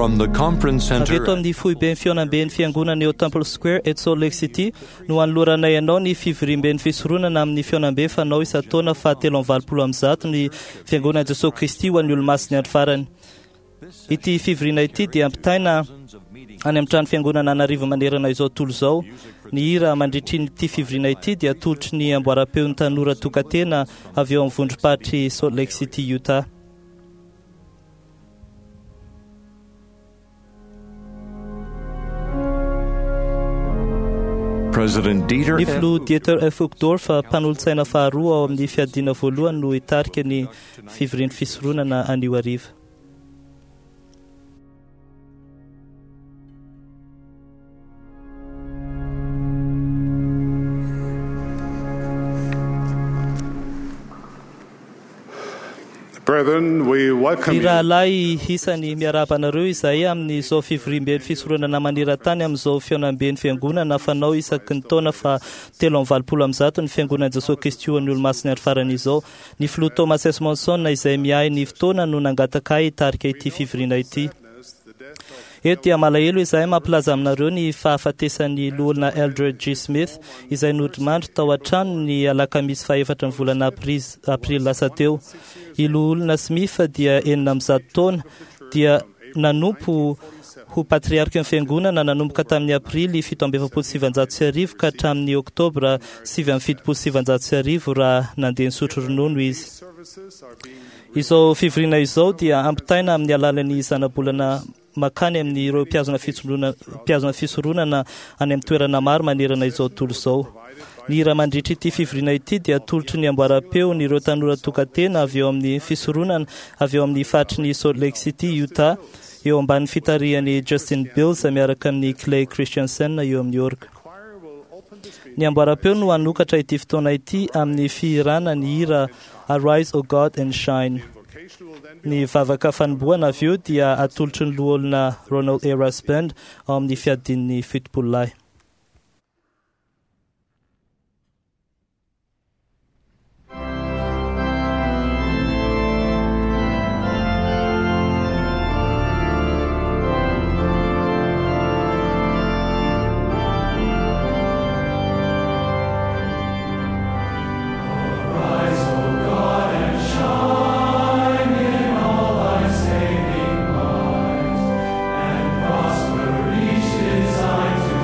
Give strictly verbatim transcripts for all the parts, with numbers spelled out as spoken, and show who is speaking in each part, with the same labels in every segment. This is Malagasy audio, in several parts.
Speaker 1: From the conference
Speaker 2: Avy
Speaker 1: center
Speaker 2: eto amin'ny foiben'ny fihaonamben'ny fiangonana eo Temple Square eto Salt Lake City no anoloranay anao ny fivoriamben'ny fisoronana amin'ny fihaonambe fanao isan-taona fahatelo amby valopolo amby zato ny fiangonana Jesosy Kristy ho an'ny olomasin'ny andro farany. Ity fivoriana ity dia ampitaina any amin'ny trano fiangonana an'arivo manerana izao tontolo izao. Ny hira mandritry ity fivoriana ity dia atolotry ny amboaram-peon'ny tanora tokantena avy eo amin'ny vondrom-paritry Salt Lake City, Utah.
Speaker 1: President Dieter
Speaker 2: Ny
Speaker 1: F.
Speaker 2: filoha Dieter F. Uchtdorf, mpanolotsaina faharoa ao amin'ny fiadiana voalohany no hitarika ny fivorian'ny fisoronana anio hariva.
Speaker 3: Brethren, we welcome
Speaker 2: Ny
Speaker 3: you
Speaker 2: rahalahy isany miarahaba anareo izay amin'izao fivoriamben'ny fisoronana maneran-tany amin'izao fihaonamben'ny fiangonana fanao isaky ny taona fa telo amby valopolo amby zato ny fiangonan'i Jesosy Kristy ho an'ny olomasin'ny andro farany izao. Ny filoha Thomas S. Monson izay miahy ny fotoana no nangataka ahy hitarika ity fivoriana ity. Eto dia malahelo izahay mampilaza aminareo ny fahafatesan'ny loholona Eldred G. Smith izay nodimandry tao an-trano ny alakamisy fahefatra ny volana aprily aprily lasa teo. I loholona Smith dia enina amby zato taona dia nanompo ho patriarka ny fiangonana nanomboka tamin'ny aprily fito amby efapolo sy sivanjato sy arivo ka hatramin'ny oktobra sivy amby fitopolo sy sivanjato sy arivo raha nandeha nisotro ronono izy. Izao fivoriana izao dia ampitaina amin'ny alalan'ny zanabolana makany amin'ireo mpihazona fitsolona- mpihazona fisoronana any amin'ny toerana maro manerana izao tontolo izao. Ny hira mandritra ity fivoriana ity dia atolotry ny amboaram-peony ireo tanora tokantena avy eo amin'ny fisoronana avy eo amin'ny faritry ny Salt Lake City, Utah, eo ambanin'ny fitarihan'i Justin Bills miaraka amin'ny Clay Christensen eo amin'ny orga. Ny amboaram-peo no hanokatra ity fotoana ity amin'ny fihirana ny hira Arise, O God, and Shine. Ny vavaka fanombohana avy eo dia atolotry ny loholona Ronald A. Rasband ao amin'ny fiadian'ny fitopolo lahy.
Speaker 4: Prosper each design to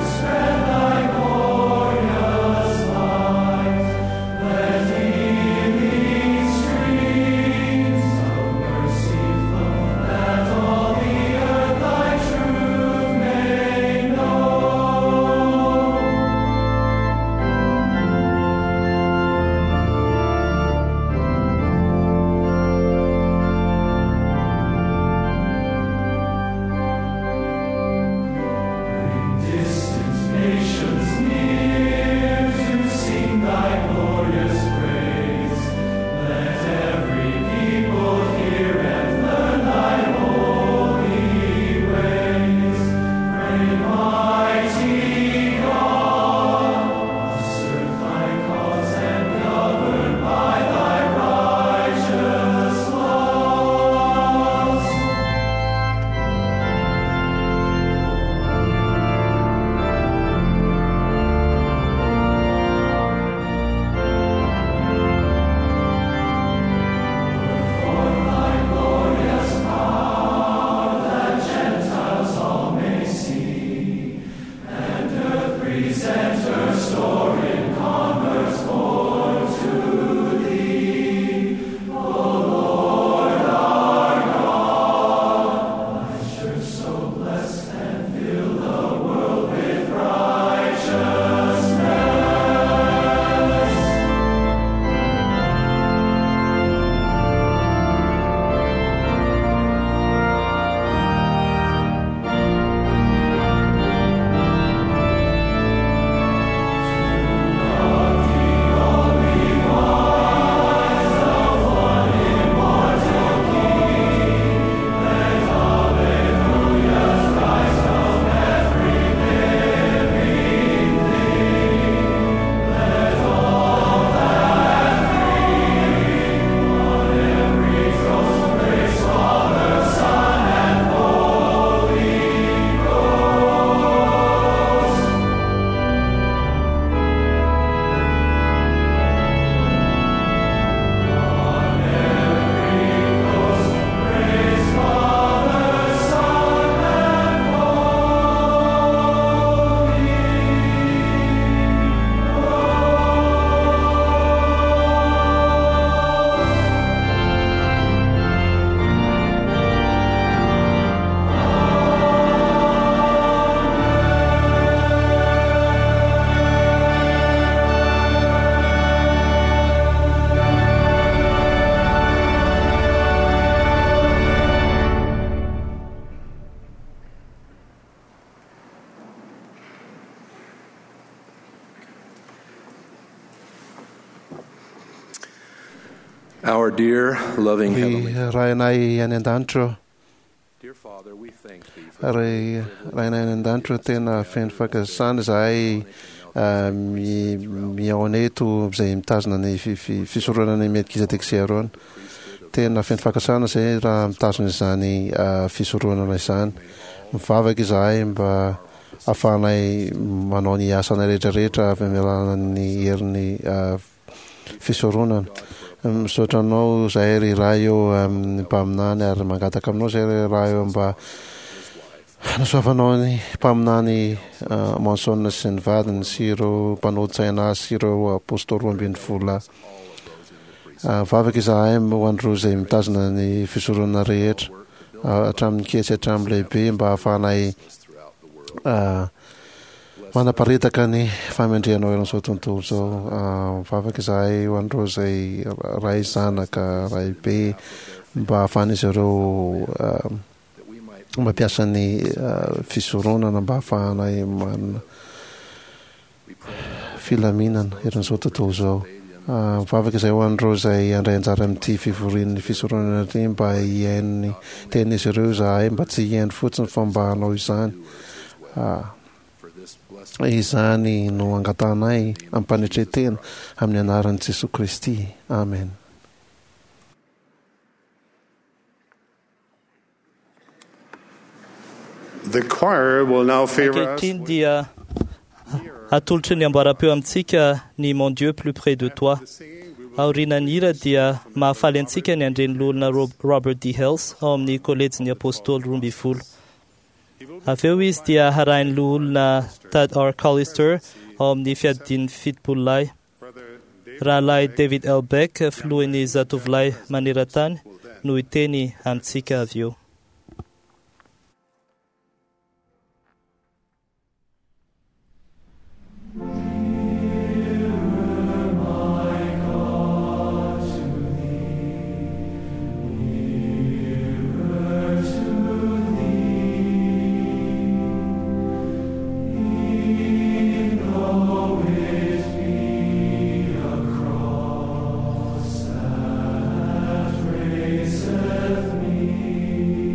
Speaker 1: Our dear, loving
Speaker 3: Ry
Speaker 1: Heavenly
Speaker 3: Rainay any an-danitra,
Speaker 1: Dear Father, we thank Thee for
Speaker 3: ry Rainay any an-danitra, tena feno fankasitrahana izahay ah, mi- mihaona eto izay mitazona ny fi- fi- fisoronana ny Melkizedeka sy Aarona. Tena feno fankasitrahana izay raha mitazona izany ah, fisoronana izany. Mivavaka izahay mba ahafahanay manao ny asanay rehetrarehetra avy amin'ny alalan'ny herin'ny ah, fisoronana. Misaotra anao zahay ry Ray eo amin'ny mpaminany ary mangataka aminao zahay ry Ray eo mba hanasoavanao ny mpaminany ah, Monson sy ny vadiny sy ireo mpanolotsaina azy sy ireo apôstôly roa ambin'ny folo lahy. Ah, Mivavaka izahay ho an'ireo izay mitazona ny fisoronana rehetra ah, hatramin'ny kely sy hatramin'ny lehibe mba ahafahanay ah, manaparitaka ny fahamendrehanao eran'izao tontolo izao. Ah, Mivavaka izahay ho an'ireo izay ray zanaka, ray be mba ahafahan'izy ireo ah, mampiasa ny ah, fisoronana mba ahafahanay manana filaminana eran'izao tontolo izao. Ah, Mivavaka izahay ho an'ireo izay handray anjara amin'ity fivorian'ny fisoronana ity mba hihaino ny tenin'izy ireo izahay mba tsy hihaino fotsiny fa mba hanao izany. Ah, izany no angatahanay ampanetren-tena amin'ny anaran'i Jesoa Kristy. Amen.
Speaker 4: The choir will now favor us
Speaker 2: Ankehitriny dia atolotry ny amboaram-peo amintsika ny Mon Dieu plus près de toi. Aorian'ny hira dia mahafaly antsika ny andren'ny loholona Rob- Robert D. Hales ao amin'ny kolejin'ny apôstôly roa ambin'ny folo. Avy eo izy dia harahin'ny loholona Tad R. Callister ao amin'ny fiadian'ny fitopolo lahy. Rahalahy David L. Beck, filohan'ny zatovolahy maneran-tany, no hiteny amintsika avy eo.
Speaker 5: Raiseth me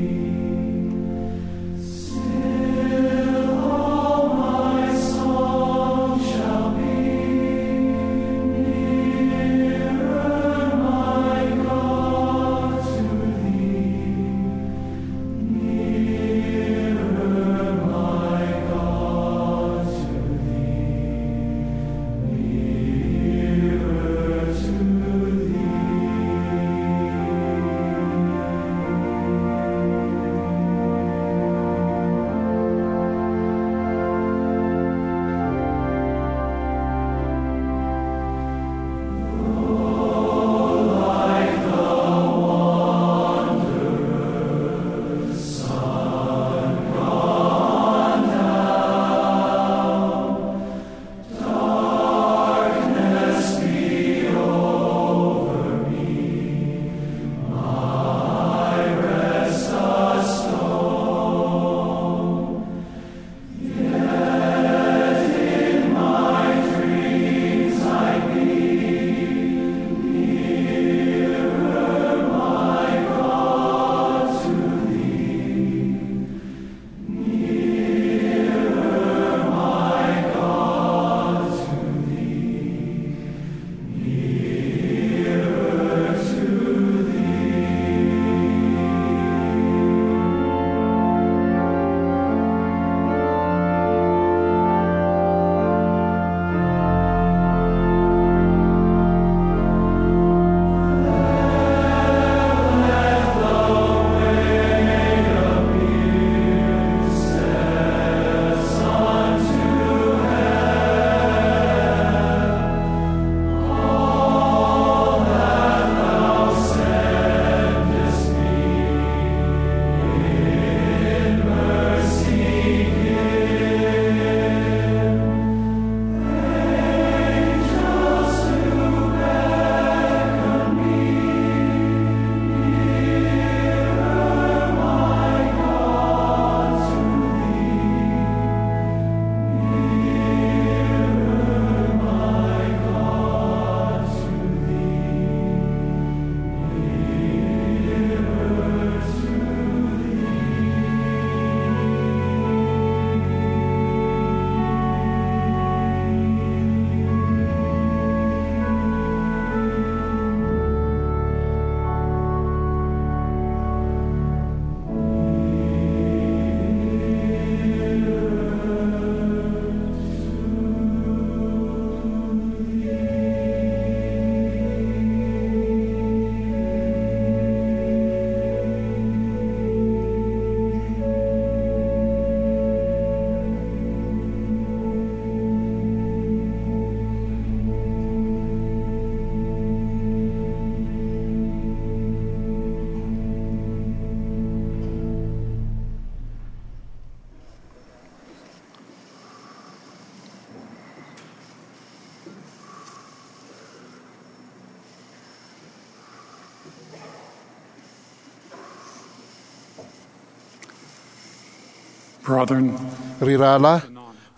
Speaker 5: Brethren,
Speaker 3: Ry rahalahy,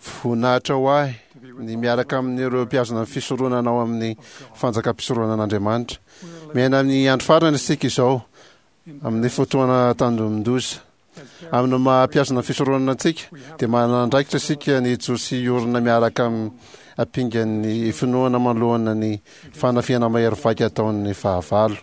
Speaker 3: voninahitra ho ahy ny miaraka amin'ireo mpihazona ny fisoronana ao amin'ny fanjakam-pisoronan'Andriamanitra. Miaina amin'ny andro farany isika izao, amin'ny fotoana tandindomin-doza. Amin'ny maha mpihazona ny fisoronana antsika, dia manana andraikitra isika ny hijoro sy hiorina miaraka amin'ny ampingan'ny finoana manoloana ny fanafihana mahery vaika ataon'ny fahavalo.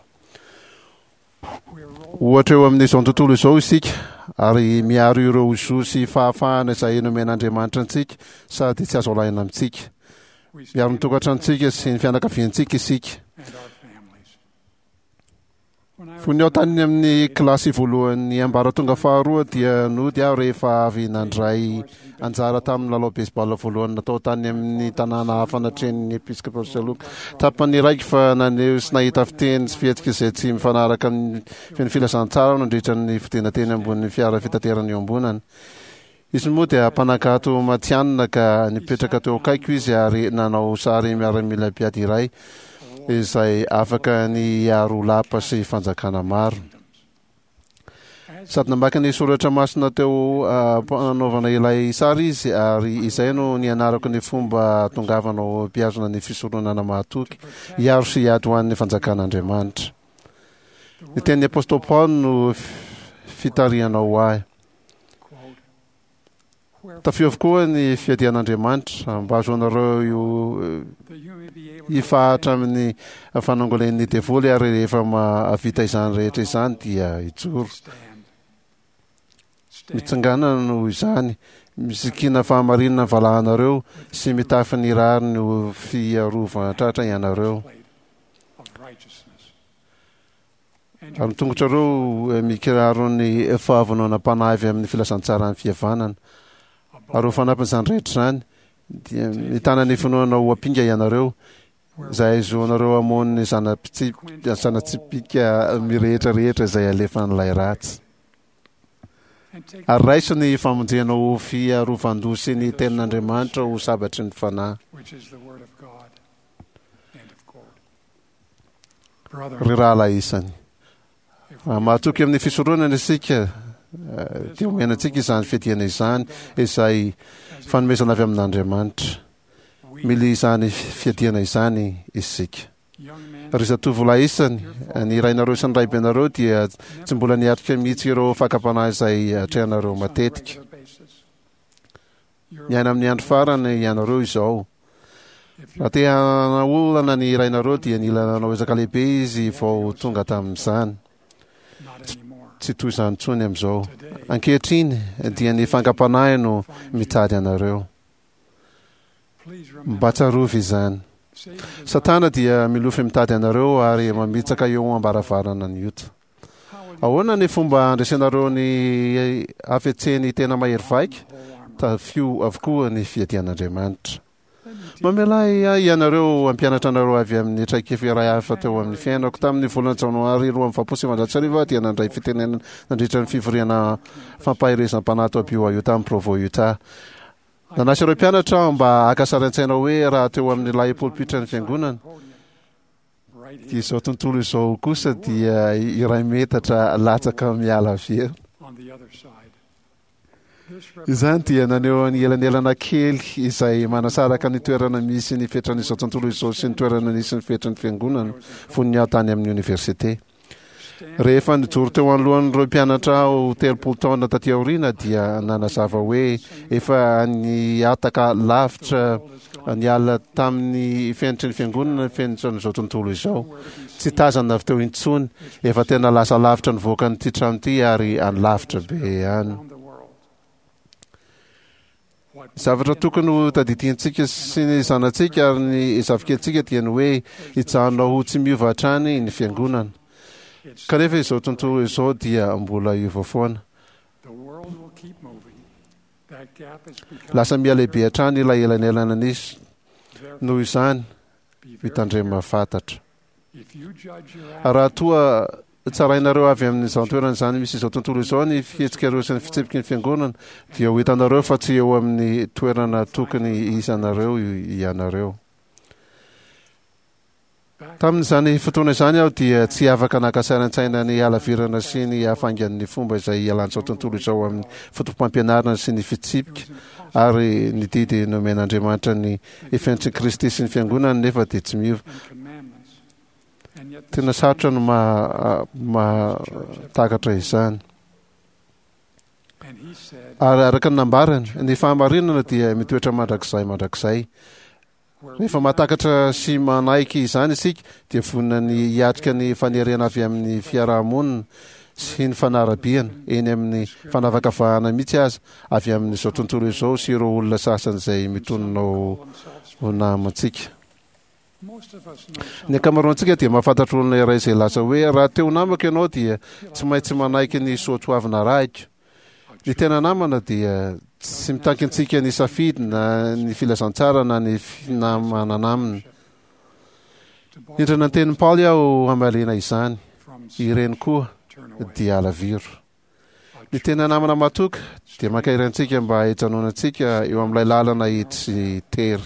Speaker 3: Ohatra eo amin'izao tontolo izao isika ary miaro ireo zo sy fahafahana izay nomen'Andriamanitra antsika sady tsy azo alaina amintsika. Miaro ny tokantranontsika sy ny fianakaviantsika isika.
Speaker 5: and our families. When I
Speaker 3: Fony aho tany amin'ny kilasy voalohan'ny ambaratonga faharoa dia nody aho rehefa avy nandray anjara tamin'ny lalao baseball voalohany natao tany amin'ny tanàna hafa natrehin'ny Episcopal Saloka. Tapany raiky fa naneho sy nahita fiteny sy fihetsika izay tsy mifanaraka amin'ny feno filazantsara aho nandritra ny fidinana teny ambonin'ny fiara fitaterana iombonana. Izy moa dia mpanankato matihanina ka nipetraka teo akaiko izy ary nanao sary miaramila mpiady iray izay afaka ny hiaro lapa sy fanjakana maro. Sady namaky ny soratra masina teo am-panaovana ilay sary izy ary izay no nianarako ny fomba tongavana ho mpihazona ny fisoronana mahatoky hiaro sy hiady ho an'ny fanjakan'Andriamanitra. Ny tenin'ny Apôstôly Paoly no fitarihana ho ahy.
Speaker 5: quote, wherefore
Speaker 3: Tafio avokoa ny fiadian'Andriamanitra mba hahazoanareo io
Speaker 5: that you may be able to
Speaker 3: hifahatra amin'ny fanangolen'ny devoly ary rehefa mahavita izany rehetra izany dia hijoro.
Speaker 5: stand. Stand
Speaker 3: Mitsangana noho izany, misikina fahamarinana ny valahanareo sy mitafy ny rariny ho fiarovan-tratra ianareo.
Speaker 5: plate of righteousness. And
Speaker 3: Ary ny tongotrareo eh, mikiraro ny fahavononam-panahy avy amin'ny filazantsaran'ny fihavanana. Ary ho fanampin'izany rehetra izany, dia mitana ny finoana ho ampinga ianareo, izay ahazoanareo hamono ny zana-pitsip- zana-tsipìka mirehetra rehetra izay alefan'ilay ratsy.
Speaker 5: and take
Speaker 3: Ary raiso ny famonjena ho fiarovan-doha sy ny tenin'Andriamanitra ho sabatry ny fanahy.
Speaker 5: which is the word of God. End of quote.
Speaker 3: Ry
Speaker 5: Brethren,
Speaker 3: rahalahy isany,
Speaker 5: if
Speaker 3: raha mahatoky amin'ny fisoronana isika, eh, dia omena antsika izany fiadiana izany, izay fanomezana avy amin'Andriamanitra.
Speaker 5: we
Speaker 3: Mila izany fiadiana izany isika.
Speaker 5: young men
Speaker 3: Ry zatovolahy isany, ny rainareo sy ny raibenareo dia tsy mbola niatrika mihitsy ireo fakam-panahy izay atrehanareo
Speaker 5: on a
Speaker 3: matetika.
Speaker 5: regular basis. Your
Speaker 3: Miaina amin'ny andro farany ianareo izao.
Speaker 5: if you
Speaker 3: Raha te hanaolana ny rainareo dia nila nanao ezaka lehibe izy vao tonga tamin'izany.
Speaker 5: not anymore.
Speaker 3: Tsy toy izany intsony amin'izao.
Speaker 5: Today,
Speaker 3: Ankehitriny dia ny fankam-panahy no mitady anareo.
Speaker 5: please remember
Speaker 3: Mba tsarovy izany.
Speaker 5: Satan desires
Speaker 3: Satana dia milofy mitady anareo ary mamitsaka eo am-baravarana ny ota.
Speaker 5: how will you
Speaker 3: Ahoana ny fomba handresenareo ny hafetseny tena mahery vaika?
Speaker 5: the whole armor?
Speaker 3: Tafio avokoa ny fiadian'Andriamanitra.
Speaker 5: Let me teach
Speaker 3: Mamela ahy ianareo hampianatra anareo avy amin'ny traikefa iray hafa teo amin'ny fiainako. Tamin'ny volana janoary roa amby valopolo sy sivinjato sy arivo aho dia nandray fitenenana nandritra ny fivoriana fampaherezam-panahy tao B Y U tamin'ny Provo, Utah. Nanasa ireo mpianatra aho mba haka sary an-tsaina hoe raha teo amin'ilay polipitran'ny fiangonana
Speaker 5: podium right
Speaker 3: dia
Speaker 5: here
Speaker 3: izao tontolo izao kosa dia iray metatra latsaka miala avy eo.
Speaker 5: on the other side. This
Speaker 3: Izany dia naneho ny elanelana kely izay manasaraka ny toerana misy ny fetran'izao tontolo izao sy ny toerana nisy ny fetran'ny fiangonana fony aho tany amin'ny université. Rehefa nijoro teo anoloan'ireo mpianatra aho telopolo taona taty aoriana dia nanazava hoe efa nihataka lavitra niala tamin'ny fenitry ny fiangonana ny fenitran'izao tontolo izao. Tsy tazana avy teo intsony, efa tena lasa lavitra nivoaka an'ity trano ity ary any lavitra be any.
Speaker 5: around the world. What
Speaker 3: Zavatra tokony ho tadidiantsika sy ny zanatsika ary ny zafikelitsika dia ny hoe hijanona ho tsy miova hatrany ny fiangonana.
Speaker 5: it's
Speaker 3: Kanefa izao tontolo izao dia mbola hiova foana.
Speaker 5: the world will keep moving. That gap is becoming
Speaker 3: Lasa mihalehibe hatrany ilay elanelana nisy.
Speaker 5: Therefore,
Speaker 3: Noho izany,
Speaker 5: be very
Speaker 3: mitandrema fantatra.
Speaker 5: If you judge your
Speaker 3: Raha toa tsarainareo avy amin'izao toerana izany misy izao tontolo izao ny fihetsikareo sy ny fitsipiky ny fiangonana dia ho hitanareo fa tsy eo amin'ny toerana tokony isanareo ianareo. Tamin'izany fotoana izany aho dia tsy afaka naka sary an-tsaina ny halavirana sy ny hafaingan'ny fomba izay ialan'izao tontolo izao amin'ny foto-pampianarana sy ny fitsipika ary ny didy nomen'Andriamanitra ny efents'i Kristy sy ny fiangonany, nefa dia tsy miova. Tena sarotra no mahatakatra izany. Ary araka ny nambarany, ny fahamarinana dia mitoetra mandrakizay mandrakizay. Rehefa mahatakatra sy manaiky izany isika dia vonona ny hiatrika ny fanerena avy amin'ny fiarahamonina sy ny fanarabiana eny amin'ny fanavakavahana mihitsy aza avy amin'izao tontolo izao sy ireo olona sasany izay mitonona ho namantsika. Ny ankamaroantsika dia mahafantatra olona iray izay lasa hoe raha teo namako ianao dia tsy maintsy manaiky ny soatoavina arahiko. Ny tena namana dia tsy mitaky antsika ny safidy na ny filazantsara na ny finamanana aminy. Nindrana ny tenin'i Paoly aho hamaliana izany, ireny koa dia alaviro. Ny tena namana matoky dia mankahery antsika mba hijanonantsika eo amin'ilay lalana hitsy sy tery.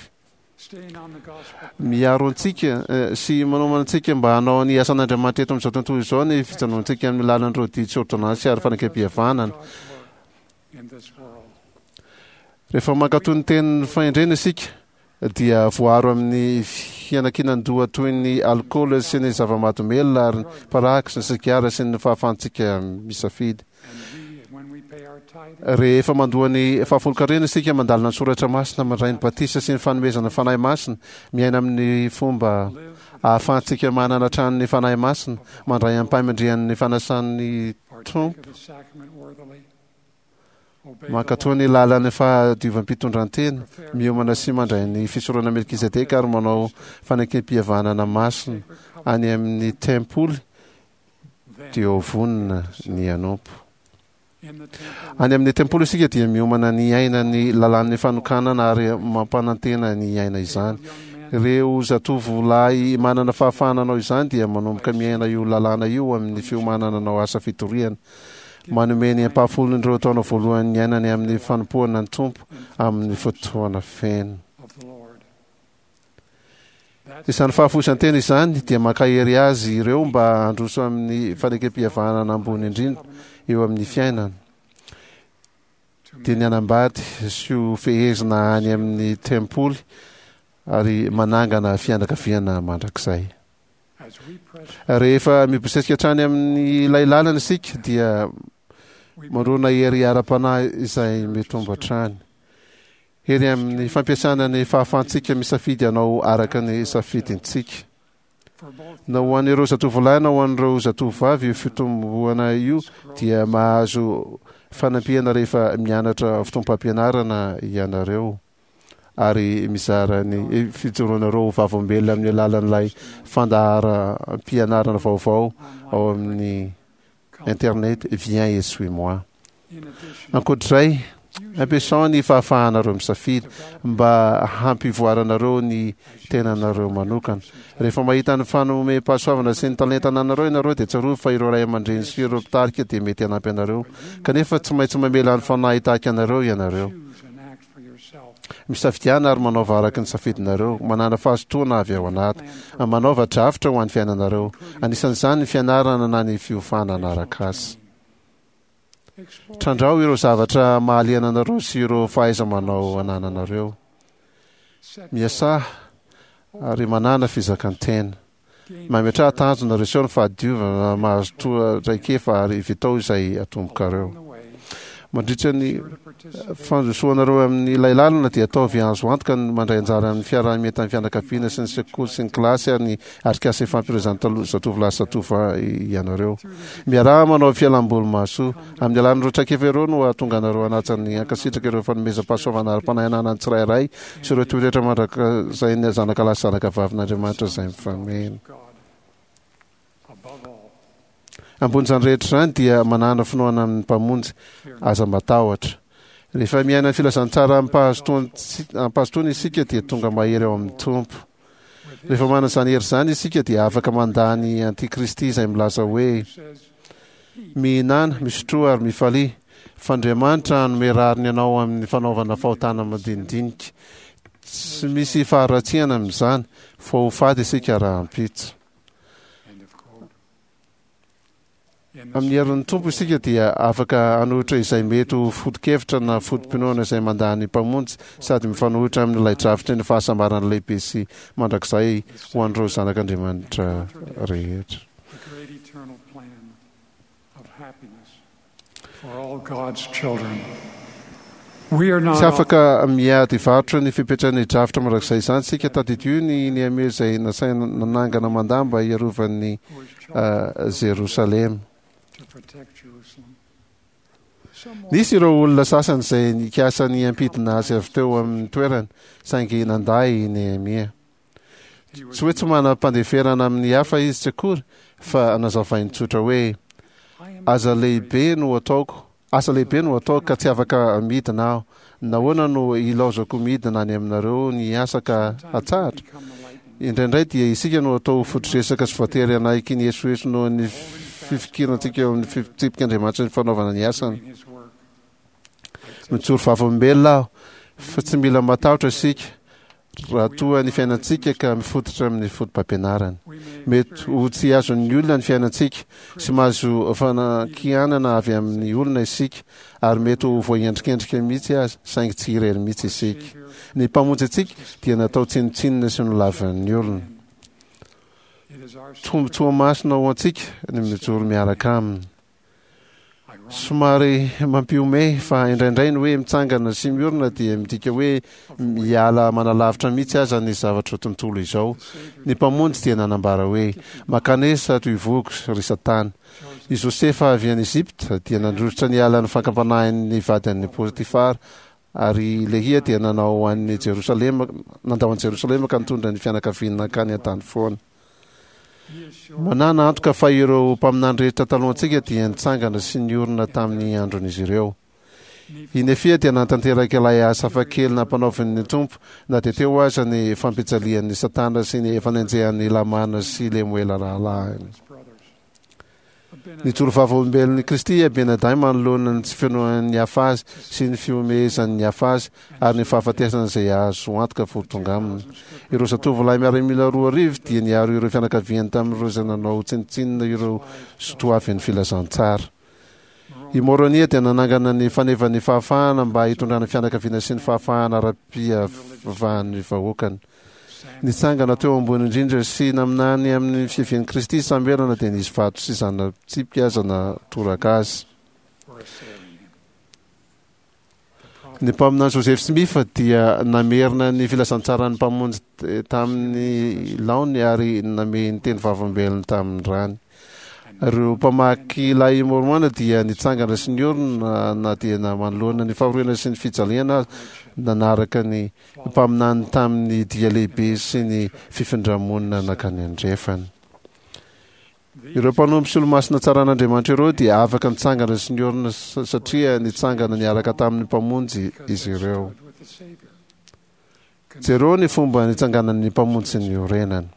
Speaker 3: Miaro antsika sy manomana antsika mba hanao ny asan'Andriamanitra eto amin'izao tontolo izao ny fijanonantsika amin'ny lalan'ireo didy sy ôrdônansy ary fanekempihavanana. Rehefa mankatò ny tenin'ny fahendrena isika dia voaro amin'ny fianakinan-doha toy ny alkaola sy ny zava-mahadomelina ary ny paraky sy ny sigara sy ny fahafahantsika misafidy. Rehefa mandoa ny fahafolonkarena isika, mandalina ny soratra masina, mandray ny batisa sy ny fanomezana fanahy masina, miaina amin'ny fomba ahafahantsika manana hatrany ny fanahy masina, mandray ampahimandrian'ny fanasan'ny Tompo, mankatò ny lalan'ny fahadiovam-pitondrantena, miomana sy mandray ny fisorona Melkizedeka ary manao fanekempihavanana masina any amin'ny tempoly, dia ho vonona ny hanompo. Any amin'ny tempoly isika dia miomana ny hiaina ny lalàn'ny fanokanana ary mampanantena ny hiaina izany. Ireo zatovolahy manana fahafahana hanao izany dia manomboka miaina io lalàna io amin'ny fiomanana hanao asa fitoriana. Manome ny ampahafolon'ireo taona voalohany niainany amin'ny fanompoana ny Tompo amin'ny fotoana feno. Izany fahafoizan-tena izany dia mankahery azy ireo mba handroso amin'ny fanekempihavanana ambony indrindra eo amin'ny fiainana, dia ny hanambady sy ho fehezina any amin'ny tempoly ary manangana fianakaviana mandrakizay. Rehefa mibosesika hatrany amin'ilay lalana isika dia mandrona hery ara-panahy izay mitombo hatrany. Hery amin'ny fampiasana ny fahafahantsika misafidy hanao araka ny safidintsika. Na ho an'ireo zatovolahy na ho an'ireo zatovovavy io fitomboana io dia mahazo fanampiana rehefa mianatra fotoam-pampianarana ianareo ary mizara ny fijoroanareo ho vavolombelona amin'ny alalan'ilay fandaharam-pianarana vaovao ao amin'ny internet Viens et suis-moi. Ankoatr'izay, ampiasao ny fahafahanareo misafidy mba hampivoaranareo ny tenanareo manokana. Rehefa mahita ny fanomem-pahasoavana sy ny talenta ananareo ianareo dia tsarovy fa ireo ray aman-dreny sy ireo mpitarika dia mety hanampy anareo, kanefa tsy maintsy mamela ny fanahy hitaky anareo ianareo. Misafidiana ary manaova araka ny safidinareo, manàna fahazotoana avy ao anaty, manaova drafitra ho an'ny fiainanareo, anisan'izany ny fianarana na ny fiofanana arak'asa. Trandraho ireo zavatra mahaliana anareo sy ireo fahaiza-manao anananareo. Miasà ary manàna fizakan-tena. Mametraha tanjona, reseho ny fahadiovana, mahazotoa traikefa ary vitao izay atombokareo. Mandritra ny fandrosoanareo amin'ilay lalana dia ataovy azo antoka ny mandray anjara amin'ny fiaraha-mientan'ny fianakaviana sy ny sekoly sy ny kilasy ary ny atrikasa ifampirezan'ny taloha zatovolahy sy zatovovavy ianareo. Miaraha manao fialamboly mahasoa. Amin'ny alalan'ireo traikefa ireo no hahatonga anareo hanaja ny hankasitraka ireo fanomezam-pahasoavana ara-panahy ananan'ny tsirairay sy ireo toetra mandrakizay zanakalahy sy zanakavavin'Andriamanitra izay mifameno. Ambonin'izany rehetra izany dia manàna finoana amin'ny Mpamonjy, aza matahotra. Rehefa miaina ny filazantsara amim-pahazotoana isika dia tonga mahery ao amin'ny Tompo. Rehefa manana izany hery izany isika dia afaka mandà ny antikristy izay milaza hoe, Mihinàna, misotroa ary mifalia, fa Andriamanitra hanome rariny anao amin'ny fanaovana fahotana madinidinika. Tsy misy faharatsiana amin'izany fa ho faty isika rahampitso. Amin'ny herin'ny Tompo isika dia afaka hanohitra izay mety ho foto-kevitra na foto-pinoana izay mandà ny Mpamonjy sady mifanohitra amin'ilay drafitry ny fahasambarana lehibe sy mandrakizay ho an'ireo zanak'Andriamanitra rehetra.
Speaker 5: The great eternal plan of happiness for all God's children. We are not
Speaker 3: Tsy afaka miady varotra ny fipetran'ny drafitra mandrakizay izany isika. Tadidio ny Nehemia izay nasaina nanangana manda mba hiarovan'ny
Speaker 5: who is
Speaker 3: uh,
Speaker 5: charged
Speaker 3: Jerosalema.
Speaker 5: to protect Jerusalem. Some
Speaker 3: Nisy ireo olona sasany izay nikasa ny hampidina azy avy teo amin'ny toerany, saingy nandà i Nehemia.
Speaker 5: he was
Speaker 3: Tsy hoe tsy manam-pandeferana amin'ny hafa izy tsy akory, fa nazavainy tsotra hoe
Speaker 5: I am
Speaker 3: aza lehibe no ataoko, asa lehibe no ataoko ka tsy afaka midina aho. Nahoana no ilaozako midina any aminareo ny asa ka
Speaker 5: sometimes we
Speaker 3: hatsahatra?
Speaker 5: become the lightning.
Speaker 3: Indraindray dia isika no atao foto-dresaka sy voatery hanaiky ny esoeso noho ny fifikirantsika eo amin'ny fitsipik'Andriamanitra ny fanaovana ny asany.
Speaker 5: Doing his work.
Speaker 3: Mijoro vavolombelona aho fa tsy mila matahotra isika raha toa ny fiainantsika ka mifototra amin'ny foto-pampianarana.
Speaker 5: We may
Speaker 3: Mety ho
Speaker 5: experience
Speaker 3: tsy azon'ny olona ny fiainantsika sy mahazo fanakianana avy amin'ny olona isika ary mety ho voaendrikendrika mihitsy aza, saingy tsy irery mihitsy isika.
Speaker 5: Savior
Speaker 3: Ny mpamonjy antsika dia natao tsinontsinona sy nolavin'ny olona.
Speaker 5: It is our
Speaker 3: Tombontsoa masina ho antsika ny mijoro miaraka aminy.
Speaker 5: ironic
Speaker 3: Somary mampihomehy fa indraindray ny hoe mitsangana sy miorina dia midika hoe miala manalavitra mihitsy aza ny zavatra tontolo izao.
Speaker 5: the Savior
Speaker 3: Ny mpamonjy dia nanambara hoe makanesa ato ivohoko ry Satana. I Josefa avy any Egypta dia nandrosotra ny alan'ny fankam-panahin'ny vadin'i Potifara ary Lehia dia nanao an'i Jerosalema nandao an'i Jerosalema ka nitondra ny fianakaviany nankany an-tany foana.
Speaker 5: He assured
Speaker 3: Manana antoka fa ireo mpaminany rehetra talohantsika dia nitsangana sy niorina tamin'ny andron'izy ireo.
Speaker 5: Nephi
Speaker 3: I Nefia dia nanatanteraka ilay asa hafakely nampanaovin'ny Tompo na dia teo aza ny fampijalian'ny Satana sy ny fanenjehan'ny Lamana sy Lemoela rahalahiny.
Speaker 5: his brothers. Abinadi
Speaker 3: Nijoro vavolombelon'i Kristy i Abinadahy manoloana ny tsy finoan'ny hafa azy sy ny fihomehezan'ny hafa azy ary ny fahafatesana izay azo antoka fo tonga aminy. Ireo zatovolahy miaramila roa arivo dia niaro ireo fianakaviany tamin'ireo izay nanao tsinontsinona ireo sotoavin'ny filazantsara. I Moronia dia nanangana ny fanevan'ny fahafahana mba hitondrana fianakaviana sy ny fahafahana ara-pivavahan'ny vahoakany. Nitsangana teo ambony indrindra sy naminany amin'ny fiavian'i Kristy Samoela na dia nisy vato sy zana-tsipika aza natoraka azy.
Speaker 5: were assailing him. The
Speaker 3: Ny
Speaker 5: prophet
Speaker 3: mpaminany Joseph Smith dia namerina ny filazantsaran'ny mpamonjy t- tamin'ny laony ary namehy ny teny vavolombelony tamin'ny rany.
Speaker 5: and
Speaker 3: Ireo mpamaky ilay Mormona dia nitsangana sy niorina na dia na manoloana ny fahoriana sy ny fijaliana aza, nanaraka ny mpaminany tamin'ny dia lehibe sy ny fifindramonina nankany andrefana. Ireo mpanompo sy olomasina tsaran'Andriamanitra ireo dia afaka nitsangana sy niorina sa- satria nitsangana niaraka tamin'ny mpamonjy
Speaker 5: because
Speaker 3: izy
Speaker 5: they
Speaker 3: ireo.
Speaker 5: stood with the Savior.
Speaker 3: Jereo ny fomba nitsanganan'ny mpamonjy sy niorenany.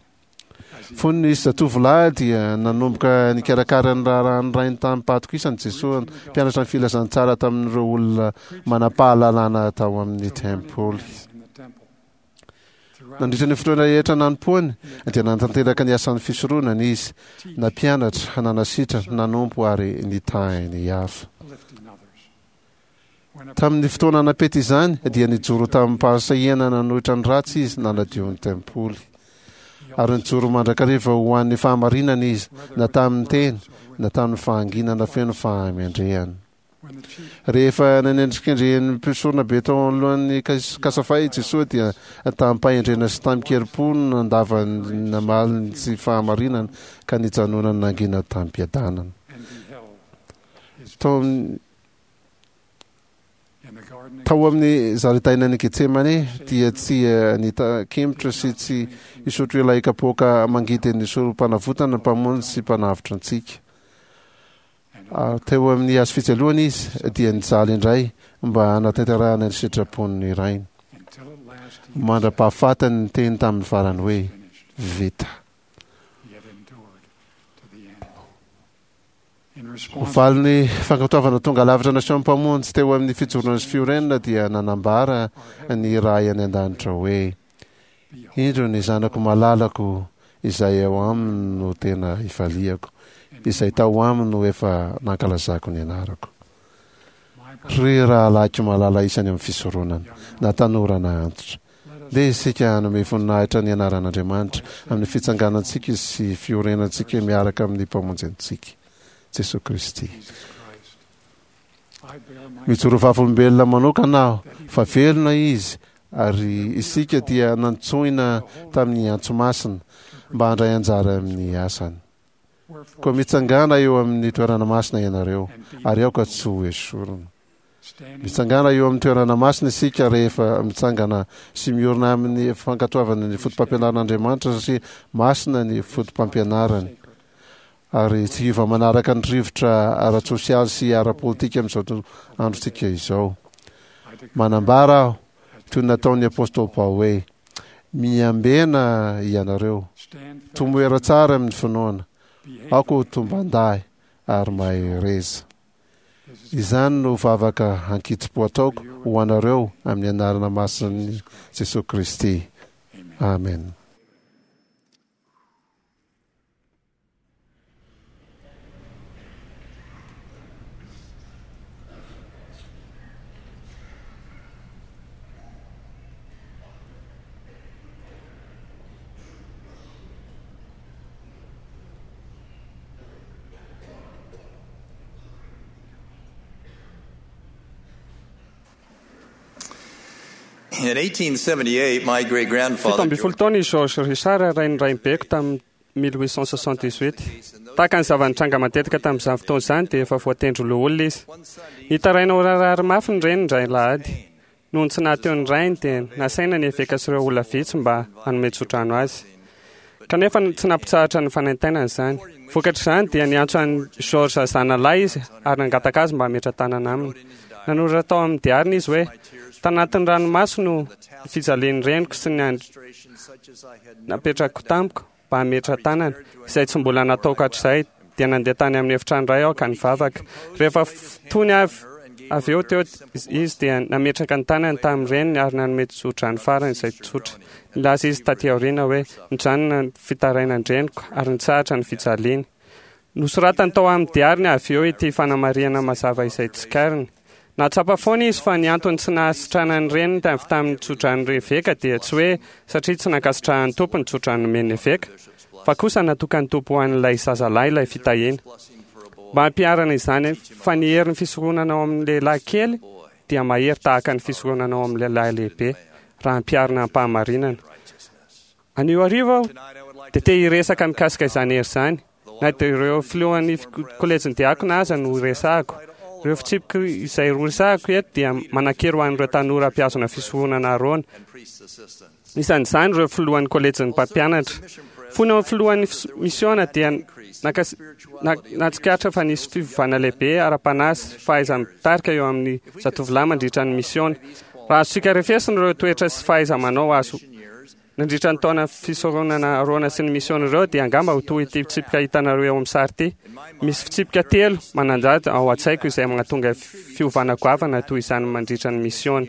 Speaker 5: As he
Speaker 3: Fony izy zatovolahy dia nanomboka nikarakara ny raharahan'ny rainy tamim-pahatokisana Jesoa, mpianatra ny filazantsara tamin'ireo olona manam-pahalalana tao amin'ny tempoly.
Speaker 5: in the temple. Throughout
Speaker 3: Nandritra ny fotoana rehetra nanompoany dia nanatanteraka ny asan'ny fisoronana izy, nampianatra, nanasitrana, nanompo ary nitahy ny hafa.
Speaker 5: lifting others. When a
Speaker 3: Tamin'ny fotoana napety izany dia nijoro tamin'ny-pahasahiana nanohitra ny ratsy izy nanadio ny tempoly.
Speaker 5: he
Speaker 3: Ary nijoro mandrakariva ho an'ny fahamarinana izy, na tamin'ny teny, na tamin'ny fahanginana feno fahamendrehana.
Speaker 5: when the chief
Speaker 3: Rehefa nanendrikendrehan'ny mpisorona be tao anoloan'ny Kas- Kasafay i Jesoa dia tamim-pahendrena sy tamin-kerim-po no nandavany namaly ny tsy fahamarinana ka nijanonany nangina tamim-piadanana.
Speaker 5: and beheld his
Speaker 3: Tao amin'ny
Speaker 5: in the garden
Speaker 3: tao amin'ny zaridainan'i Getsemane dia tsy eh, nitakemotra sy tsy hisotro ilay kapoaka mangidin'ny sorom-panavotana mpamonjy sy mpanavotra antsika.
Speaker 5: and
Speaker 3: Ary teo amin'ny hazo fijaliana izy dia nijaly indray mba hanatanterahana ny sitrapon'ny rainy.
Speaker 5: until at last he
Speaker 3: Mandra-pahafatany ny teny tamin'ny farany hoe
Speaker 5: finished,
Speaker 3: vita.
Speaker 5: yet endured to the end.
Speaker 3: Ho valin'ny fankatoavana tonga lavitra nasehon'ny Mpamonjy teo amin'ny fijoroana sy fiorenana dia nanambara ny Ray any an-danitra hoe: "Indro ny zanako malalako izay ao aminy no tena ifaliako, izay tao aminy no efa nankalazako ny anarako." Ry rahalahiko malala isany amin'ny fisoronana, na tanora na antitra, ndeha isika hanome voninahitra ny anaran'Andriamanitra amin'ny fitsanganantsika sy fiorenantsika miaraka amin'ny Mpamonjy antsika, Jesosy Kristy. Mijoro vavolombelona manokana aho fa velona Izy ary isika dia nantsoina tamin'ny antso masina mba handray anjara amin'ny asany. Koa mitsangàna eo amin'ny toerana masina ianareo ary aoka tsy ho esorina. Mitsangàna eo amin'ny toerana masina isika rehefa mitsangana sy miorina amin'ny fankatoavana ny fotopampianaran'Andriamanitra satria masina ny fotopampianarany ary tsy hiova manaraka ny rivotra ara-tsosialy sy ara-politika amin'izao androntsika izao. Manambara aho, toy ny nataon'ny apostoly Paoly hoe: "Miambena ianareo, tomoera tsara amin'ny finoana, aoka ho tomban-dahy ary mahereza." Izany no vavaka ankitsim-po ataoko ho anareo amin'ny anarana masin'i Jesosy Kristy. Amen.
Speaker 6: In eighteen seventy-eight, my great-grandfather
Speaker 7: Fito ambin'ny folo taona i George Richard rain'ny rainibeko tamin'ny mille huit cent soixante-dix-huit. Tahaka ny zava-nitranga matetika tamin'izany fotoana izany dia efa voatendry loholona izy. Nitaraina ho rarary mafy ny reniny indray alahady. Noho ny tsy nahateo ny rainy dia nasaina ny eveka sy ireo olona vitsy mba hanome tsodrano azy. Kanefa tsy nampitsahatra ny fanaintainana izany. Vokatr'izany dia niantso an'i George zanalahy izy ary nangataka azy mba hametra-tanana aminy. Nanoratra tao amin'ny diariny izy hoe: "Tanatin'ny ranomaso no fijalian'ny reniko sy ny andry napetrako tamiko mba hametra-tanana, izay tsy mbola nataoko hatrizay, dia nandeha tany amin'ny efitrano iray aho ka nivavaka. Rehefa tony avy avy eo teo izy dia nametraka ny tanany tamin'ny reniny ary nanome tsodrano farany izay tsotra. Nilaza izy taty aoriana hoe: "Nijanona ny fitarainan-dreniko ary nitsahatra ny fijaliany." Nosoratany tao amin'ny diariny avy eo ity fanamarihana mazava izay tsikariny. Nahatsapa foana izy fa ny antony tsy nahasitrana ny reniny avy tamin'ny tsodrano eveka dia tsy hoe satria tsy nankasitrahan'ny Tompo ny tsodrano nomen'ny eveka, fa kosa natokan'ny Tompo ho an'ilay zazalahy ilay fitahiana. Mba hampiharana izany fa ny herin'ny fisoronana ao amin'ny lehilahy kely dia mahery tahaka ny fisoronana ao amin'ny lehilahy lehibe raha ampiharina am-pahamarinana. Anio hariva aho dia te hiresaka mikasika izany hery izany, na dia ireo filohan'ny kolejin'ny diakona aza no resahako. Ireo fitsipiko izay roresahako eto dia manan-kery ho an'ireo tanora mpihazona fisoronana Arona. Isan'izany ireo filohan'ny kolejin'ny mpampianatra. Fony ao filohan'ny misiona dia nahatsikaritra fa nisy fiovana lehibe ara-panahy sy fahaiza-mitarika eo amin'ny zatovolahy mandritra ny misiona. Raha azontsika refesina ireo toetra sy fahaiza-manao azo nandritra ny taona fisoronana Arona sy ny misiona ireo dia angamba ho toy ity fitsipika hitanareo eo amin'ny sary ity. Misy fitsipika telo manan-danja ao an-tsaiko izay mahatonga fiovana goavana toy izany mandritra ny misiona.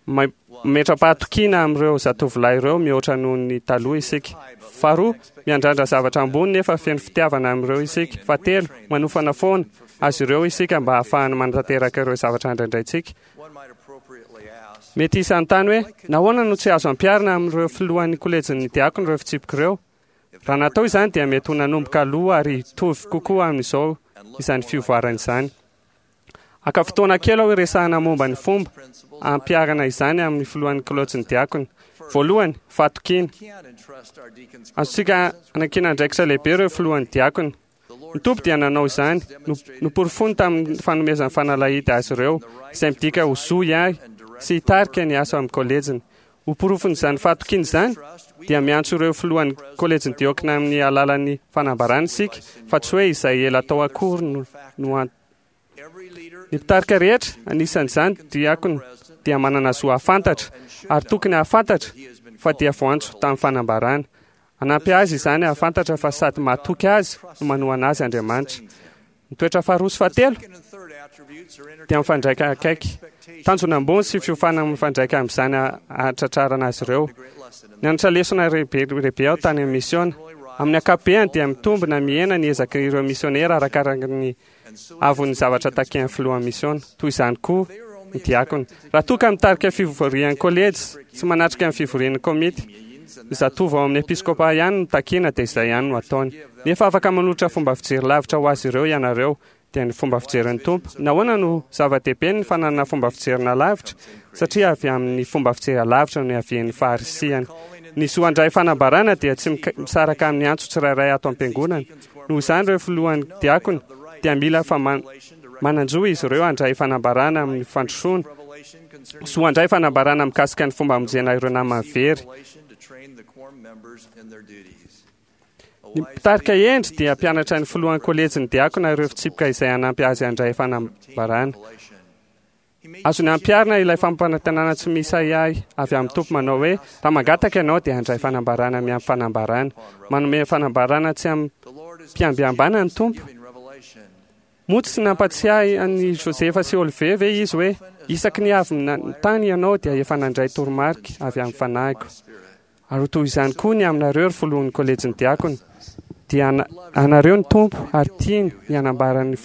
Speaker 7: Mametra-pahatokiana amin'ireo zatovolahy ireo mihoatra noho ny taloha isika. Faharoa, miandrandra zavatra ambony nefa feno fitiavana amin'ireo isika. Fahatelo, manofana foana azy ireo isika mba hahafahany manatanteraka ireo zavatra andraindraintsika. Mety hisy hanontany hoe: "Nahoana no tsy azo ampiharina amin'ireo filohan'ny kolejin'ny diakona ireo fitsipika ireo?" Raha natao izany dia mety ho nanomboka aloha ary hitovy kokoa amin'izao izany fivoarana izany. Haka fotoana kely aho hiresahana momba ny fomba hampiharana izany amin'ny filohan'ny kolejin'ny diakona. Voalohany, fahatokiana. Azontsika anankina andraikitra lehibe ireo filohan'ny diakona. Ny Tompo dia nanao izany, noporofoiny tamin'ny fanomezany fanalahidy azy ireo, izay midika ho zo hiahy sy hitarika ny asa amin'ny kolejiny. Ho porofon'izany fahatokiana izany, dia miantso ireo filohan'ny kolejin'ny diakona amin'ny alalan'ny fanambarana isika, fa tsy hoe izay ela atao akory no no antony. Ny mpitarika rehetra, anisan'izany diakona, dia manana zo hahafantatra ary tokony hahafantatra fa dia voantso tamin'ny fanambarana. Hanampy azy izany hahafantatra fa sady mahatoky azy no manohana azy Andriamanitra. Ny toetra faharoa sy fahatelo dia mifandraika akaiky. Tanjona ambony sy fiofanana mifandraika amin'izany ahatratrarana azy ireo. Nianatra lesona lehibe lehibe aho tany amin'ny misiona. Amin'ny ankapobeny dia mitombo na mihena ny ezaka ireo misionera arakaraka ny avon'ny zavatra takian'ny filohan'ny misiona. Toy izany koa ny diakona. Raha toa ka mitarika fivorian'ny kolejy sy manatrika ny fivorian'ny komity, ny zatovo ao amin'ny episkopa ihany no takiana dia izay ihany no ataony. Nefa afaka manolotra fomba fijery lavitra ho azy ireo ianareo, dia ny fomba fijerin'ny Tompo. Nahoana no zava-dehibe ny fananana fomba fijerina lavitra? Satria avy amin'ny fomba fijery lavitra no iavian'ny faharisihana. Ny zo handray fanambarana dia tsy misaraka amin'ny antso tsirairay ato am-piangonana. Noho izany ireo filohan'ny diakona dia mila fa manan-jo izy ireo handray fanambarana amin'ny fandrosoana, zo handray fanambarana mikasika ny fomba hamonjena ireo namany very. Ny mpitarika hendry dia mpianatra ny filohan'ny kolejin'ny diakona ireo fitsipika izay hanampy azy handray fanambarana. Azony ampiharina ilay fampanantenana tsy misy ahiahy avy amin'ny Tompo manao hoe raha mangataka ianao dia handray fanambarana miampy fanambarana. Manome fanambarana tsy amim-piambiambana ny Tompo. Moa tsy nampatsiahy an'i Josefa sy Olivier ve izy hoe isaky ny avy tany ianao dia efa nandray toromarika avy amin'ny fanahiko. Ary ho toy izany koa ny aminareo ry filohan'ny kolejin'ny diakona. Dia anareo ny Tompo ary tiany ny hanambara ny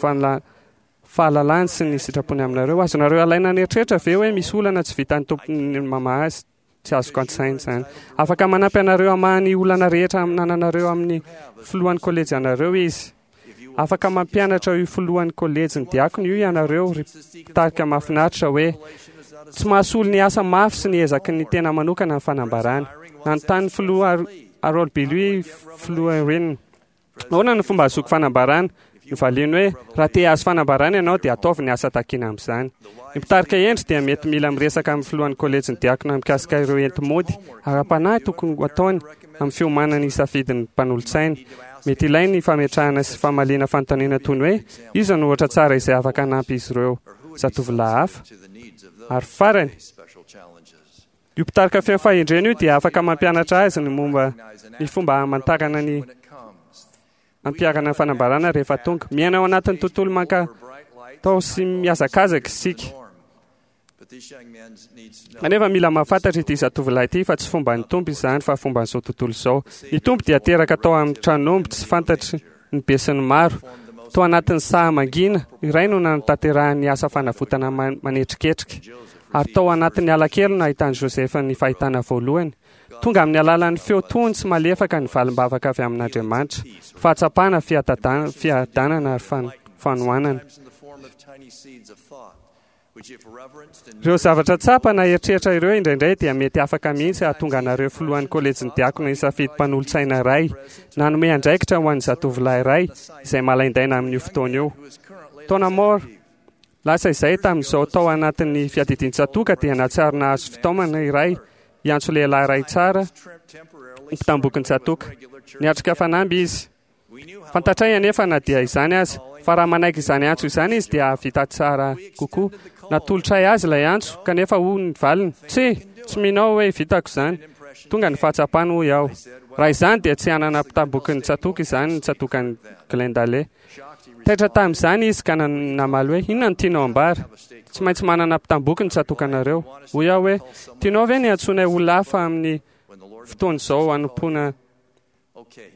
Speaker 7: fahalalany sy ny sitrapony aminareo. Azonareo alaina an'eritreritra ve hoe misy olana tsy vitan'ny Tompo mamaha azy? Tsy azoko an-tsaina izany. Afaka manampy anareo hamaha ny olana rehetra anananareo amin'ny filohan'ny kolejy anareo izy. Afaka mampianatra io filohan'ny kolejin'ny diakona io ianareo ry mpitarika mahafinaritra hoe tsy mahasolo ny asa mafy sy ny ezaky ny tena manokana ny fanambarana. Nanontany filoha Harold Billy filoha Irene. Ahoana ny fomba ahazoako fanambarana? Novaliany hoe raha te hahazo fanambarana ianao dia ataovy ny asa takiana amin'izany. Ny mpitarika hendry dia mety mila miresaka amin'ny filohan'ny kolejin'ny diakona mikasika ireo enti-mody ara-panahy tokony ho ataony amin'ny fiomanany hisafidin'ny mpanolotsaina. Mety ilainy ny fametrahana sy famaliana fanontaniana toy ny hoe iza no ohatra tsara izay afaka hanampy izy ireo zatovolahy hafa. Ary farany, io mpitarika feno fahendrena io dia afaka mampianatra azy ny momba ny fomba hamantarana ny ampiharana ny fanambarana rehefa tonga. Miaina ao anatin'ny tontolo mankatao sy mihazakazaka isika. Kanefa mila mahafantatra ity zatovolahy ity fa tsy fomban'ny Tompo izany fa fomban'izao tontolo izao. Ny Tompo dia teraka tao amin'ny tran'omby tsy fantatry ny besinimaro. Tao anatin'ny saha mangina iray no nanatanterahany ny asa fanavotana manetriketrika. Ary tao anatin'ny alakelo nahitan'i Josefa ny fahitana voalohany. Tonga amin'ny alalan'ny feo tony sy malefaka ny valim-bavaka avy amin'Andriamanitra. Fahatsapana, fiadanana ary fanohanana. Ireo zavatra tsapa na eritreritra ireo indraindray dia mety afaka mihitsy hahatonga anareo filohan'ny kolejin'ny diakona hisafidy mpanolotsaina iray na hanome andraikitra ho an'ny zatovolahy iray izay malaindaina amin'io fotoana io. Taona maro lasa izay tamin'izao tao anatin'ny fiadidian-tsatoka dia nahatsiaro nahazo fitaomana iray hiantso lehilahy iray tsara mpitambokin-tsatoka. Niatrika fanamby izy. Fantatray anefa na dia izany aza fa raha manaiky izany antso izany izy dia hahavita tsara kokoa. Natolotray azy ilay antso kanefa hoy ny valiny: "Tsy, tsy mino aho hoe vitako izany." Tonga ny fahatsapany hoy aho. Raha izany dia tsy hanana mpitambokin'ny tsatoka izany ny tsatokan'i Glendale. Taitra tamin'izany izy ka namaly hoe inona no tianao ambara? Tsy maintsy manana mpitamboky ny tsatokanareo. Hoy aho hoe tianao ve ny antsoinay olona hafa amin'ny fotoana izao hanompoana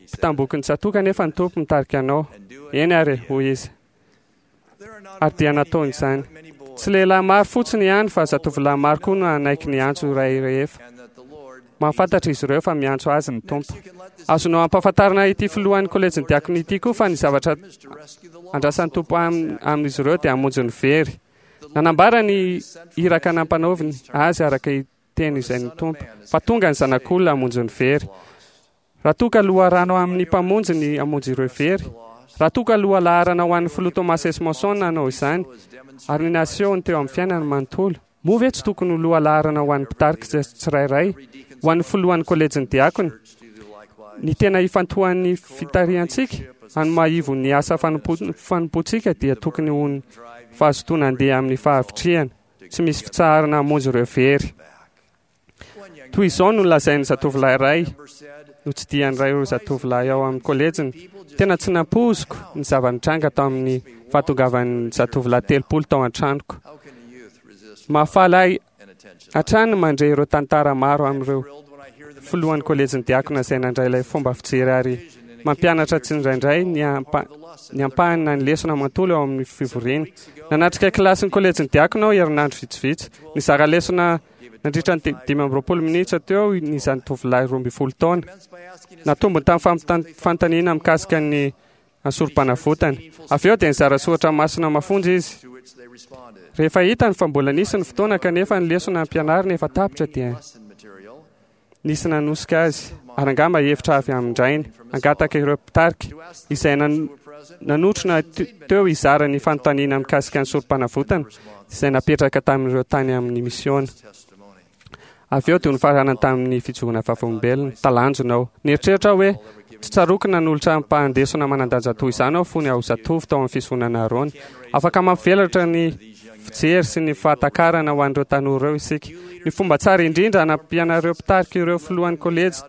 Speaker 7: mpitamboky ny tsatoka nefa ny Tompo mitarika anao? Eny ary, hoy izy. Ary dia nataony izany. Tsy lehilahy maro fotsiny ihany fa zatovolahy maro koa no hanaiky ny antso iray rehefa mahafantatra izy ireo fa miantso azy ny Tompo. Azonao ampahafantarina ity filohan'ny kolejin'ny diakona ity koa fa ny zavatra andrasan'ny Tompo amin'izy ireo dia hamonjy ny very. Nanambara ny iraka nampanaoviny azy araka teny izay ny Tompo fa tonga ny zanak'olona hamonjy ny very. Raha toa ka loharano amin'ny mpamonjy ny hamonjy ireo very, raha toa ka lohalaharana ho an'ny filoha Thomas S. Monson nanao izany ary ny nasehony teo amin'ny fiainany manontolo, moa ve tsy tokony ho lohalaharana ho an'ny mpitarika tsirairay, ho an'ny filohan'ny kolejin'ny diakona, ny tena ifantohan'ny fitarihantsika any maha-ivo ny asa fanompoantsika dia tokony ho ny fahazotoana handeha amin'ny fahavitrihana tsy misy fitsaharana hamonjy ireo very. Toy izao no lazain'ny zatovolahy iray notsidihan'ny ray ireo zatovolahy ao amin'ny kolejiny. Tena tsy nampoiziko ny zava-nitranga tao amin'ny fahatongavan'ny zatovolahy telopolo tao an-tranoko. Mahafaly ahy hatrany mandre ireo tantara maro amin'ireo filohan'ny kolejin'ny diakona izay nandray ilay fomba fijery ary mampianatra tsindraindray ny ampa ny ampahany na ny lesona manontolo ao amin'ny fivoriana. Nanatrika kilasin'ny kolejin'ny diakona aho herinandro vitsivitsy. Nizara lesona nandritra ny dimy amby roapolo minitra teo ny zatovolahy roa ambin'ny folo taona. Natombony tamin'ny fanontaniana mikasika ny sorom-panavotana. Avy eo dia nizara soratra masina mafonja izy. Rehefa hitany fa mbola nisy ny fotoana kanefa ny lesona ampianarina efa tapitra dia nisy nanosika azy ary angamba hevitra avy amin-drainy hangataka ireo mpitarika izay nanotrona teo hizara ny fanontaniana mikasika ny sorom-panavotana izay napetraka tamin'ireo tany amin'ny misiona. Avy eo dia nofaranana tamin'ny fijoroana vavolombelona. Talanjona aho. Nieritreritra aho hoe tsy tsaroako nanolotra ampahan-desona manan-danja toy izany aho fony aho zatovo tao amin'ny fisoronana Aharôna. Afaka mampivelatra ny fijery sy ny fahatakarana ho an'ireo tanora ireo isika. Ny fomba tsara indrindra hanampianareo mpitarika ireo filohan'ny kolejy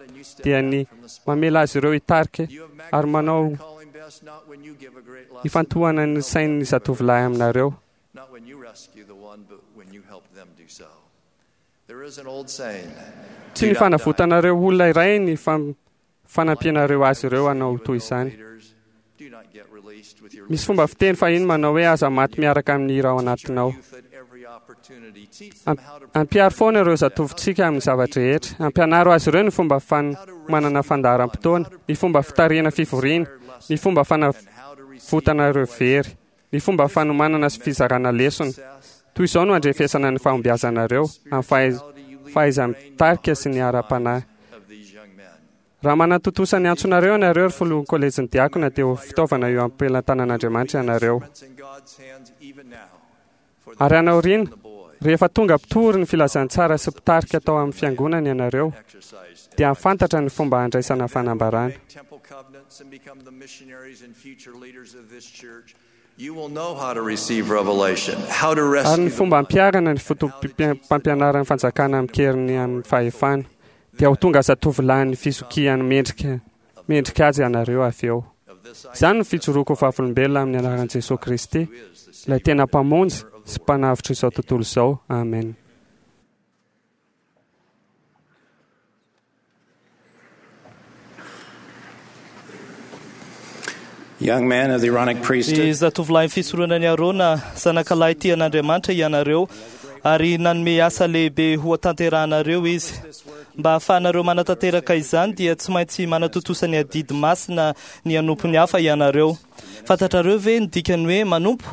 Speaker 7: dia ny mamela azy ireo hitarika ary manao ifantohana ny sain'ny zatovolahy aminareo. Tsy ny fanavotanareo olona iray ny fanampianareo azy ireo hanao toy izany. Misy fomba fiteny fahiny manao hoe aza maty miaraka amin'ny hira ao anatinao. Ampiaro foana ireo zatovontsika amin'ny zava-drehetra. Ampianaro azy ireo ny fomba fanomanana fandaharam-potoana, ny fomba fitarihana fivoriana, ny fomba fanavotana ireo very, ny fomba fanomanana sy fizarana lesona. Toy izao no andrefesana ny fahombiazanareo amin'ny fahaiza-mitarika sy ny ara-panahy. Raha manatontosa ny antsonareo ianareo ry filohan'ny kolejin'ny diakona dia ho fitaovana eo am-pelantanan'Andriamanitra ianareo. Ary any aoriana, rehefa tonga mpitory ny filazantsara sy mpitarika tao amin'ny fiangonana ianareo, dia hahafantatra ny fomba handraisana fanambarana. Ary ny fomba hampiharana ny foto-pampianaran'ny fanjakana amin-keriny amin'ny fahefana, dia ho tonga zatovolahin'ny fizokiany mendrika mendrika azy ianareo avy eo. Izany no fijoroako ho vavolombelona amin'ny anaran'i Jesoa Kristy, ilay tena Mpamonjy sy Mpanavotra izao tontolo izao. Amen.
Speaker 8: Young man of the Aaronic priesthood.
Speaker 2: Ny zatovolahin'ny fisoronan'i Aarona, zanakalahy tian'Andriamanitra ianareo, ary nanome asa lehibe ho tanterahanareo izy. Mba hahafahanareo manatanteraka izany dia tsy maintsy manatontosa ny adidy masina ny hanompo ny hafa ianareo. Fantatrareo ve ny dikany hoe manompo?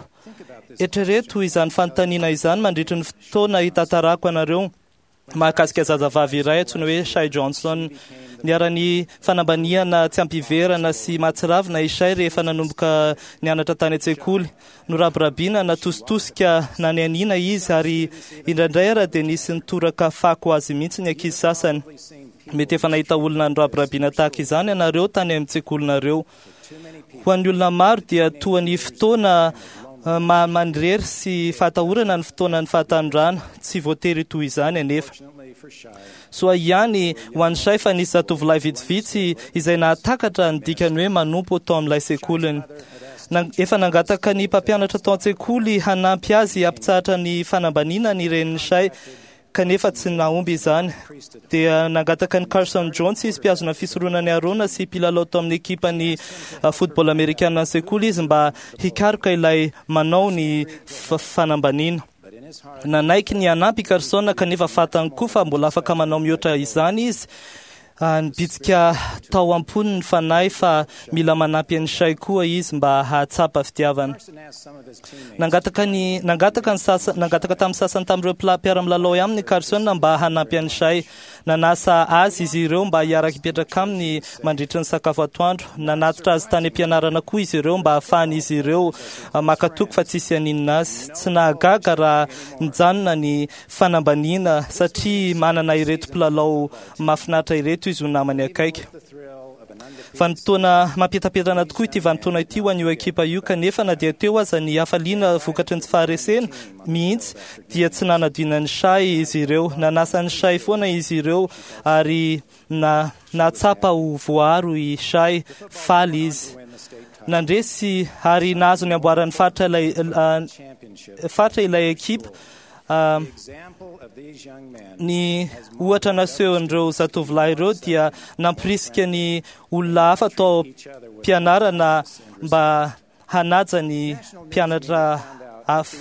Speaker 2: Eritrereto izany fanontaniana izany mandritry ny fotoana hitantarako anareo mahakasika zazavavy iray antsoina hoe Shay Johnson. Niharan'ny fanambaniana tsy ampiverana sy mahatsiravina i Shay rehefa nanomboka nianatra tany an-tsekoly. Norabirabiana natositosika nanianiana izy ary indraindray ara dia nisy nitoraka fako azy mihitsy ny ankizy sasany. Mety efa nahita olona norabirabiana tahaka izany ianareo tany amin'ny tsekolinareo. Ho an'ny olona maro dia toa ny fotoana maha-manirery sy fahatahorana ny fotoanan'ny fahatanorana. Tsy voatery toy izany anefa. Soa ihany ho an'i Shay fa nisy zatovolahy vitsivitsy izay nahatakatra ny dikany hoe manompo tao amin'ilay sekoliny. Efa nangataka ny mpampianatra tao an-tsekoly hanampy azy hampitsahatra ny fanambaniana ny renin'i Shay, kanefa tsy nahomby izany. Dia nangataka ny Carson Jones izy, mpihazona fisoronan'i Aarona sy mpilalao tao amin'ny ekipan'ny football amerikana ny sekoly izy mba hikaroka ilay manao ny fanambaniana. Nanaiky ny hanampy i Carson kanefa fantany koa fa mbola afaka manao mihoatra izany izy. Nibitsika tao am-pony ny fanahy fa mila manampy an'i Shay koa izy mba hahatsapa fitiavana. Nangataka ny nangataka ny sasa nangataka tamin'ny sasany tamin'ireo mpiara-milalao aminy Carson mba hanampy an'i Shay. Nanasa azy izy ireo mba hiara-hipetraka aminy mandritry ny sakafo atoandro. Nanatitra azy tany am-pianarana koa izy ireo mba hahafahan'izy ireo maka toky fa tsisy haninona azy. Tsy nahagaga raha nijanona ny fanambaniana satria manana ireto mpilalao mahafinaritra ireto izy ho namany akaiky. Vanim-potoana mampietapetana tokoa ity vanim-potoana ity ho an'io ekipa io, kanefa na dia teo aza ny hafaliana vokatry ny tsy faharesena mihitsy dia tsy nanadino ny Shay izy ireo. Nanasa ny Shay foana izy ireo ary na nahatsapa ho voaro i Shay, faly izy. Nandresy ary nahazo ny amboaran'ny faritra ilay faritra ilay ekipa. Ny ohatra nasehon'ireo zatovolahy ireo dia nampirisika ny olona hafa tao am-pianarana mba hanaja ny mpianatra hafa.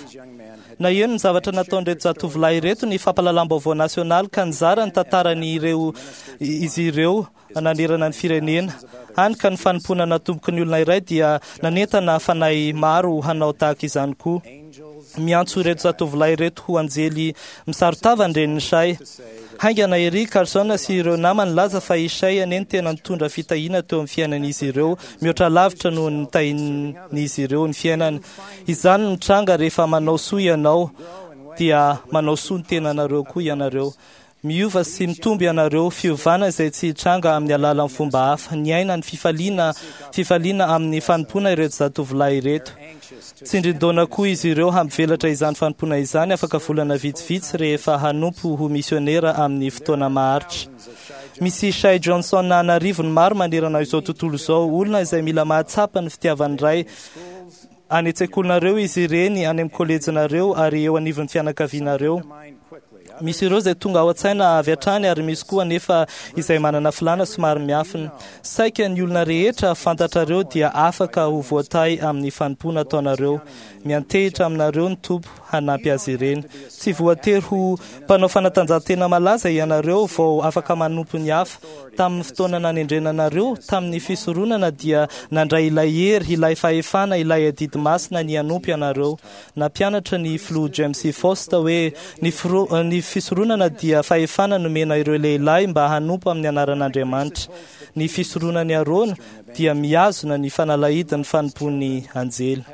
Speaker 2: Naheno ny zavatra nataon'ireto zatovolahy ireto ny fampahalalam-baovao nasionaly ka nizara ny tantaran'ireo izy ireo nanerana ny firenena. Hany ka ny fanompoana natomboky ny olona iray dia nanentana fanahy maro hanao tahaka izany koa. Miantso ireto zatovolahy ireto ho anjely misaron-tava ny renin'i Shay. Haingana ery Carson sy ireo namany nilaza fa i Shay anie no tena nitondra fitahiana teo amin'ny fiainan'izy ireo, mihoatra lavitra noho ny tahin'izy ireo ny fiainany. Izany no mitranga rehefa manao soa ianao, dia manao soa ny tenanareo koa ianareo. Miova sy mitombo ianareo, fiovana izay tsy hitranga amin'ny alalan'ny fomba hafa. Niaina ny fifaliana fifaliana amin'ny fanompoana ireto zatovolahy ireto. Tsindrin-daona koa izy ireo hampivelatra izany fanompoana izany afaka volana vitsivitsy rehefa hanompo ho misionera amin'ny fotoana maharitra. Misy Shay Johnson an'arivony maro manerana izao tontolo izao, olona izay mila mahatsapa ny fitiavan'ny Ray. Any an-tsekolinareo izy ireny, any amin'ny kolejinareo ary eo anivon'ny fianakavianareo. Misy ireo izay tonga ao an-tsaina avy hatrany ary misy koa anefa izay manana filàna somary miafina. Saika ny olona rehetra fantatrareo dia afaka ho voatahy amin'ny fanompoana ataonareo. Miantehitra aminareo ny Tompo hanampy azy ireny. Tsy voatery ho mpanao fanatanjahantena malaza ianareo vao afaka manompo ny hafa. Tamin'ny fotoana nanendrena anareo tamin'ny fisoronana dia nandray ilay hery, ilay fahefana, ilay adidy masina ny hanompo ianareo. Nampianatra ny filoha James E. Faust hoe ny firo- ny fisoronana dia fahefana nomena ireo lehilahy mba hanompo amin'ny anaran'Andriamanitra. Ny fisoronan'i Arona dia mihazona ny fanalahidin'ny fanompoan'ny anjely.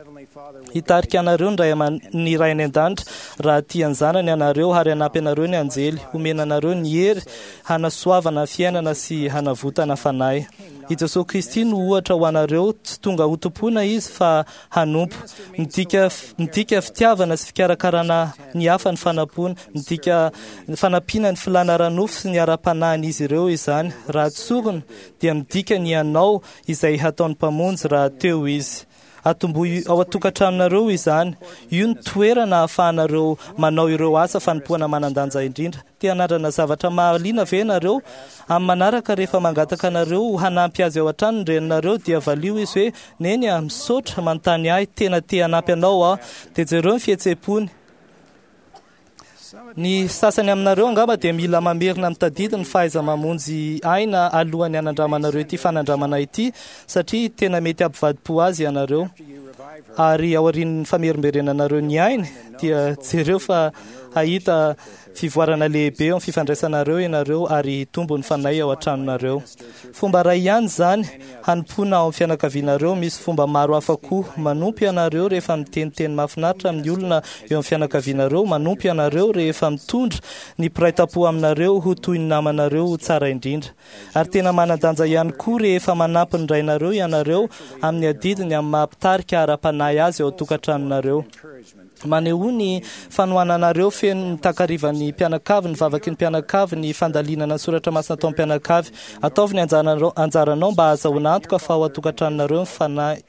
Speaker 2: Hitarika anareo ny ray aman- ny Ray any an-danitra raha tia ny zanany ianareo ary hanampy anareo ny anjely. Homena anareo ny hery hanasoavana fiainana sy hanavotana fanahy. I Jesoa Kristy no ohatra ho anareo, tsy tonga ho tompoina izy fa hanompo. Midika midika fitiavana sy fikarakarana ny hafa ny fanampoana, midika fanampiana ny filàna ara-nofo sy ny ara-panahin'izy ireo izany. Raha tsorina dia midika ny hanao izay hataon'ny Mpamonjy raha teo izy. Atombohy ao an-tokantranonareo izany. Io no toerana ahafahanareo manao ireo asa fanompoana manan-danja indrindra. Te hanandrana zavatra mahaliana ve ianareo? Amin'ny manaraka rehefa mangataka anareo hanampy azy ao an-trano ny reninareo dia valio izy hoe neny a, misaotra manontany ahy, tena te hanampy anao aho. Dia jereo ny fihetseham-pony. Ny sasany aminareo angamba dia mila mamerina mitadidy ny fahaiza-mamonjy aina alohan'ny hanandramanareo ity fanandramana ity, satria tena mety hampivadi-po azy ianareo. Ary aorian'ny famerimberenanareo ny ainy dia jereo fa hahita fivoarana lehibe eo amin'ny fifandraisanareo ianareo ary hitombo ny fanahy ao an-tranonareo. Fomba iray ihany izany hanompoana ao amin'ny fianakavianareo. Misy fomba maro hafa koa. Manompo ianareo rehefa miteniteny mahafinaritra amin'ny olona eo amin'ny fianakavianareo. Manompo ianareo rehefa mitondra ny mpiray tampo aminareo ho toy ny namanareo ho tsara indrindra. Ary tena manan-danja ihany koa rehefa manampy ny rainareo ianareo amin'ny adidiny amin'ny maha-mpitarika ara-panahy azy ao an-tokantranonareo. Manehoa ny fanohananareo feno ny takarivan'ny mpianakavy, ny vavaky ny mpianakavy, ny fandalinana ny soratra masina atao mpianakavy. Ataovy ny anjaranareo, anjaranao mba hahazahoana antoka fa ao an-tokantranonareo ny fanahy.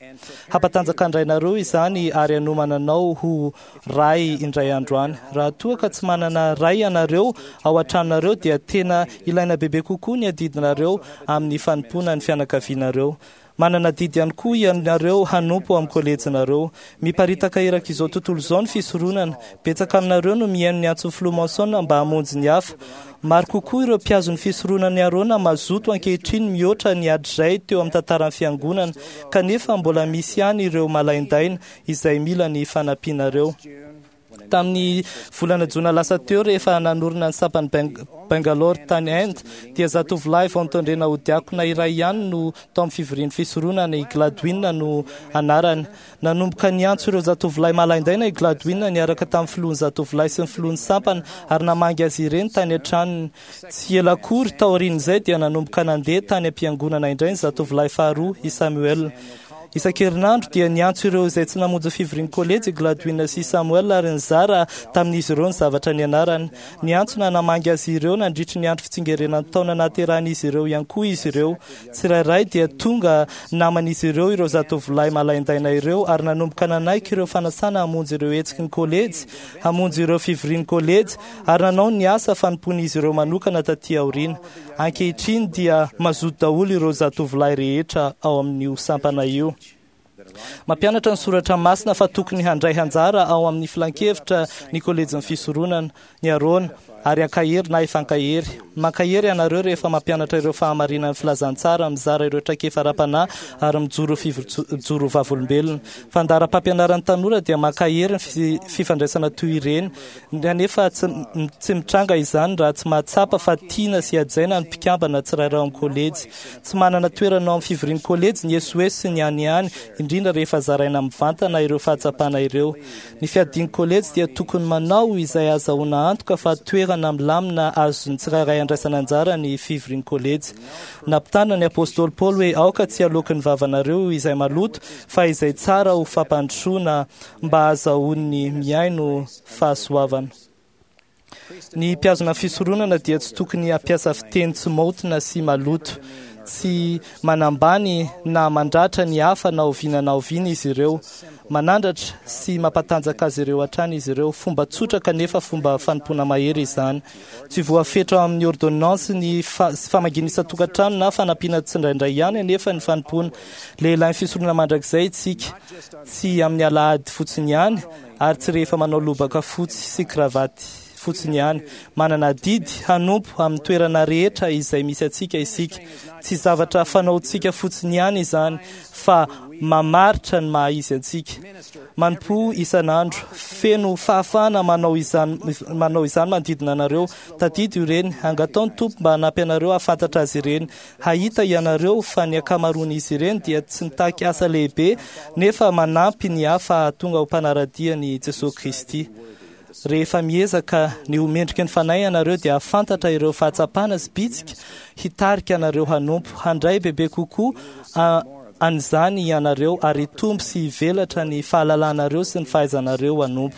Speaker 2: Hampatanjaka ny rainareo izany ary hanomana anao ho ray indray andro any. Raha toa ka tsy manana ray ianareo ao an-tranonareo dia tena ilaina bebe kokoa ny adidinareo amin'ny fanompoana ny fianakavianareo. Manana adidy ihany koa ianareo hanompo amin'ny kolejinareo. Miparitaka erak'izao tontolo izao ny fisoronana. Betsaka aminareo no mihaino ny antson'ny filoha Monson mba hamonjy ny hafa. Maro kokoa ireo mpihazo ny fisoronan'i Arona mazoto ankehitriny mihoatra ny hatrizay teo amin'ny tantaran'ny fiangonana, kanefa mbola misy ihany ireo malaindaina izay mila ny fanampianareo. Tamin'ny volana jona lasa teo, rehefa nanorina ny sampan'i Bangalore tany Inde, dia zatovolahy vao notendrena ho diakona iray ihany no tao amin'ny fivorian'ny fisoronana. I Gladwin no anarany. Nanomboka niantso ireo zatovolahy malaindaina i Gladwin niaraka tamin'ny filohan'ny zatovolahy sy ny filohan'ny sampana ary namangy azy ireny tany an-tranony. Tsy ela akory taorian'izay dia nanomboka nandeha tany am-piangonana indray ny zatovolahy faharoa, i Samuel. Isan-kerinandro dia niantso ireo izay tsy namonjy fivorian'ny kolejy i Gladwin sy Samuel ary nizara tamin'izy ireo ny zavatra nianarany. Niantso na namangy azy ireo nandritry ny andro fitsingerenan'ny taona nahaterahan'izy ireo ihany koa izy ireo. Tsirairay dia tonga naman'izy ireo ireo zatovolahy malaindaina ireo ary nanomboka nanaiky ireo fanasana hamonjy ireo hetsiky ny kolejy, hamonjy ireo fivorian'ny kolejy ary nanao ny asa fanompoan'izy ireo manokana taty aoriana. Ankehitriny dia mazoto daholo ireo zatovolahy rehetra ao amin'io sampana io. Mampianatra ny soratra masina fa tokony handray anjara ao amin'ny filankevitra ny kolejin'ny fisoronana, ny Arona, ary ankahery na efa-ankahery. Mankahery ianareo rehefa mampianatra ireo fahamarinan'ny filazantsara, mizara ireo traikefa ara-panahy ary mijoro mijoro vavolombelona. Fandaharam-pampianaran'ny tanora dia mankahery ny fifandraisana toy ireny, nefa tsy mitranga izany raha tsy mahatsapa fa tiana sy hajaina ny mpikambana tsirairay ao amin'ny kolejy. Tsy manana toerana ao amin'ny fivorian'ny kolejy ny esoeso sy ny aniany, indrindra rehefa zaraina mivantana ireo fahatsapana ireo. Ny fiadian'ny kolejy dia tokony manao izay ahazoana antoka fa toerana milamina azon'ny tsirairay andraisana anjara ny fivorian'ny kolejy. Nampitana ny apostoly Paoly hoe aoka tsy haloaky ny vavanareo izay maloto fa izay tsara ho fampandrosoana mba ahazoan'ny mihaino fahasoavana. Ny mpiazona fisoronana dia tsy tokony hampiasa fiteny tsy maotina sy maloto. Tsy manambany na mandratra ny hafa na oviana na oviana izy ireo. Manandratra sy mampatanjaka azy ireo hatrany izy ireo. Fomba tsotra kanefa fomba fanompoana mahery izany. Tsy voafetra amin'ny ordonnance ny famangiana isan-tokantrano na fanampiana tsindraindray ihany anefa ny fanompoana. Lehilahy fisoronana mandrakizay isika, tsy amin'ny alahady fotsiny ihany ary tsy rehefa manao lobaka fotsy sy kravaty fotsiny ihany. Manana adidy hanompo amin'ny toerana rehetra izay misy antsika isika. Tsy zavatra fanaontsika fotsiny ihany izany fa mamaritra ny maha izy antsika. Manompo isan'andro, feno fahafahana manao izany manao izany manodidina anareo. Tadidio ireny, angatao ny Tompo mba hanampy anareo hahafantatra azy ireny. Hahita ianareo fa ny ankamaroan'izy ireny dia tsy mitaky asa lehibe nefa manampy ny hafa hahatonga ho mpanara-dia ny Jesosy Kristy. Rehefa miezaka ny ho mendriky ny fanahy ianareo dia hahafantatra ireo fahatsapana sy bitsika hitarika anareo hanompo. Handray bebe kokoa an'izany ianareo ary hitombo sy hivelatra ny fahalalanareo sy ny fahaizanareo hanompo.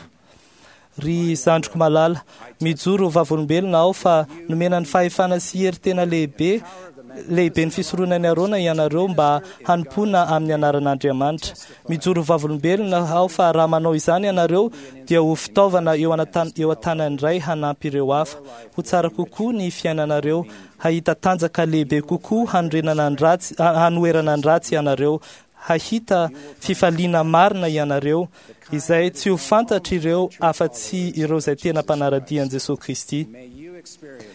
Speaker 2: Ry zandriko malala, mijoro vavolombelona aho fa nomena ny fahefana sy hery tena lehibe lehibe ny fisoronan'i Arona ianareo mba hanompoana amin'ny anaran'Andriamanitra. Mijoro vavolombelona aho fa raha manao izany ianareo dia ho fitaovana eo an-tanan'ny Ray hanampy ireo hafa. Ho tsara kokoa ny fiainanareo, hahita tanjaka lehibe kokoa hanorenana ny ratsy, hanoherana ny ratsy ianareo, hahita fifaliana marina ianareo izay tsy ho fantatr'ireo afa-tsy ireo izay tena mpanara-dia an'i Jesosy Kristy.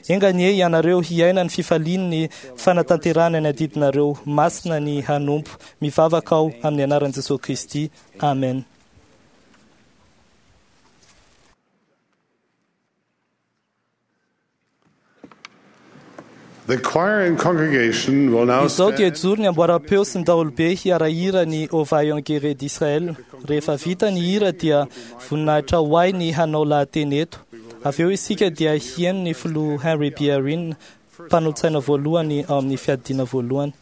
Speaker 2: Enga anie ianareo hiaina ny fifalian'ny fanatanterahana ny adidinareo masina ny hanompo. Mivavaka aho amin'ny anaran'i Jesosy Kristy. Amen.
Speaker 4: The choir and congregation will now
Speaker 2: Izao dia
Speaker 4: stand
Speaker 2: joro ny amboaram-peo sy ny daholobe hiara-hira ny Ô Vaillant Guerrier d'Israël. Rehefa vita ny hira dia voninahitra ho ahy ny hanao lahateny eto. Avy eo isika dia hihaino ny filoha Henry B. Eyring, mpanolo-tsaina voalohany ao amin'ny fiadiana voalohany.
Speaker 4: Israel's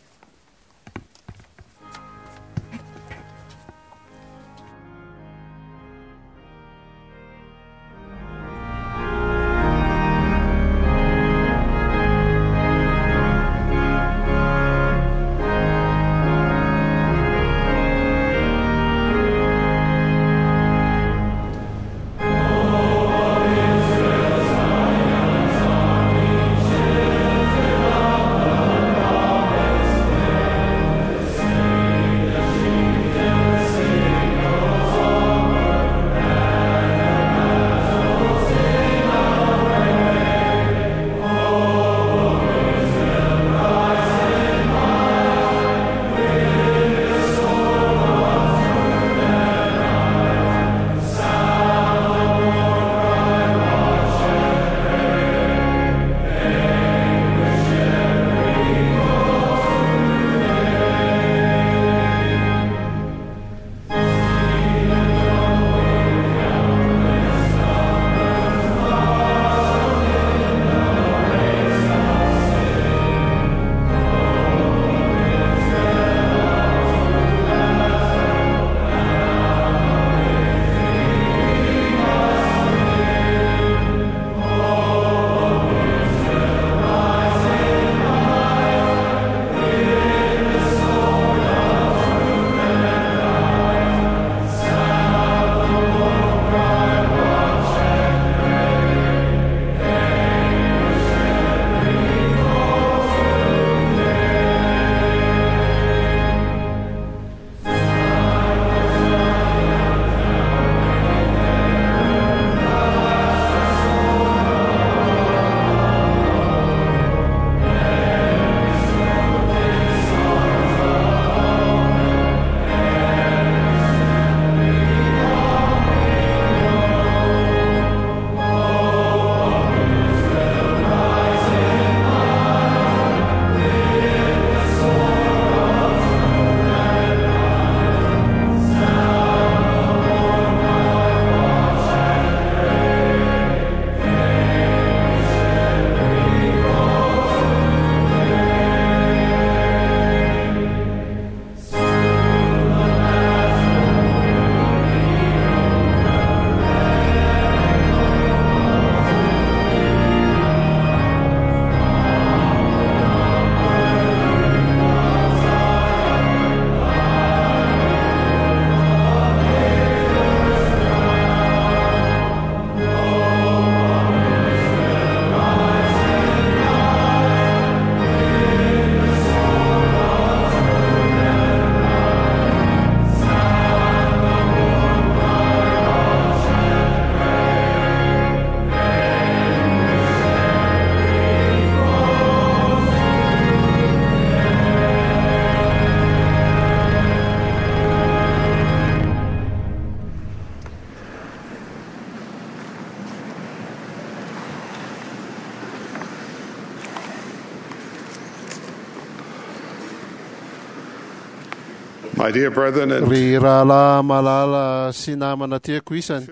Speaker 4: My dear brethren, it
Speaker 3: Ry rahalahy malala sy namana tiako isany,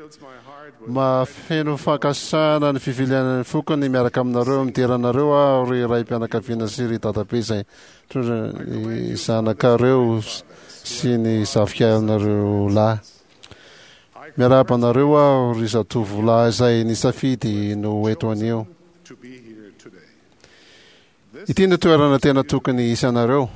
Speaker 3: mahafeno fankasitrahana ny fivilianan'ny fokony miaraka aminareo, midera anareo aho ry ray-mpianakaviana sy ry dadabe izay mitondra ny zanakareo sy ny zafikanareo lahy. Miarahaba anareo aho ry zatovolahy izay nisafidy no eto anio.
Speaker 4: to be here today.
Speaker 3: Ity no toerana tena tokony hisy anareo.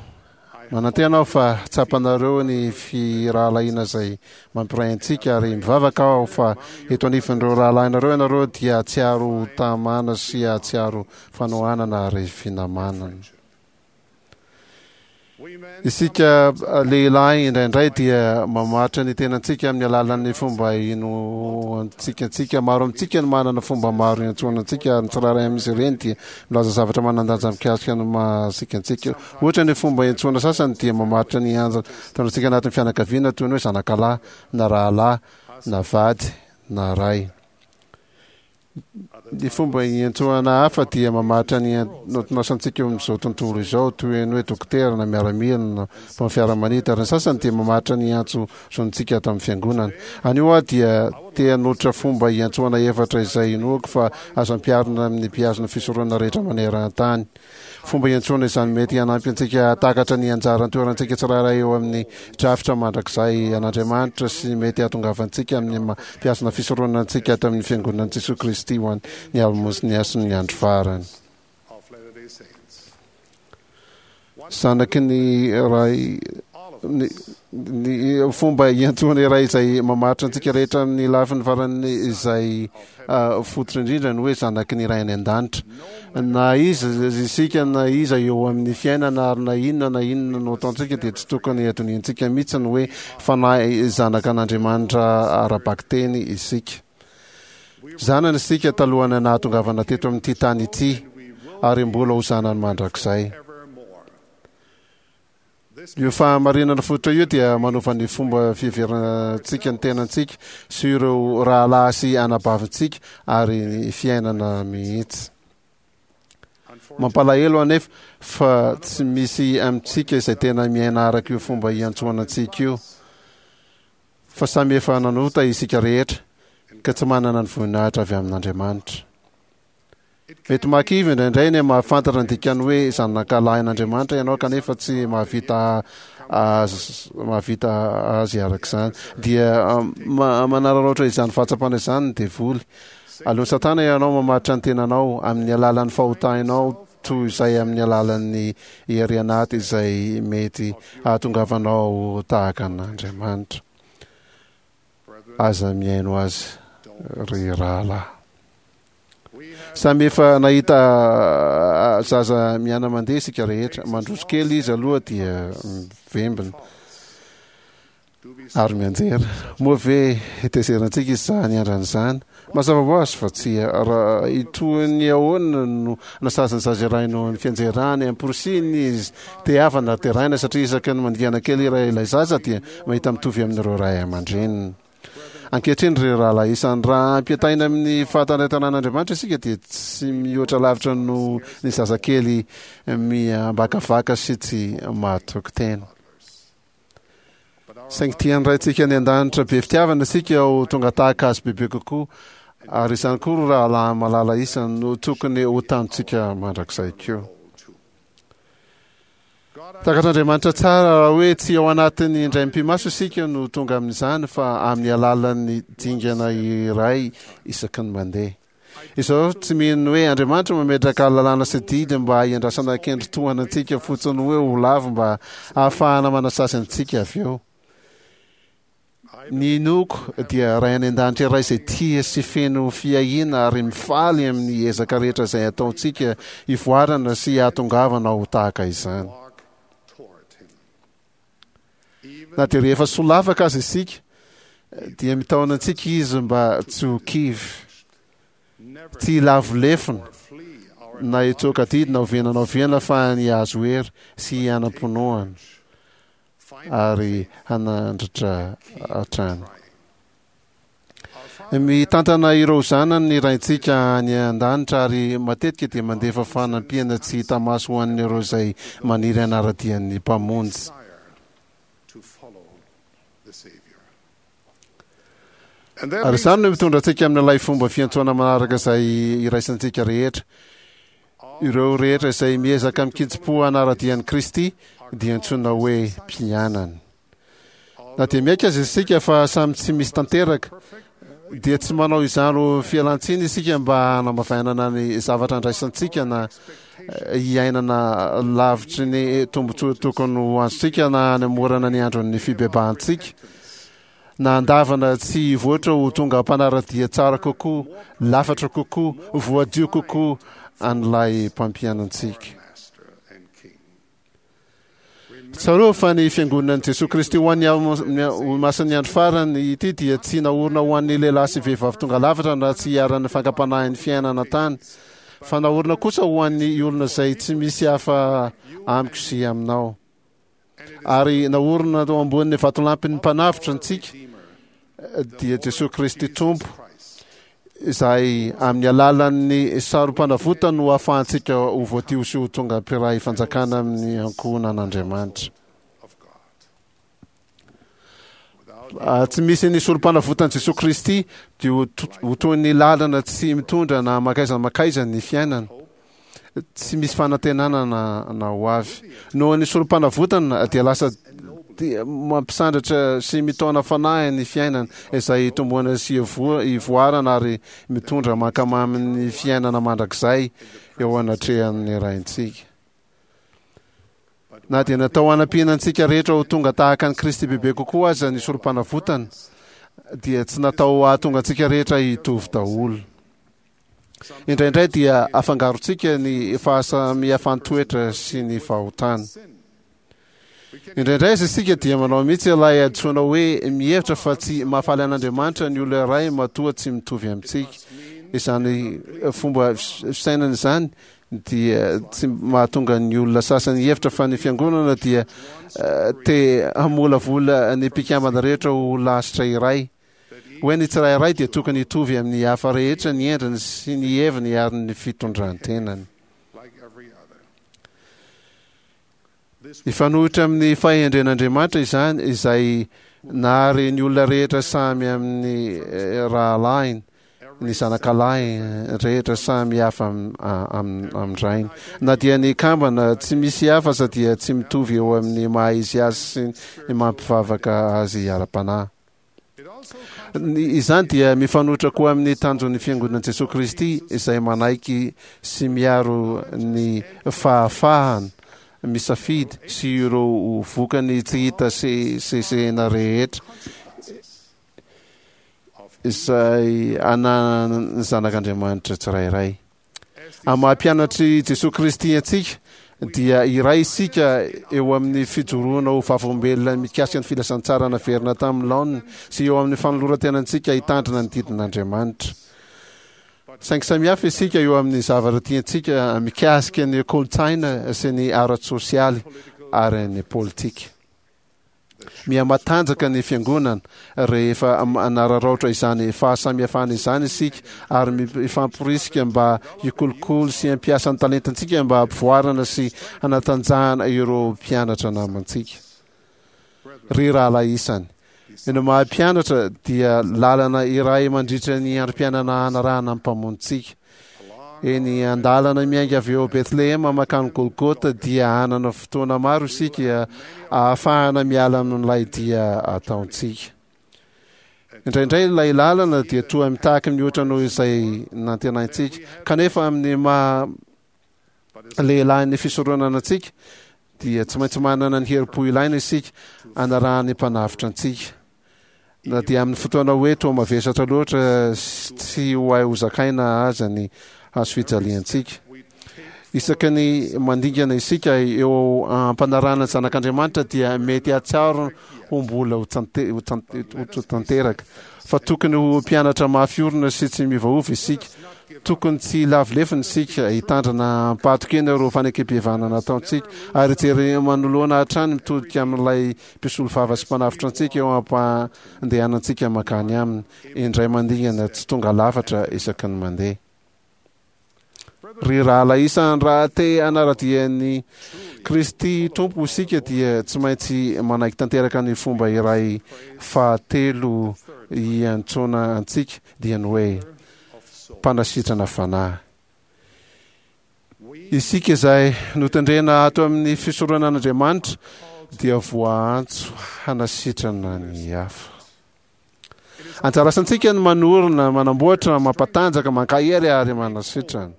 Speaker 3: Manantena aho fa tsapanareo ny firahalahiana izay mampiray antsika, ary mivavaka aho fa eto anivan'ireo rahalahinareo ianareo dia hahatsiaro ho tamana sy hahatsiaro fanohanana ary finamanana. Isika lehilahy indraindray dia mamaritra ny tenantsika amin'ny alalan'ny fomba inoantsika antsika. Maro amintsika no manana fomba maro iantsoana antsika, ary ny tsirairay amin'izy ireny dia milaza zavatra manan-danja mikasika ny mahasika antsika. Ohatra, ny fomba iantsoana sasany dia mamaritra ny anjara toerantsika anatin'ny fianakaviana, toy ny hoe zanakalahy na rahalahy na vady na ray. Ny fomba iantsoana hafa dia mamaritra ny antonasantsika eo amin'izao tontolo izao, toy ny hoe dokotera na miaramila na mpanao fiaramanidina, ary ny sasany dia mamaritra ny antso zontsika ato amin'ny fiangonana. Anio aho dia te hanolotra fomba iantsoana efatra izay inoako fa azo ampiharina amin'ny mpihazona fisoronana rehetra maneran-tany. Fomba iantsoana izany mety hanampy antsika hahatakatra ny anjara toerantsika tsirairay eo amin'ny drafitra mandrakizay an'Andriamanitra sy mety hahatongavantsika amin'ny maha mpihazona fisoronana antsika ato amin'ny Fiangonan'i Jesoa Kristy ho an'ny Olomasin'ny Hasin'ny Andro Farany.
Speaker 4: Of Latter-day Saints.
Speaker 3: Zanaky ny Ray, ny, ny fomba iantsoana iray izay mamaritra antsika rehetra amin'ny lafiny farany izay uh, fototra indrindra ny hoe zanaky ny Ray any an-danitra. Na iza isika na iza eo amin'ny fiainana, ary na inona na inona no ataontsika, dia tsy tokony hadinointsika mihitsy ny hoe fanahy zanaka an'Andriamanitra ara-bakiteny isika. Zanany isika talohan'ny nahatongavana teto amin'ity tany ity, ary mbola ho zanany mandrakizay. Io fahamarinana fototra io dia manova ny fomba fiheverantsika ny tenantsika sy ireo rahalahy sy anabavintsika ary ny fiainana mihitsy. Mampalahelo anefa fa tsy misy amintsika izay tena miaina araka io fomba iantsoana antsika io, fa samy efa nanota isika rehetra ka tsy manana ny voninahitra avy amin'Andriamanitra. Mety mahakivy indraindray ny mahafantatra ny dikany hoe zanakalahin'Andriamanitra ianao kanefa tsy mahavita azy mahavita azy araka izany. Dia ma- manararaotra izany fahatsapana izany ny devoly. Aleon'i Satana ianao mamaritra ny tenanao amin'ny alalan'ny fahotanao toy izay amin'ny alalan'ny hery anaty izay mety hahatongavanao tahaka an'Andriamanitra. Aza mihaino azy ry rahalahy. Samy efa nahita zaza miana-mandeha isika rehetra. Mandroso kely izy aloha dia mivembina ary mianjera. Moa ve tezerantsika izy izany andrana izany? Mazava ho azy fa tsia. Raha toy ny ahoana no nasazin'ny zaza iray noho ny fianjerany, amporisihiny izy tehavana ary deraina, satria isaky ny mandingana kely iray ilay zaza dia mahita mitovy amin'ireo ray aman-dreniny. Ankehitriny ry rahalahy isany, raha ampitahaina amin'ny fahatandretanan'Andriamanitra isika dia tsy mihoatra lavitra noho ny zazakely miambakavaka sy tsy mahatoky tena. Saingy tian'ny Raintsika any an-danitra be fitiavana isika ho tonga tahaka azy bebe kokoa, ary izany koa ry rahalahy malala isany no tokony ho tanjontsika mandrakizay koa. Takatr'Andriamanitra tsara raha hoe tsy ao anatin'ny indray mipi-maso isika no tonga amin'izany fa amin'ny alalan'ny dingana iray isaky ny mandeha. Izaho tsy mino hoe Andriamanitra mametraka lalàna sy didy mba hiandrasana kendry tohana antsika fotsiny hoe ho lavo mba hahafahana manasazy antsika avy eo. Ny inoako dia Ray any an-danitra iray izay tia sy feno fiahiana ary mifaly amin'ny ezaka rehetra izay ataontsika hivoarana sy hahatongavana ho tahaka izany. Na dia rehefa solafaka aza isika dia mitaona antsika Izy mba tsy ho kivy, tsy hilavo lefona na hitsoaka adidy na oviana na oviana fa ny hahazo hery sy hanam-pinoana ary hanandratra hatrany. Mitantana ireo zanany ny Raintsika any an-danitra ary matetika dia mandefa fanampiana tsy hita maso ho an'ireo izay maniry hanara-dia ny Mpamonjy. Ary izany no mitondra antsika amin'ilay fomba fiantsoana manaraka izay iraisantsika rehetra. Ireo rehetra izay miezaka amin-kitsim-po hanara-dia an'i Kristy dia antsoina hoe mpianany. Na dia miaiky aza isika fa samy tsy misy tanteraka, dia tsy manao izany ho fialan-tsiny isika mba hanamavainana ny zavatra andraisantsika na hiainana lavitry ny tombontsoa tokony ho azontsika na hanamorana ny andron'ny fibebahantsika, na handavana tsy hivoatra ho tonga mpanara-dia tsara kokoa, lafatra kokoa, voadio kokoa an'ilay mpampianantsika. Tsarovy fa ny Fiangonan'i Jesoa Kristy ho an'ny Olomasin'ny Andro Farany ity dia tsy naorina ho an'ny lehilahy sy vehivavy tonga lafatra na tsy iharan'ny fankam-panahin'ny fiainana an-tany, fa naorina kosa ho an'ny olona izay tsy misy hafa amiko sy aminao. Ary naorina teo ambonin'ny vatolampin'ny Mpanavotra antsika, dia Jesoa Kristy Tompo, izay amin'ny alalan'ny sarom-panavotany no ahafahantsika ho voadio sy ho tonga mpiray fanjakana amin'ny ankohonan'Andriamanitra. Tsy misy ny sorom-panavotan'i Jesoa Kristy dia ho toy ny lalana tsy mitondra na mankaiza mankaiza ny fiainana. Tsy misy fanantenana na na ho avy. Noho ny sorom-panavotana dia lasa mampisandratra sy mitaona fanahy ny fiainana izay itomboana sy ivoarana ary mitondra mankamamy ny fiainana mandrakizay eo anatrehan'ny Raintsika. Na dia natao hanampiana antsika rehetra ho tonga tahaka an'i Kristy bebe kokoa aza ny sorom-panavotana, dia tsy natao hahatonga antsika rehetra hitovy daholo. Indraindray dia afangarontsika ny fahasamihafan-toetra sy ny fahotana. Indraindray aza isika dia manao mihitsy ilay hadisoana hoe mihevitra fa tsy mahafaly an'Andriamanitra ny olona iray matoa tsy mitovy amintsika. Izany fomba fisainana izany dia tsy mahatonga ny olona sasany hihevitra fa ny fiangonana dia te hamolavola ny mpikambana rehetra ho lasitra iray. Hoe ny tsirairay dia tokony hitovy amin'ny hafa rehetra ny endriny sy ny heviny ary ny fitondran-tenany. Mifanohitra amin'ny fahendren'Andriamanitra izany, izay nahary ny olona rehetra samy amin'ny rahalahiny, ny zanakalahy rehetra samy hafa amin-drainy. Na dia ny kambana tsy misy hafa aza dia tsy mitovy eo amin'ny maha izy azy sy ny mampivavaka azy ara-panahy. Izany dia mifanohitra koa amin'ny tanjon'ny Fiangonan'i Jesoa Kristy izay manaiky sy miaro ny fahafahana misafidy sy ireo vokany tsy hita sesehena rehetra izay ananan'ny zanak'Andriamanitra tsirairay. Amin'ny maha mpianatr'i Jesoa Kristy antsika dia iray isika eo amin'ny fijoroana ho vavolombelona mikasika ny filazantsara naverina tamin'ny laoniny sy eo amin'ny fanoloran-tenantsika hitandrina ny didin'Andriamanitra. Saingy samihafa isika eo amin'ny zavatra tiantsika mikasika ny kolontsaina sy ny ara-tsosialy ary ny politika. Miha-matanjaka ny Fiangonana rehefa manararaotra izany fahasamihafana izany isika ary mifamporisika mba hikolokolo sy hampiasa ny talentantsika mba hampivoarana sy hanatanjahana ireo mpianatra namantsika. Ry rahalahy isany, ny maha mpianatra dia lalana iray mandritra ny androm-piainana hanarahana ny Mpamonjintsika. Eny an-dalana miainga avy eo Betlehema mankany Golgota dia hanana fotoana maro isika ahafahana miala amin'ilay dia ataontsika. Indraindray ilay lalana dia toa mitaky mihoatra noho izay nantenaintsika, kanefa amin'ny maha lehilahin'ny fisoronana antsika dia tsy maintsy manana ny herim-po ilaina isika anarahan'ny Mpanavotra antsika. Na dia amin'ny fotoana hoe toa mavesatra loatra sy tsy ho hay hozakaina aza ny hazo fijaliantsika. Isaky ny mandingana isika eo am-panarahana ny Zanak'Andriamanitra dia mety hahatsiaro ho mbola ho tanteraka fa tokony ho mpianatra mafy orina sy tsy miovaova isika. Tokony tsy hilavo lefona isika, hitandrina am-pahatokiana ireo fanekempihavanana ataontsika, ary hijery manoloana hatrany mitodika amin'ilay Mpisolovava sy Mpanavotra antsika eo am-pandehanantsika mankany Aminy, indray mandingana tsy tonga lafatra isaky ny mandeha. Ry rahalahy isany, raha te hanara-dia an'i Kristy Tompo isika dia tsy maintsy manaiky tanteraka ny fomba iray fahatelo iantsoana antsika, dia ny hoe mpanasitrana fanahy. Isika izay notendrena ato amin'ny fisoronan'Andriamanitra dia voaantso hanasitrana ny hafa. Anjara asantsika ny manorina, manamboatra, mampatanjaka, mankahery ary manasitrana.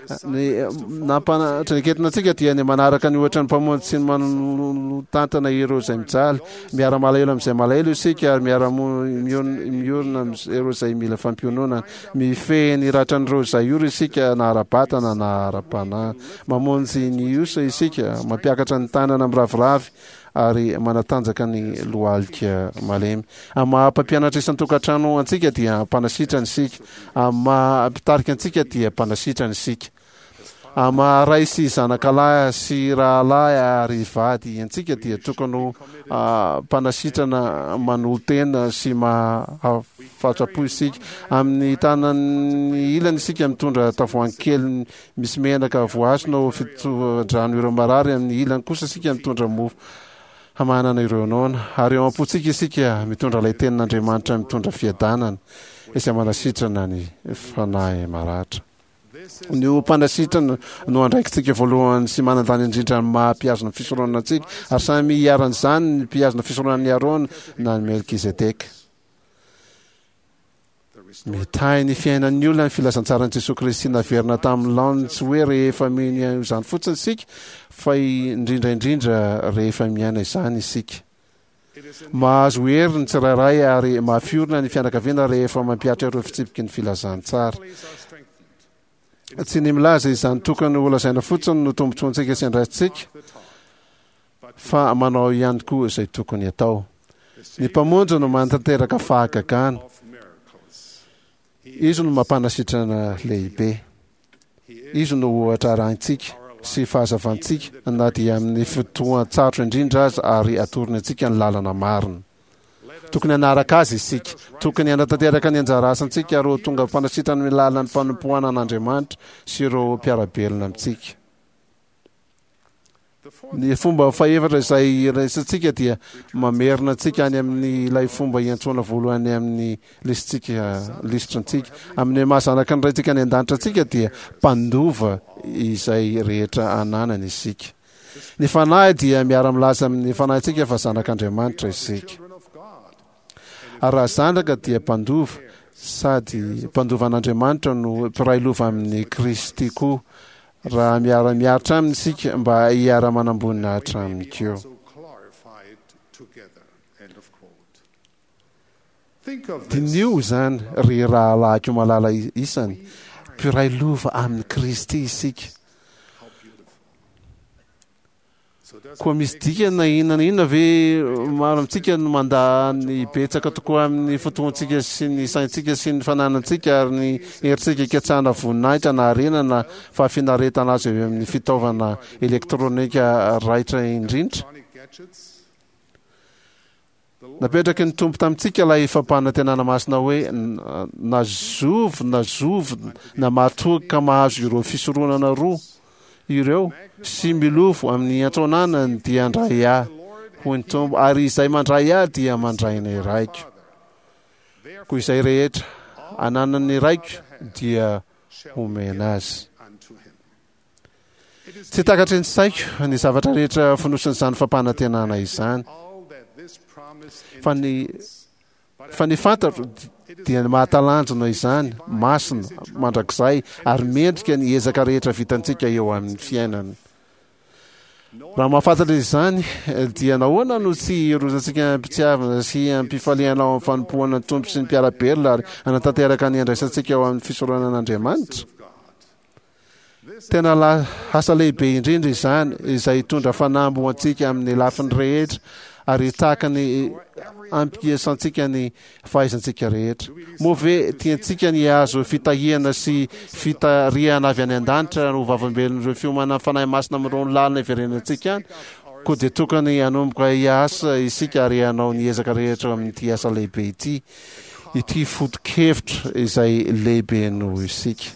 Speaker 3: Ny nampanatreketina antsika dia ny manaraka ny ohatra ny Mpamonjy sy ny manotantana ireo izay mijaly. Miara-malahelo amin'izay malahelo isika ary miara-miorina amin'ireo izay mila fampiononana. Mifehy ny ratran'ireo izay ory isika na ara-batana na ara-panahy. Mamonjy ny osa isika, mampiakatra ny tanana miraviravy ary manatanjaka ny lohalika malemy. Amin'ny maha mpampianatra isan-tokantrano antsika dia mpanasitrana isika. Amin'ny maha mpitarika antsika dia mpanasitrana isika. Amin'ny maha ray sy zanakalahy sy rahalahy ary vady antsika dia tokony ho mpanasitrana manolo-tena sy mahafatrapo isika. Amin'ny tanan'ny ilany isika mitondra tavoahangy kely misy menaka voahasina ho fitsodrano ireo marary, amin'ny ilany kosa isika mitondra mofo hamahanana ireo noana, ary eo am-pontsika isika mitondra ilay tenin'Andriamanitra mitondra fiadanana izay manasitrana ny fanahy maratra. Ny ho mpanasitrana no andraikitsika voalohany sy manan-danja indrindra amin'ny maha mpihazona fisoronana antsika, ary samy iharan'izany ny mpihazona fisoronan'i Arona na ny Melkizedeka. Mitahy ny fiainan'ny olona ny filazantsaran'i Jesoa Kristy naverina tamin'ny laoniny, tsy hoe rehefa mino izany fotsiny isika, fa indrindra indrindra rehefa miaina izany isika. Mahazo hery ny tsirairay ary mahafiorina ny fianakaviana rehefa mampihatra ireo fitsipiky ny filazantsara. Tsy ny milaza izany tokony holazaina fotsiny no tombontsoantsika sy andraikitsika, fa manao ihany koa izay tokony atao. Ny Mpamonjy no manatanteraka fahagagana. Izy no mampanasitrana lehibe. Izy no ohatra arahintsika sy fahazavantsika na dia amin'ny fotoan-tsarotra indrindra aza, ary atorony antsika ny lalana marina. Tokony hanaraka azy isika. Tokony hanatanteraka ny anjara asantsika ary ho tonga mpanasitrana amin'ny lalan'ny fanompoana an'Andriamanitra sy ireo mpiara-belona amintsika. Ny fomba fahefatra izay iraisantsika dia mamerina antsika any amin'ny ilay fomba iantsoana voalohany amin'ny lisitsika lisitrantsika. Amin'ny maha zanaky ny Raintsika any an-danitra antsika dia mpandova izay rehetra ananany isika. Ny Fanahy dia miara-milaza amin'ny fanahintsika fa zanak'Andriamanitra isika. Ary raha zanaka dia mpandova, sady mpandova an'Andriamanitra no mpiray lova amin'i Kristy koa, raha miara-miaritra aminy isika mba hiara-manam-boninahitra aminy koa. Diniho izany, ry rahalahiko malala isany, mpiray lova amin'i Kristy isika. Koa misy dikany na inona na inona ve maro amintsika no mandà ny betsaka tokoa amin'ny fotoantsika sy ny saintsika sy ny fananantsika ary ny herintsika hikatsahana voninahitra na harena na fahafinaretana azo avy amin'ny fitaovana elektronika raitra indrindra? Napetraky ny Tompo tamintsika ilay fampanantenana masina hoe na zovy na zovy na mahatoky ka mahazo ireo fisoronana roa ireo sy milofo amin'ny antsonanany dia handray ahy, hoy ny Tompo, ary izay mandray ahy dia mandray ny Raiko. Koa izay rehetra ananan'ny Raiko dia homena azy. Tsy takatry ny saiko ny zavatra rehetra fonosin'izany fampanantenana izany. Fa ny fa ny fantatro dia ny mahatalanjona izany, masina, mandrakizay, ary mendrika ny ezaka rehetra vitantsika eo amin'ny fiainana. Raha mahafantatra izany, dia nahoana no tsy hirozantsika am-pitiavana sy am-pifaliana ao amin'ny fanompoana ny Tompo sy ny mpiara-belona ary hanatanteraka ny andraisantsika ao amin'ny fisoronan'Andriamanitra? Tena asa lehibe indrindra izany, izay hitondra fanamby ho antsika amin'ny lafiny rehetra ary hitaky ny hampiasantsika ny fahaizantsika rehetra. Moa ve tiantsika ny hahazo fitahiana sy fitarihana avy any an-danitra ho vavolombelon'ireo fiomanan'ny Fanahy Masina amin'ireo lalana iverenantsika any? Koa dia tokony hanomboka hiasa isika ary hanao ny ezaka rehetra amin'ity asa lehibe ity, ity foto-kevitra izay lehibe noho isika.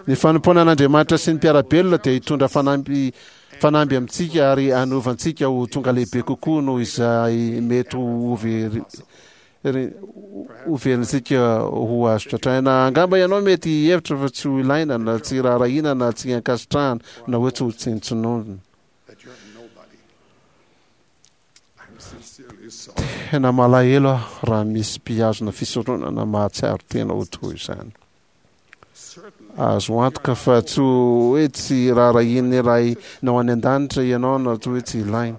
Speaker 3: Ny fanompoana an'Andriamanitra sy ny mpiara-belona dia hitondra fanamby fanamby amintsika ary hanovantsika ho tonga lehibe kokoa noho izay mety ho very hoverintsika ho azo tratraina. Angamba ianao mety hihevitra fa tsy ho ilaina na tsy raharahiana na tsy ankasitrahana na hoe tsy ho tsinontsinoavina. Tena malahelo aho raha misy mpihazona fisoronana mahatsiaro tena ho toy izany. Azo antoka fa tsy hoe tsy raharahian'ny Rainao any an-danitra ianao na tsy hoe tsy ilaina.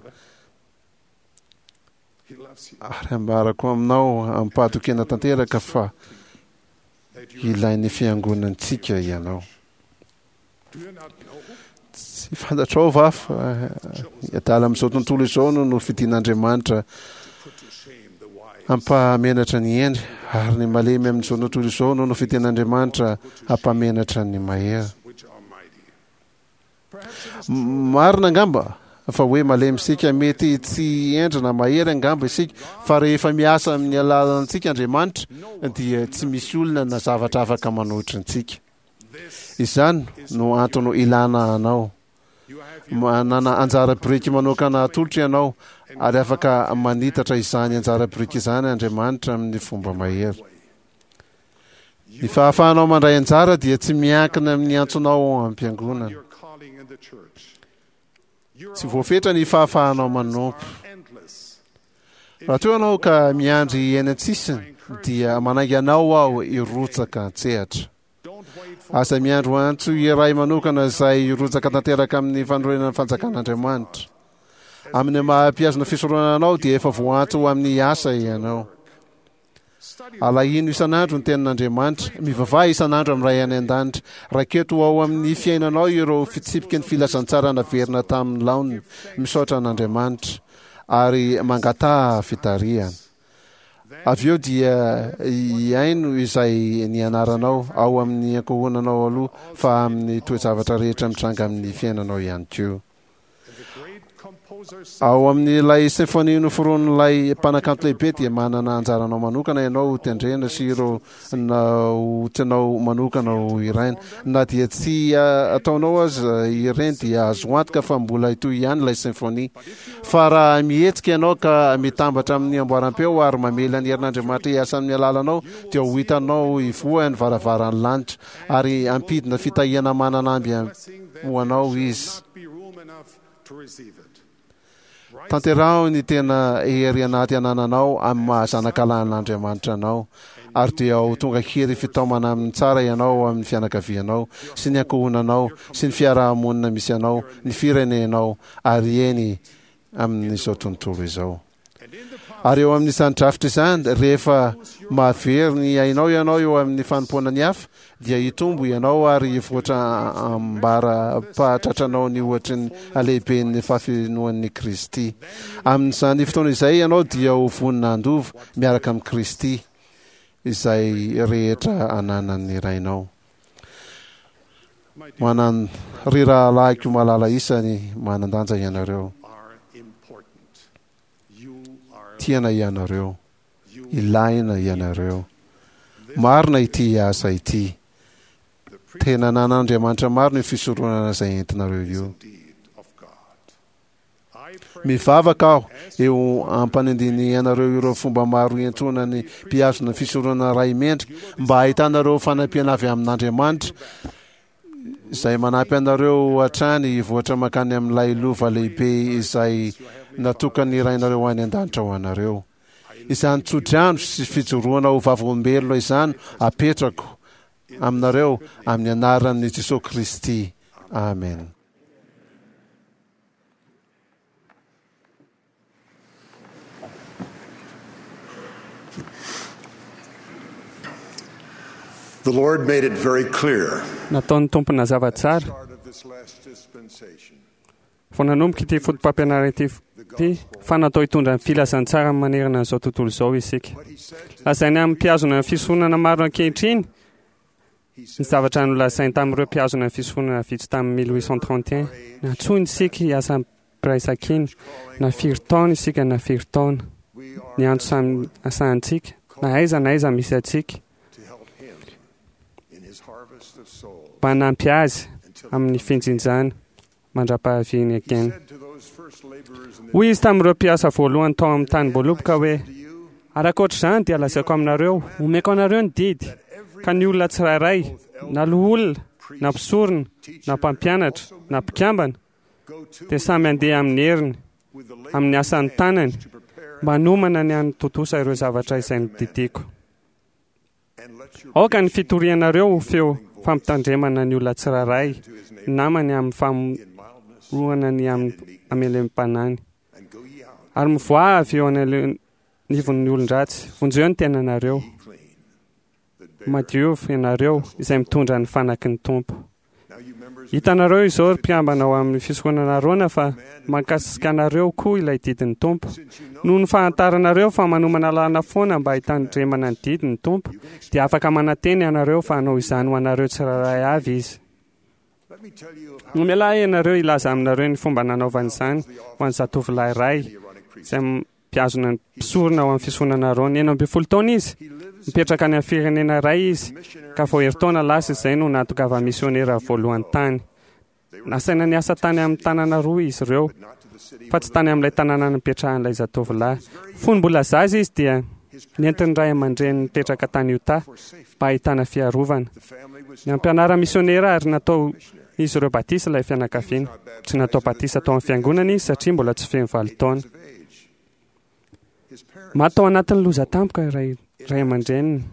Speaker 3: Ary ambarako aminao amim-pahatokiana tanteraka fa ilain'ny fiangonantsika ianao. Tsy fantatrao va fa ny adala amin'izao tontolo izao no nofidin'Andriamanitra hampahamenatra ny hendry, ary ny malemy amin'izao tontolo izao no nofidin'Andriamanitra hampahamenatra ny mahery. Marina angamba fa hoe malemy isika, mety tsy hendry na mahery angamba isika, fa rehefa miasa amin'ny alalantsika Andriamanitra dia tsy misy olona na zavatra afaka manohitra antsika. Izany no antony ilana anao. Manana anjara biriky manokana atolotra ianao, ary afaka manitatra izany anjara biriky izany Andriamanitra amin'ny fomba mahery. Ny fahafahanao mandray anjara dia tsy miankina amin'ny antsonao ao am-piangonana. Tsy voafetra ny fahafahanao manompo. Raha toa ianao ka miandry eny an-tsisiny, dia manainga anao aho hirotsaka an-tsehatra. Aza miandry ho antso iray manokana izay hirotsaka tanteraka amin'ny fanorenana ny fanjakan'Andriamanitra. Amin'ny maha-mpihazona fisoronana anao dia efa voaantso ho amin'ny asa ianao. Alahino isan'andro ny tenin'Andriamanitra, mivavaha isan'andro amin'ny Ray any an-danitra. Raketo ao amin'ny fiainanao ireo fitsipiky ny filazantsara naverina tamin'ny laoniny. Misaotra an'Andriamanitra ary mangataha fitarihana. Avy eo dia hihaino izay nianaranao ao amin'ny ankohonanao aloha fa amin'ny toe-javatra rehetra mitranga amin'ny fiainanao ihany koa. Ao amin'ilay symphony noforonin'ilay mpanakanto lehibe dia manana anjaranao manokana ianao ho tendrena sy ireo naotinao manokana ho hiraina. Na dia tsy ataonao aza ireny dia azo antoka fa mbola hitohy ihany ilay symphony. Fa raha mihetsika ianao ka mitambatra amin'ny amboaram-peo ary mamela ny herin'Andriamanitra hiasa amin'ny alalanao dia ho hitanao hivoha ny varavaran'ny lanitra ary hampidina fitahiana manan'amby ho anao Izy. Tanteraho ny tena hery anaty anananao amin'ny maha zanakalahin'Andriamanitra anao, ary dia ho tonga hery fitaomana amin'ny tsara ianao ao amin'ny fianakavianao, sy ny ankohonanao, sy ny fiaraha-monina misy anao, ny firenenao, ary eny amin'izao tontolo izao. Ary eo amin'izany drafitra izany, rehefa mahavery ny ainao ianao eo amin'ny fanompoana ny hafa, dia hitombo ianao ary hivoatra ambara-pahatratranao ny ohatry ny halehiben'ny fahafenoan'i Kristy. Amin'izany fotoana izay ianao dia ho vonona handova, miaraka amin'i Kristy, izay rehetra ananan'ny Rainao. Manan, ry rahalahiko malala isany, manan-danja ianareo. Tiana ianareo. Ilaina ianareo. Marina ity asa ity. Tena ananan'Andriamanitra marina io fisoronana izay entinareo io. Mivavaka aho eo ampanindinihanareo ireo fomba maro iantsoana ny mpihazona ny fisoronana ray mendrika mba hahitanareo fanampiana avy amin'Andriamanitra izay manampy anareo hatrany hivoatra mankany amin'ilay lova lehibe izay natokan'ny Rainareo any an-danitra ho anareo. Izany tsodrano sy fijoroana ho vavolombelona izany apetrako aminareo amin'ny anaran'i Jesosy Kristy. Amen.
Speaker 9: The Lord made it very clear
Speaker 7: Nataon'ny Tompo nazava tsara
Speaker 9: start of this last dispensation.
Speaker 7: vao nanomboka ity foto-pampianarana ity ity fa natao hitondra ny filazantsara manerana an'izao tontolo izao isika. Lazainy amin'ny mpihazona ny fisoronana maro ankehitriny ny zavatra nolazainy tamin'ireo mpihazona ny fisoronana vitsy tamin'ny mille huit cent trente et un. Nantsoiny isika hiasa am-piraisankina, na firy taona isika na firy taona. Ny antso samy asahantsika, na aiza na aiza misy antsika.
Speaker 9: To help him in his harvest of souls.
Speaker 7: mba hanampy azy amin'ny finjinjana mandra-pahaviany akeny. Hoy izy tamin'ireo mpiasa voalohany tao amin'ny tanim-boaloboka hoe: "Ary ankoatr'izany dia lazaiko aminareo, omeko anareo ny didy, ka ny olona tsirairay, na loholona, na mpisorona, na mpampianatra, na mpikambana, dia samy handeha amin'ny heriny, amin'ny asan'ny tanany, mba hanomana ny hanatontosa ireo zavatra izay nodidiako. Aoka ny fitorianareo ho feo fampitandremana ny olona tsirairay, ny namany amin'ny famorohana ny amin'ny hamelempanany. Ary mivoaha avy eo anivon'ny olon-dratsy, vonjeo ny tenanareo. Madiova ianareo izay mitondra ny fanaky ny Tompo." Hitanareo izao, ry mpikambana ao amin'ny fisoronana Arona, fa mahakasika anareo koa ilay didin'ny Tompo. Noho ny fahantaranareo fa manomana lalana foana mba hitandremana ny didy ny Tompo, dia afaka manantena ianareo fa hanao izany ho anareo tsirairay avy Izy. Nomela ahy ianareo hilaza aminareo ny fomba nanaovany izany ho an'ny zatovolahy iray izay mpihazona ny mpisorona ao amin'ny fisoronana Arona. Enina ambin'ny folo taona izy, mipetraka any amin'ny firenena iray izy, ka vao herintaona lasa izay no nahatongava misionera voalohany tany. Nasaina niasa tany amin'ny tanàna roa izy ireo, fa tsy tany amin'ilay tanàna nipetrahan'ilay zatovolahy. Fony mbola zaza izy dia nentin'ny ray aman-dreniny nipetraka tany Utah mba hahitana fiarovana. Ny ampianara misionera ary natao izy ireo batisa ilay fianakaviana. Tsy natao batisa tao amin'ny fiangonana izy satria mbola tsy feno valo taona. Maty tao anatin'ny loza tampoka iray ray aman-dreniny.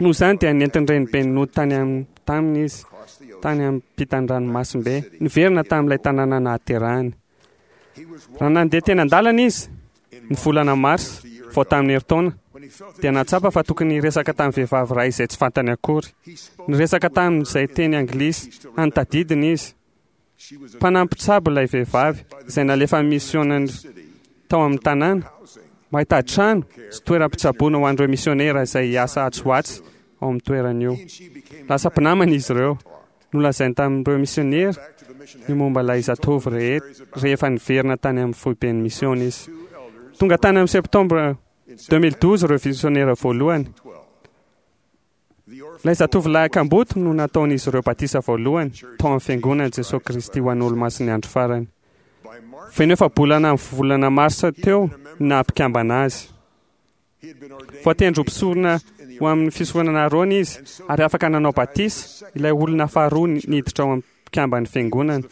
Speaker 7: Noho izany dia nentin'ny renibeny nody tany am- taminy izy, tany ampitan'ny ranomasimbe, niverina tamin'ilay tanàna nahaterahany. Raha nandeha teny an-dalana izy, ny volana marsa, vao tamin'ny herintaona, dia nahatsapa fa tokony hiresaka tamin'ny vehivavy iray izay tsy fantany akory. Niresaka tamin'izay teny anglisy hany tadidiny izy. Mpanampy mpitsabo ilay vehivavy izay nalefa misionany tao amin'ny tanàna mba hitady trano sy toeram-pitsaboana ho an'ireo misionera izay hiasa atsy ho atsy ao amin'ny toerana io. Lasa mpinamana izy ireo. Nolazainy tamin'ireo misionera ny momba ilay zatovo rehetra rehefa niverina tany amin'ny foiben'ny misiona izy. Tonga tany amin'ny septambra deux mille douze ireo misionera voalohany. Ilay zatovolahy kamboty no nataon'izy ireo batisa voalohany tao amin'ny fiangonan'i Jesoa Kristy ho an'Olomasin'ny andro farany. Feno efa-bolana amin'ny volana marsa teo no naha-mpikambana azy. Voatendry ho mpisorona ho amin'ny fisoronana Arona izy ary afaka nanao batisa ilay olona faharoa niditra ao amin'ny mpikamban'ny fiangonana.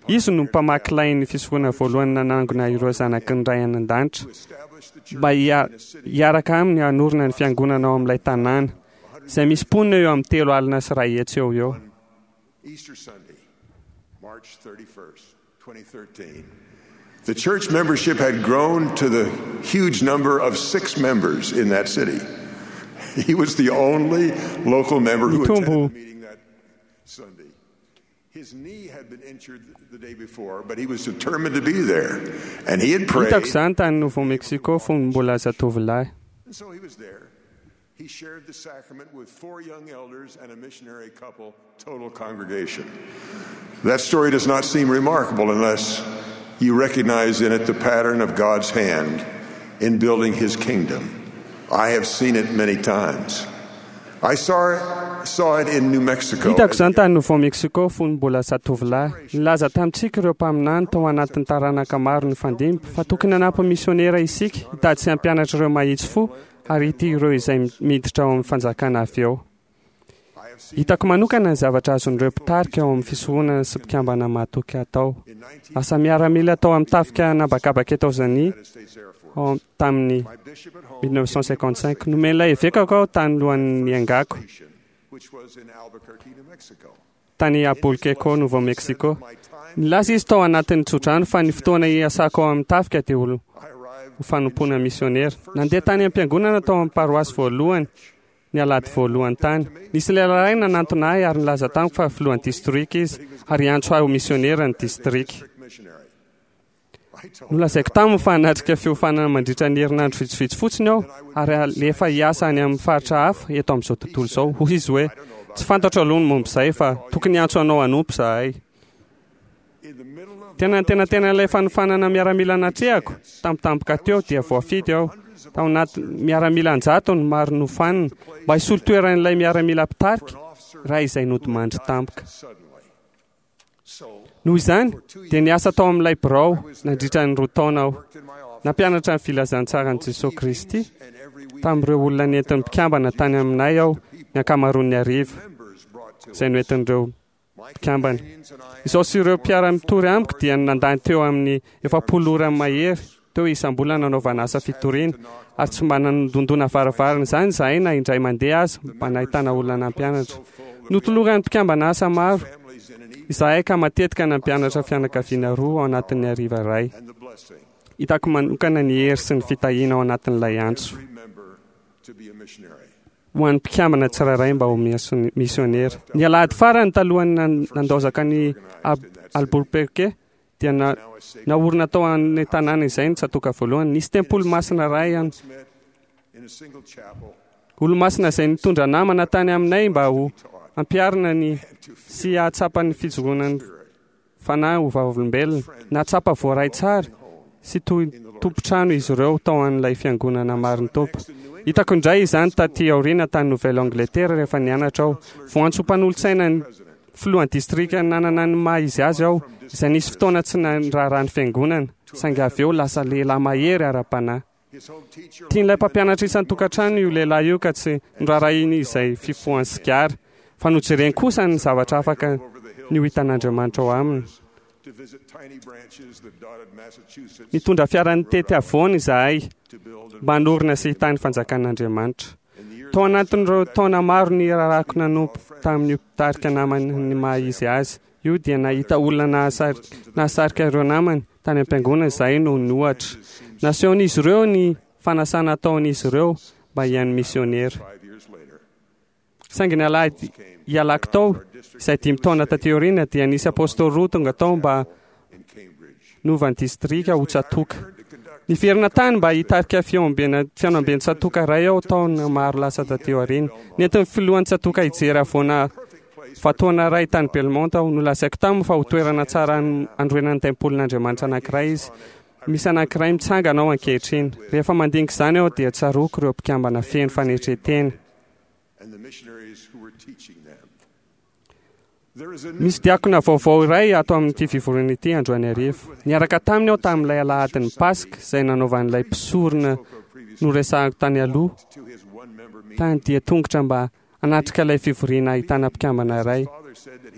Speaker 7: Izy no mpamaky lain'ny fisoronana voalohany nanangona ireo zanaky ny Ray any an-danitra mba hiaraka aminy hanorina ny fiangonana ao amin'ilay tanàna, izay misy mponina eo amin'ny telo alina sy iray hetsy eo ho eo.
Speaker 9: The church membership had grown to the huge number of six members in that city. He was the only local member who attended the meeting that Sunday. His knee had been injured the day before, but he was determined to be there. And he had prayed.
Speaker 7: Hitako izany tany Nouveau Mexico fony mbola zatovolahy.
Speaker 9: And so he was there. He shared the sacrament with four young elders and a missionary couple, total congregation. That story does not seem remarkable unless you recognize in it the pattern of God's hand in building his kingdom. I have seen it many times. I saw it, saw it in New Mexico.
Speaker 7: Hitako izany tany Nouveau Mexico fony mbola zatovolahy. Nilaza tamintsika ireo mpaminany tao anatin'ny taranaka maro nifandimby fa tokony hanampy misionera isika hitady sy hampianatra ireo mahitsy fo ary ity ireo izay miditra ao amin'ny fanjakana avy eo. Hitako manokana ny zavatra azon'ireo mpitarika ao amin'ny fisoronana sy mpikambana mahatoky atao. Lasa miaramila tao amin'ny tafika nabakabaka Etazonia tamin'ny mille neuf cent cinquante-cinq. Nomen'ilay evekako aho tany lohan'ny niangako tany Albuquerque, Nouveau Mexico. Nilaza izy tao anatin'ny tsodrano fa ny fotoana hiasako ao amin'ny tafika dia ho fanompoana misionera. Nandeha tany am-piangonana tao amin'ny paroasy voalohany ny alahady voalohany tany. Nisy lehilahy iray nanantona ahy ary nilaza tamiko fa filohan'ny distrika izy ary hiantso ahy ho misionera ny distrika. Nolazaiko taminy fa hanatrika fiofanana mandritra ny herinandro vitsivitsy fotsiny aho ary alefa hiasa any amin'ny faritra hafa eto amin'izao tontolo izao. Hoy izy hoe, tsy fantatro aloha ny momba izay fa tokony hiantso anao hanompo izahay. Tena nitenatena ilay fanofanana miaramila natrehako tampotampoka teo dia voafidy aho. Tao anaty miaramila an-jatony maro nofanina mba hisolo toeran'ilay miaramila mpitarika ray izay nodimandry tampoka. Noho izany dia niasa tao amin'ilay birao nandritra ny roa taona aho. Nampianatra ny filazantsaran'i Jesosy Kristy tamin'ireo olona nentin'ny mpikambana tany aminay aho ny ankamaroan'ny hariva izay noentin'ireo mpikambana. Izaho sy ireo mpiara-mitory amiko dia nandany teo amin'ny efapolo ora mahery teo isam-bolana nanaovana asa fitoriana, ary tsy mba nandondona varavarana izany izahay na indray mandeha aza mba nahitana olona nampianatra. Notoloran'ny mpikambana asa maro izahay ka matetika nampianatra fianakaviana roa ao anatin'ny hariva iray. Hitako manokana ny hery sy ny fitahiana ao anatin'ilay antso ho an'ny mpikambana tsirairay mba ho misionera. Ny alahady farany talohan'ny nandaozaka ny Albuquerque dia naorina tao amin'ny tanàna izay ny tsatoka voalohany. Nisy tempoly masina iray any. Olo-masina izay nitondra namana tany aminay mba ho ampiharina ny sy hahatsapa ny fijoroan'ny fanahy ho vavolombelona. Nahatsapa voaray tsara sy toy tompon-trano izy ireo tao amin'ilay fiangonana marin'ny Tompo. Hitako indray izany taty aoriana tany Nouvelle-Angleterre rehefa nianatra aho. Voantso mpanolotsaina ny filohan'ny distrika nanana ny maha izy azy aho, izay nisy fotoana tsy niraharaha ny fiangonana, saingy avy eo lasa lehilahy mahery ara-panahy. Tian'ilay mpampianatra isan-tokantrano io lehilahy io ka tsy noraharahiany izay fifohany sigara, fa nojereny kosa ny zavatra afaka ny ho hitan'Andriamanitra ao aminy. Nitondra fiara nitety havoana izahay mba hanorina sy hitahy ny fanjakan'Andriamanitra. Tao anatin'ireo taona maro nirarako nanompo tamin'io mpitarika namany ny maha izy azy io dia nahita olona nahasarika ireo namany tany am-piangonana izahay noho ny ohatra. Nasehon'izy ireo ny fanasana ataon'izy ireo mba hihaino misionera. Saingy ny alahady hialako tao, izay dimy taona taty aoriana, dia nisy apôstôly roa tonga tao mba novan'ny distrika ho tsatoka. Niverina tany mba hitarika fihaonamben'ny tsatoka iray aho taona maro lasa taty aoriana. Nentin'ny filohan'ny tsatoka hijery havoana vatoana iray tany Belmont aho. Nolazaiko taminy fa ho toerana tsara hanorenana ny tempolin'Andriamanitra anankiray izy. Misy anankiray mitsangana ao ankehitriny. Rehefa mandinika izany aho dia tsaroako ireo mpikambana feno fanetren-tena. Misy diakona vaovao iray ato amin'ity fivoriana ity androany hariva. Niaraka taminy aho tamin'ilay alahadin'ny Paska izay nanaovan'ilay mpisorona noresahako tany aloha tany dia tongotra mba hanatrika ilay fivoriana ahitana mpikambana iray.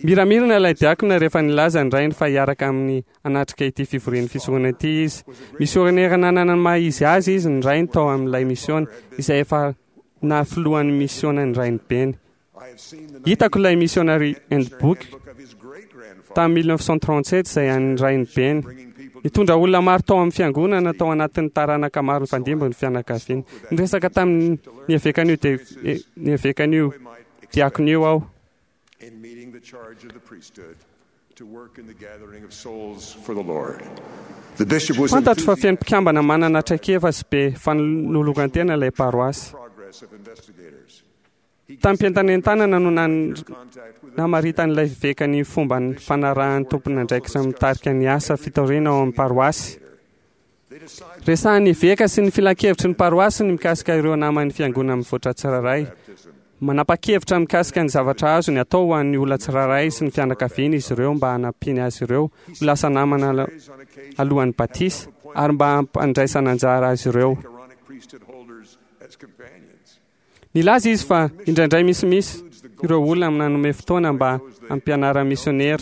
Speaker 7: Miramirana ilay diakona rehefa nilaza ny rainy fa hiaraka amin'ny hanatrika ity fivorian'ny fisoronana ity izy. Misionera nanana ny maha izy azy izy ny rainy tao amin'ilay misiona izay efa nahafilohan'ny misiona ny rainibeny. Hitako ilay missionary handbook tamin'ny mille neuf cent trente-sept izay an'ny rainibeny. Nitondra olona maro tao amin'ny fiangonana tao anatin'ny taranaka maro nifandimby ny fianakaviany. Niresaka tamin'ny evekan'io ny evekan'io diakona io aho. Fantatro fa feno mpikambana manana traikefa sy be fanoloran-tena ilay paroasy. Tamim-pientanentanana no namaritan'ilay eveka ny fomba fanarahan'ny tompon'andraikitra mitarika ny asa fitoriana ao amin'ny paroasy. Resahan'ny eveka sy ny filankevitry ny paroasy ny mikasika ireo naman'ny fiangonana mivoatra tsirairay. Manapa-kevitra mikasika ny zavatra azony atao ho an'ny olona tsirairay sy ny fianakaviany izy ireo mba hanampiany azy ireo ho lasa namana alohan'ny batisa ary mba hampandraisana anjara azy ireo. Nilaza izy fa indraindray misimisy ireo olona nanome fotoana mba hampianara misionera.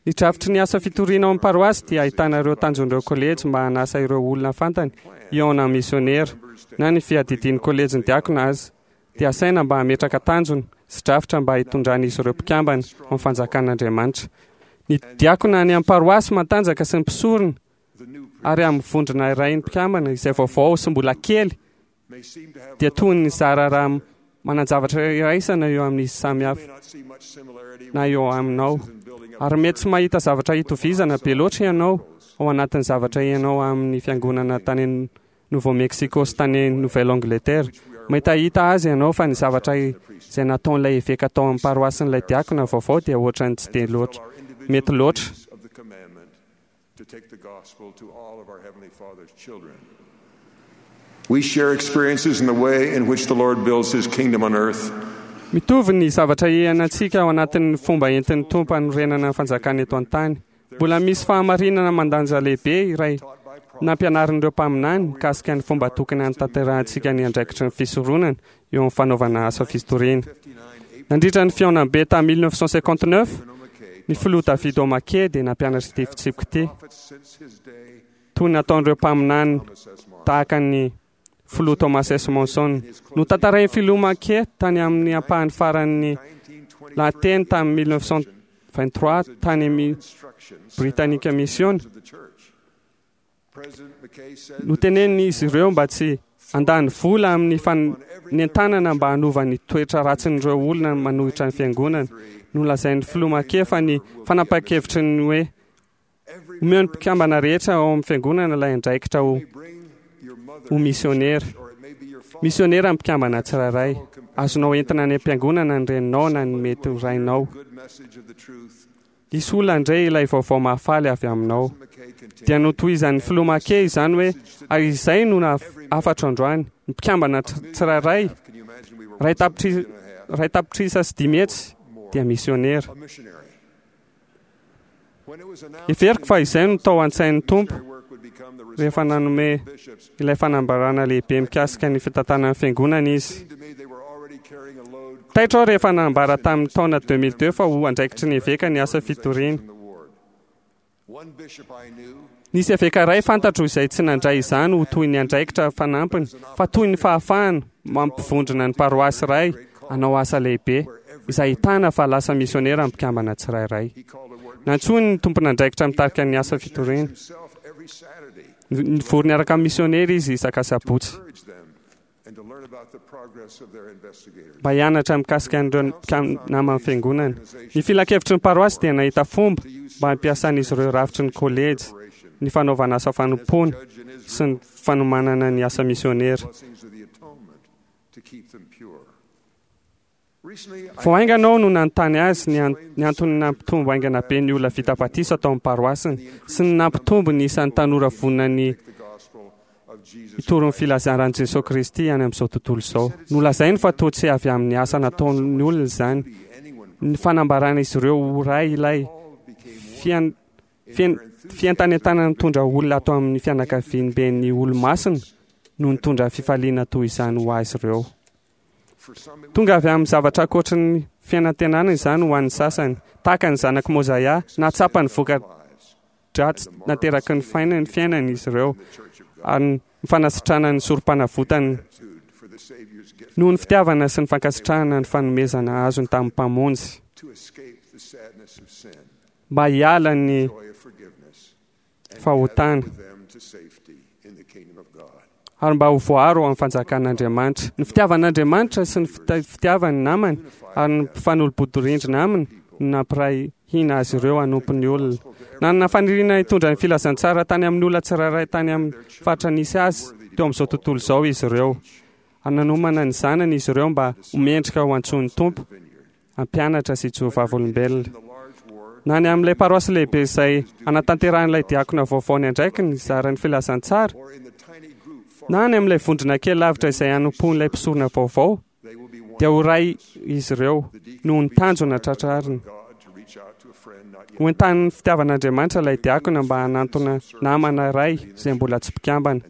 Speaker 7: Ny drafitry ny asa fitoriana ao amin'ny paroasy dia ahitana ireo tanjon'ireo kolejy mba hanasa ireo olona fantany hihaona misionera na ny fiadidian'ny kolejin'ny diakona azy dia asaina mba hametraka tanjona sy drafitra mba hitondran'izy ireo mpikambana amin'ny fanjakan'Andriamanitra. Ny diakona any amin'ny paroasy matanjaka sy ny mpisorona ary amin'ny vondrona iray ny mpikambana izay vaovao sy mbola kely dia toy ny zara raha manan-javatra iraisana eo amin'izy samihafa na eo aminao. Ary mety tsy mahita zavatra hitovizana be loatra ianao ao anatin'ny zavatra ianao amin'ny fiangonana tany Nouveau-Mexico sy tany Nouvelle-Angleterre. Mahitahita azy ianao fa ny zavatra izay nataon'ilay eveka tao amin'ny paroasin'ilay diakona vaovao dia ohatran'ny tsy dia loatra mety loatra.
Speaker 9: We share experiences in the way in which the Lord builds his kingdom on earth
Speaker 7: Mitovy ny zavatra iainantsika ao anatin'ny fomba entin'ny Tompo hanorenana ny fanjakana eto an-tany. Mbola misy fahamarinana mandanja lehibe iray nampianarin'ireo mpaminany mikasika ny fomba tokony hanatanterahantsika ny andraikitry ny fisoronana eo amin'ny fanaovana asa fitoriana. Nandritra ny fihaonambe tamin'ny mille neuf cent cinquante-neuf, ny filoha David O. McKay dia nampianatra ity fitsipika ity, toy ny nataon'ireo mpaminany tahaka ny filoha Thomas S. Monson. Notantarain'ny filoha McKay tany amin'ny ampahany faran'ny lahateny tamin'ny mille neuf cent vingt-trois tany amin'ny Britannica Mission. Notenenin'izy ireo mba tsy handany vola amin'ny fanentanana mba hanova ny toetra ratsin'ireo olona manohitra ny fiangonana. Nolazain'ny filoha McKay fa ny fanapahan-kevitry ny hoe omeo ny mpikambana rehetra ao amin'ny fiangonana ilay andraikitra ho ho misionera. Misionera ny mpikambana tsirairay. Azonao entina any am-piangonana ny reninao na ny mety ho rainao. Hisy olona handre ilay vaovao mahafaly avy aminao. Dia notohizan'ny filoha McKay izany hoe ary izay no hafatro androany. Ny mpikambana tsirairay ray tapitri-, ray tapitrisa sy dimy hetsy dia misionera. Heveriko fa izay no tao an-tsain'ny Tompo rehefa nanome ilay fanambarana lehibe mikasika ny fitantanan'ny fiangonana izy. Taitra aho rehefa nanambara tamin'ny taona deux mille deux fa ho andraikitry ny eveka ny asa fitoriana. Nisy eveka iray fantatro izay tsy nandray izany ho toy ny andraikitra fanampiny fa toy ny fahafahana mampivondrona ny paroasy iray hanao asa lehibe izay ahitana fa lasa misionera ny mpikambana tsirairay. Nantsoiny ny tompon'andraikitra mitarika ny asa fitoriana. Nivory niaraka amin'ny misionera izy isak'asabotsy mba hianatra mikasika an'ireo naman'ny fiangonana. Ny filankevitry ny paroasy dia nahita fomba mba hampiasan'izy ireo rafitry ny kolejy, ny fanaovana asa fanompoana sy ny fanomanana ny asa misionera. Vao haingana aho no nanontany azy ny an-, ny antony nampitombo haingana be ny olona vita batisa tao amin'ny paroasiny sy ny nampitombo ny isan'ny tanora vonona ny hitory ny filazan'i Jesoa Kristy any amin'izao tontolo izao. Nolazainy fa toa tsy avy amin'ny asa nataon'ny olona izany. Ny fanambarana izy ireo ho ray ilay fian-, fian-, fientanentanana nitondra olona ato amin'ny fianakaviamben'ny Olomasina no nitondra fifaliana toy izany ho azy ireo. Tonga avy amin'ny zavatra ankoatry ny fiainantenana izany ho an'ny sasany, tahaka ny zanak'i Mozaia, nahatsapa ny voka-dratsy nateraky ny fainany fiainany izy ireo, ary ny fanasitrana ny sorom-panavotany noho ny fitiavana sy ny fankasitrahana ny fanomezana azony tamin'ny Mpamonjy mba hiala ny fahotana ary mba ho voaro amin'ny fanjakan'Andriamanitra. Ny fitiavan'Andriamanitra sy ny fitiavany namany ary ny mpifanolo-bodirindrina aminy no nampiray hina azy ireo hanompo ny olona. Nanana faniriana hitondra ny filazantsara tany amin'ny olona tsirairay tany amin'ny faritra nisy azy teo amin'izao tontolo izao izy ireo. Ary nanomana ny zanany izy ireo mba ho mendrika ho antsoin'ny Tompo hampianatra sy hijoro vavolombelona. Na ny amin'ilay paroasy lehibe izay hanatanterahan'ilay diakona vaovao ny andraikiny hizara ny filazantsara, na any amin'ilay vondrona kely lavitra izay hanompoan'ilay mpisorona vaovao, dia ho ray izy ireo noho ny tanjona tratrariny. Ho entanin'ny fitiavan'Andriamanitra ilay diakona mba hanantona namana iray izay mbola tsy mpikambana.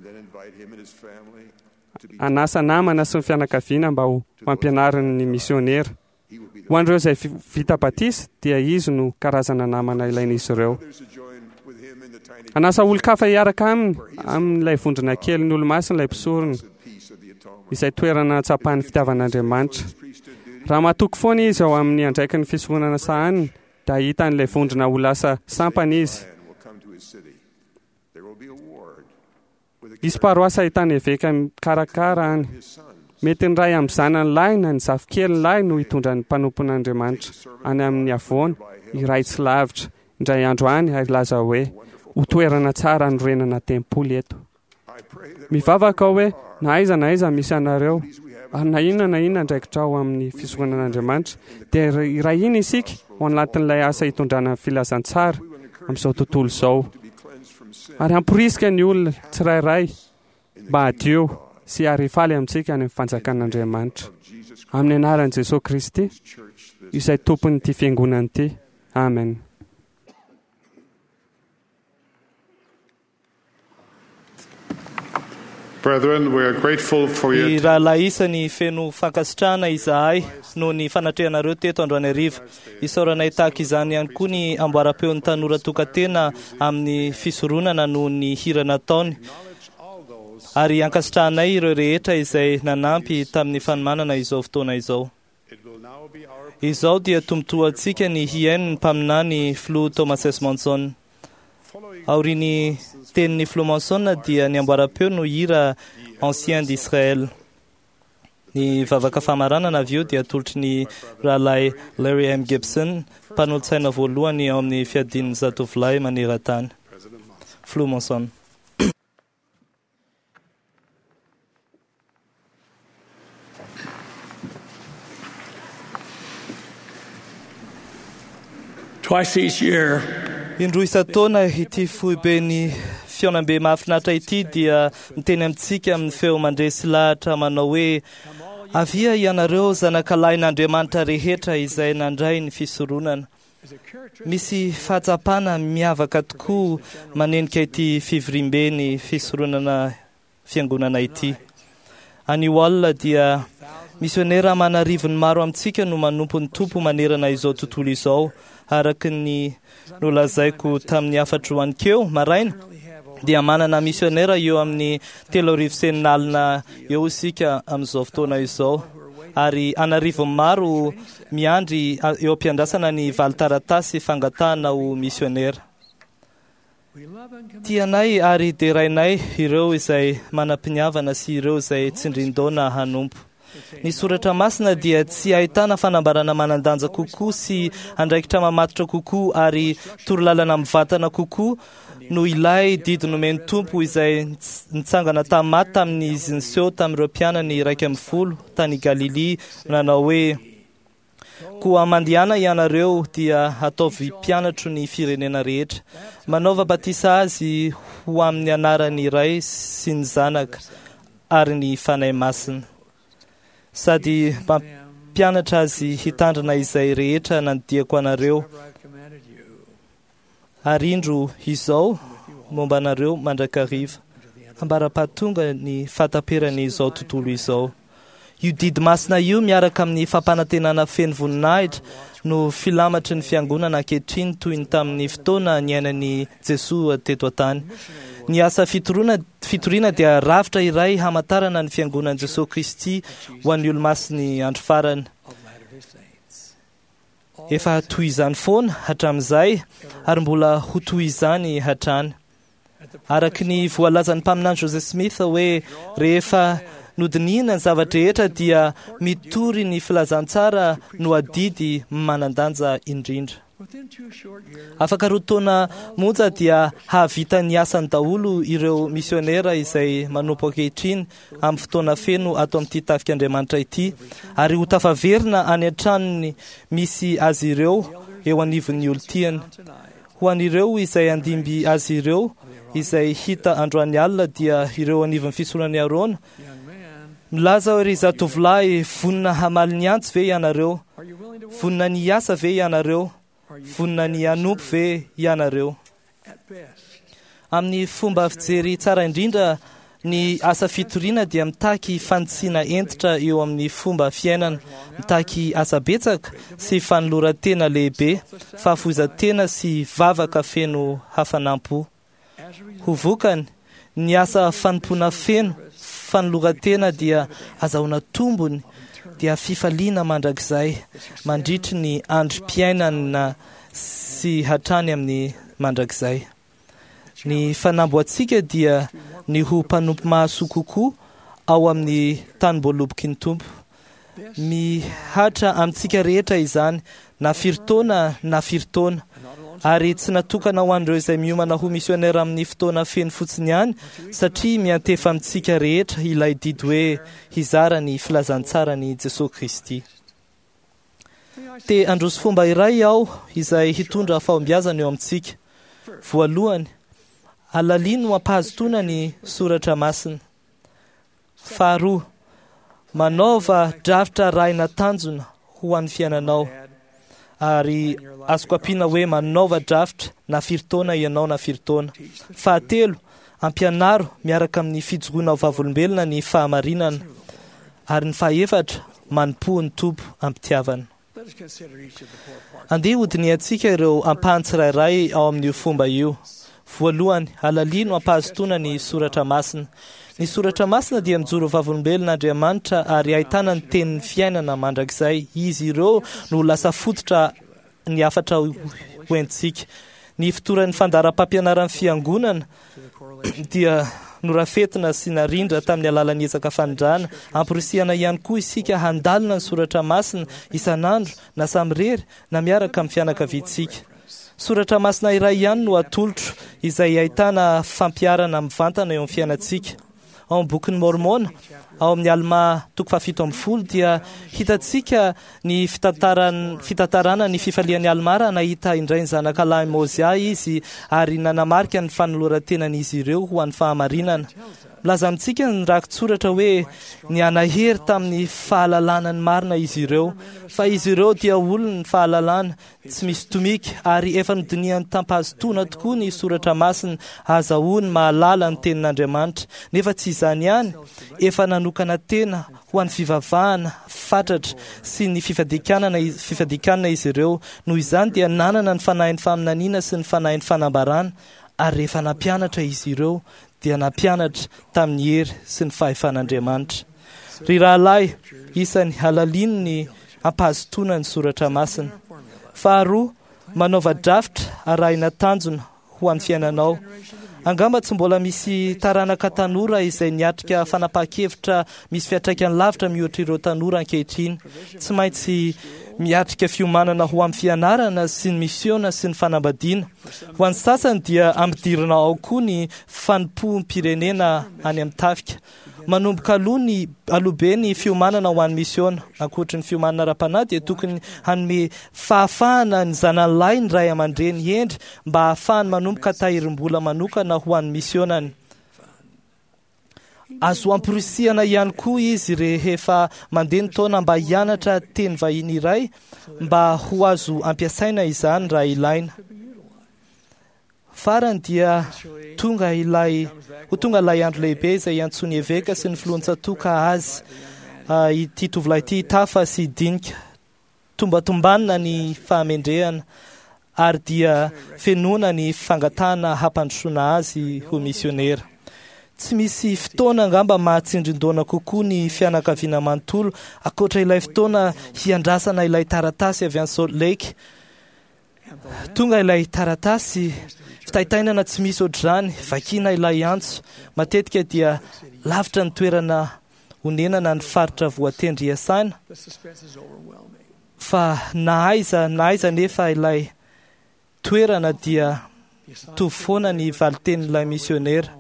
Speaker 7: Hanasa namana sy ny fianakaviana mba ho ampianariny ny misionera. Ho an'ireo izay vita batisa dia izy no karazana namana ilain'izy ireo. Hanasa olon-kafa hiaraka aminy amin'ilay vondrona kelin'ny Olomasina ilay mpisorona, izay toerana hatsapan'ny fitiavan'Andriamanitra. Raha matoky foana izy ao amin'ny andraikiny fisoronana sahaniny, dia hahita an'ilay vondrona ho lasa sampana izy. Hisy paroasy ahitana eveka mikarakara any. Mety ny ray amin'ny zanany lahy na ny zafikeliny lahy no hitondra ny mpanompon'Andriamanitra any amin'ny havoana iray tsy lavitra indray andro any ary hilaza hoe ho toerana tsara hanorenana tempoly eto. Mivavaka aho hoe na aiza na aiza misy anareo ary na inona na inona andraikitra ao amin'ny fisoronan'Andriamanitra dia iray hina isika ao anatin'ilay asa hitondrana ny filazantsara amin'izao tontolo izao. Ary hamporisika ny olona tsirairay mba hadio sy ary hifaly amintsika any amin'ny fanjakan'Andriamanitra. Amin'ny anaran'i Jesosy Kristy, izay tompon'ity fiangonana ity. Amen.
Speaker 4: Brethren, we are grateful for your
Speaker 2: Ny rahalahy isany feno fankasitrahana izahay noho ny fanatrehanareo teto androany hariva. Isaoranay tahaka izany ihany koa ny amboaram-peon'ny tanora tokantena amin'ny fisoronana noho ny hira nataony. Ary ankasitrahanay ireo rehetra izay nanampy tamin'ny fanomanana izao fotoana izao. Izao dia tombontsoantsika ny hihaino ny mpaminany Filoha Thomas S. Monson. Aorian'ny tenin'ny Filoha Monson dia ny amboaram-peo no hira Ancien d'Israël. Ny vavaka famaranana avy eo dia atolotry ny rahalahy Larry M. Gibson, mpanolotsaina voalohany ao amin'ny fiadian'ny zatovolahy maneran-tany. Filoha Monson.
Speaker 5: Twice each year,
Speaker 2: Indroa isan-taona ity foiben'ny fihaonambe mahafinaritra ity dia miteny amintsika amin'ny feo mandresy lahatra manao hoe avia ianareo zanakalahin'Andriamanitra rehetra izay nandray ny fisoronana. Misy fahatsapana miavaka tokoa manenika ity fivoriamben'ny fisoronana fiangonana ity. Anio alina dia misionera manarivony maro amintsika no manompo ny Tompo manerana izao tontolo izao, araka ny nolazaiko tamin'ny hafatro anikeo maraina dia manana misionera eo amin'ny telo arivo sy enina alina eo isika amin'izao fotoana izao, ary anarivony maro miandry eo am-piandrasana ny valin-taratasy fangatahana ho misionera. Tianay ary derainay ireo izay manam-piniavana sy ireo izay tsindrin-daona hanompo. Ny soratra masina dia tsy ahitana fanambarana manan-danja kokoa sy andraikitra mamatotra kokoa ary torolalana mivantana kokoa no ilay didy nomen'ny Tompo izay nitsangana tamin'ny maty tamin'izy niseho tamin'ireo mpianany iraika ambin'ny folo tany Galilia nanao hoe: Koa mandehana ianareo dia ataovy mpianatro ny firenena rehetra, manaova batisa azy ho amin'ny anaran'ny Ray sy ny Zanaka ary ny Fanahy Masina, sady mampianatra azy hitandrina izay rehetra nandidiako anareo, ary indro izao momba anareo mandrakariva, ambara-pahatonga ny fahataperan'izao tontolo izao. Io didy masina io miaraka amin'ny fampanantenana feno voninahitra no filamatry ny fiangonana ankehitriny toy ny tamin'ny fotoana niainan'i Jesoa teto an-tany. Ny asa fitoriana fitoriana dia rafitra iray hamantarana ny fiangonan'i Jesoa Kristy ho an'ny olomasin'ny andro farany. Efa toy izany foana hatramin'izay ary mbola ho toy izany hatrany. Araka ny voalazan'ny mpaminany Joseph Smith hoe rehefa nodinihina ny zava-drehetra dia mitory ny filazantsara no adidy manan-danja indrindra. Afaka roa taona monja dia hahavita ny asany daholo ireo misionera izay manompo ankehitriny amin'ny fotoana feno ato amin'ity tafik'Andriamanitra ity, ary ho tafaverina any an-tranony misy azy ireo eo anivon'ny olon-tiany. Ho an'ireo izay handimby azy ireo izay hita androany alina dia ireo anivon'ny fisoronan'i Arona. Milaza hoe: ry zatovolahy, vonona hamaly ny antso ve ianareo? Vonona ny hiasa ve ianareo? Vonona ny hanompo ve ianareo? Amin'ny fomba fijery tsara indrindra, ny asa fitoriana dia mitaky fanitsiana hentitra eo amin'ny fomba fiainana, mitaky asa betsaka sy fanoloran-tena lehibe, fahafoizan-tena sy vavaka feno hafanam-po. Ho vokany, ny asa fanompoana feno fanoloran-tena dia azahoana tombony dia fifaliana mandrakizay mandritry ny androm-piainana sy hatrany amin'ny mandrakizay. Ny fanamboantsika dia ny ho mpanompo mahasoa kokoa ao amin'ny tanim-boaloboky ny Tompo. Mihatra amintsika rehetra izany, na firy taona na firy taona, ary tsy natokana ho an'ireo izay miomana ho misionera amin'ny fotoana feno fotsiny ihany, satria miantefa amintsika rehetra ilay didy hoe hizara ny filazantsaran'i Jesoa Kristy. Te handroso fomba iray aho izay hitondra fahombiazana eo amintsika. Voalohany, alalino ampahazotoana ny soratra masina. Faharoa, manaova drafitra arahina tanjona ho an'ny fiainanao. Ary azoko ampiana hoe manaova drafitra na firy taona ianao na firy taona. Fahatelo, ampianaro miaraka amin'ny fijoroana ho vavolombelona ny fahamarinana. Ary ny fahaefatra, manompoa ny Tompo am-pitiavana. Andeha hodinihantsika ireo ampahany tsirairay ao amin'io fomba io. Voalohany, alalino ampahazotoana ny soratra masina. Ny soratra masina dia mijoro vavolombelona Andriamanitra ary ahitana ny tenin'ny fiainana mandrakizay. Izy ireo no lasa fototra ny hafatra hoentintsika. Ny fotoran'ny fandaharam-pampianaran'ny fiangonana dia norafetina sy narindra tamin'ny alalan'ny ezaka fanindrana. Amporisihana ihany koa isika handalina ny soratra masina isan'andro na samirery na miaraka amin'ny fianakaviantsika. Soratra masina iray ihany no atolotro izay ahitana fampiharana mivantana eo amin'ny fiainantsika. Ao amin'ny bokin'ny Mormona, ao amin'ny Alma toko fahafito ambin'ny folo dia hitantsika ny fitantaran- fitantarana ny fifalian'i Alma raha nahita indray ny zanaka lahy Mozia izy ary nanamarika ny fanoloran-tenan'izy ireo ho an'ny fahamarinana. Milaza amintsika ny rakitsoratra hoe nianahery tamin'ny fahalalana ny marina izy ireo, fa izy ireo dia olon'ny fahalalana tsy misy tomika ary efa nodinihan'ny tampahazotoana tokoa ny soratra masina azahoany mahalala ny tenin'Andriamanitra. Nefa tsy izany ihany, efa nanokana tena ho an'ny fivavahana fatratra sy ny fifadikanana fifadikanana izy ireo. Noho izany dia nanana ny fanahin'ny faminaniana sy ny fanahin'ny fanambarana, ary rehefa nampianatra izy ireo dia nampianatra tamin'ny hery sy ny fahefan'Andriamanitra. Ry rahalahy, isany halalino ny ampahazotoana ny soratra masina. Faharoa, manaova drafitra arahina tanjona ho an'ny fiainanao. Angamba tsy mbola misy taranaka tanora izay niatrika fanapahan-kevitra misy fiantraikany lavitra mihoatra ireo tanora ankehitriny. Tsy maintsy miatrika fiomanana ho amin'ny fianarana sy ny misiona sy ny fanambadiana. Ho an'ny sasany dia ampidirina ao koa ny fanompoam-pirenena any amin'ny tafika. Manomboka aloha ny aloha be ny fiomanana ho an'ny misiona. Ankoatry ny fiomanana ara-panahy dia tokony hanome fahafahana ny zanany lahy ny ray aman-dreny hendry mba hahafahany manomboka tahirim-bola manokana ho an'ny misionany. Azo amporisihana ihany koa izy rehefa mandeha ny taona mba hianatra teny vahiny iray mba ho azo ampiasaina izany raha ilaina. Farany dia tonga ilay ho tonga ilay andro lehibe izay iantsoan'ny eveka sy ny filohan-tsatoka azy ity tovolahy ity tafa sy dinika. Tombatombanina ny fahamendrehana ary dia fenoana ny fangatahana hampandrosoana azy ho misionera. Tsy misy fotoana angamba mahatsindrin-doana kokoa ny fianakaviana manontolo ankoatra ilay fotoana hiandrasana ilay taratasy avy any Salt Lake. Tonga ilay taratasy, fitaitainana tsy misy ohatr'izany, vakiana ilay antso. Matetika dia lavitra ny toerana onenana ny faritra voatendry hiasana, fa na aiza na aiza nefa ilay toerana dia mitovy foana ny valitenin'ilay misionera.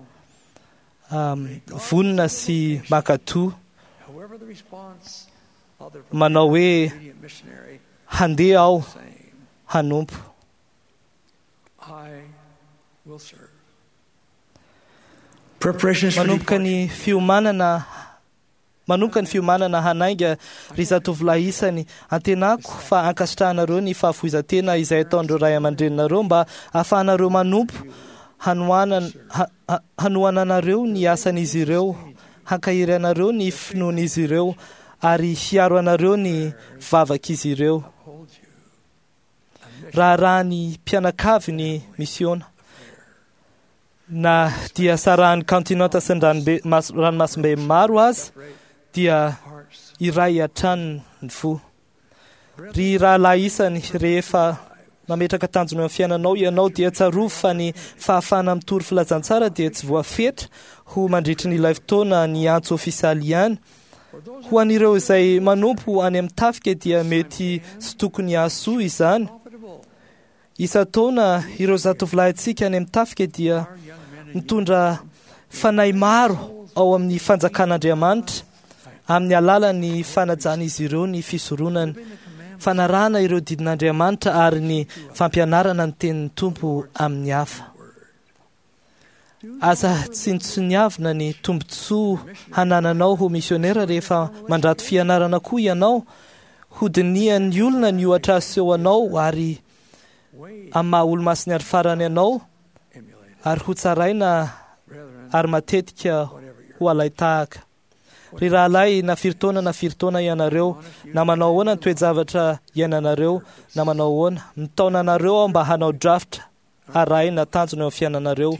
Speaker 2: Um, vonona sy mankatò, manao hoe handeha aho hanompo. Manomboka ny fiomanana manomboka ny fiomanana hanainga ry zatovolahy isany. Antenako fa ankasitrahanareo ny fahafoizan-tena izay ataon'ireo ray aman-dreninareo mba ahafahanareo manompo, hanohanana hanohananareo ny asan'izy ireo, hankahery anareo ny finoan'izy ireo ary hiaro anareo ny vavak'izy ireo. Raharaha ny mpianakavy ny misiona. Na dia sarahan'ny kontinanta sy ny ranobe, mas, ranomasimbe maro aza dia iray hatrany ny fo. Ry rahalahy isany, rehefa mametraka tanjona eo amin'ny fiainanao ianao dia tsarovy fa ny fahafahana mitory filazantsara dia tsy voafetra ho mandritry ny ilay fotoana ny antso ofisialy ihany. Ho an'ireo izay manompo any amin'ny tafika dia mety sy tokony hahasoa izany. Isan-taona ireo zatovolahintsika any amin'ny tafika dia mitondra fanahy maro ao amin'ny fanjakan'Andriamanitra amin'ny alalan'ny fanajan'izy ireo ny fisoronany, fanarahana ireo didin'Andriamanitra ary ny fampianarana ny tenin'ny Tompo amin'ny hafa. Aza tsinontsiniavina ny tombontsoa hanananao ho misionera rehefa mandrato fianarana koa ianao. Hodinihan'ny olona ny ohatra aseho anao ary amin'ny maha olo-masin'ny andro farany anao, ary ho tsaraina ary matetika ho alain-tahaka. Ry rahalahy, na firy taona na firy taona ianareo, na manao ahoana ny toe-javatra iainanareo, na manao ahoana, mitaona anareo aho mba hanao drafitra arahina tanjona eo amin'ny fiainanareo.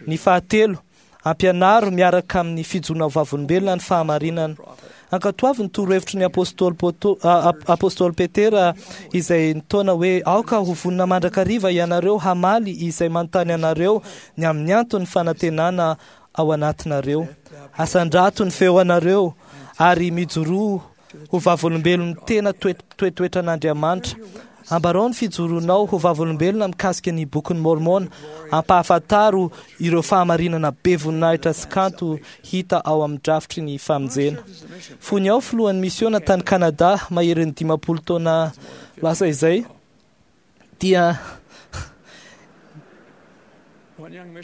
Speaker 2: Ny fahatelo, ampianaro miaraka amin'ny fijoroana ho vavolombelona ny fahamarinana. Ankatoavy ny torohevitry ny apôstôly Poto- a- a- apôstôly Petera izay nitaona hoe aoka ho vonona mandrakariva ianareo hamaly izay manontany anareo ny amin'ny anton'ny fanantenana ao anatinareo. Asandrato ny feo anareo ary mijoroa ho vavolombelon'ny tena toe- toetoetran'Andriamanitra. Ambarao ny fijoronao ho vavolombelona mikasika ny bokin'ny Mormona. Ampahafantaro ireo fahamarinana be voninahitra sy kanto hita ao amin'ny drafitry ny famonjena. Fony aho filohan'ny misiona tany Kanada maherin'ny dimampolo taona lasa izay, dia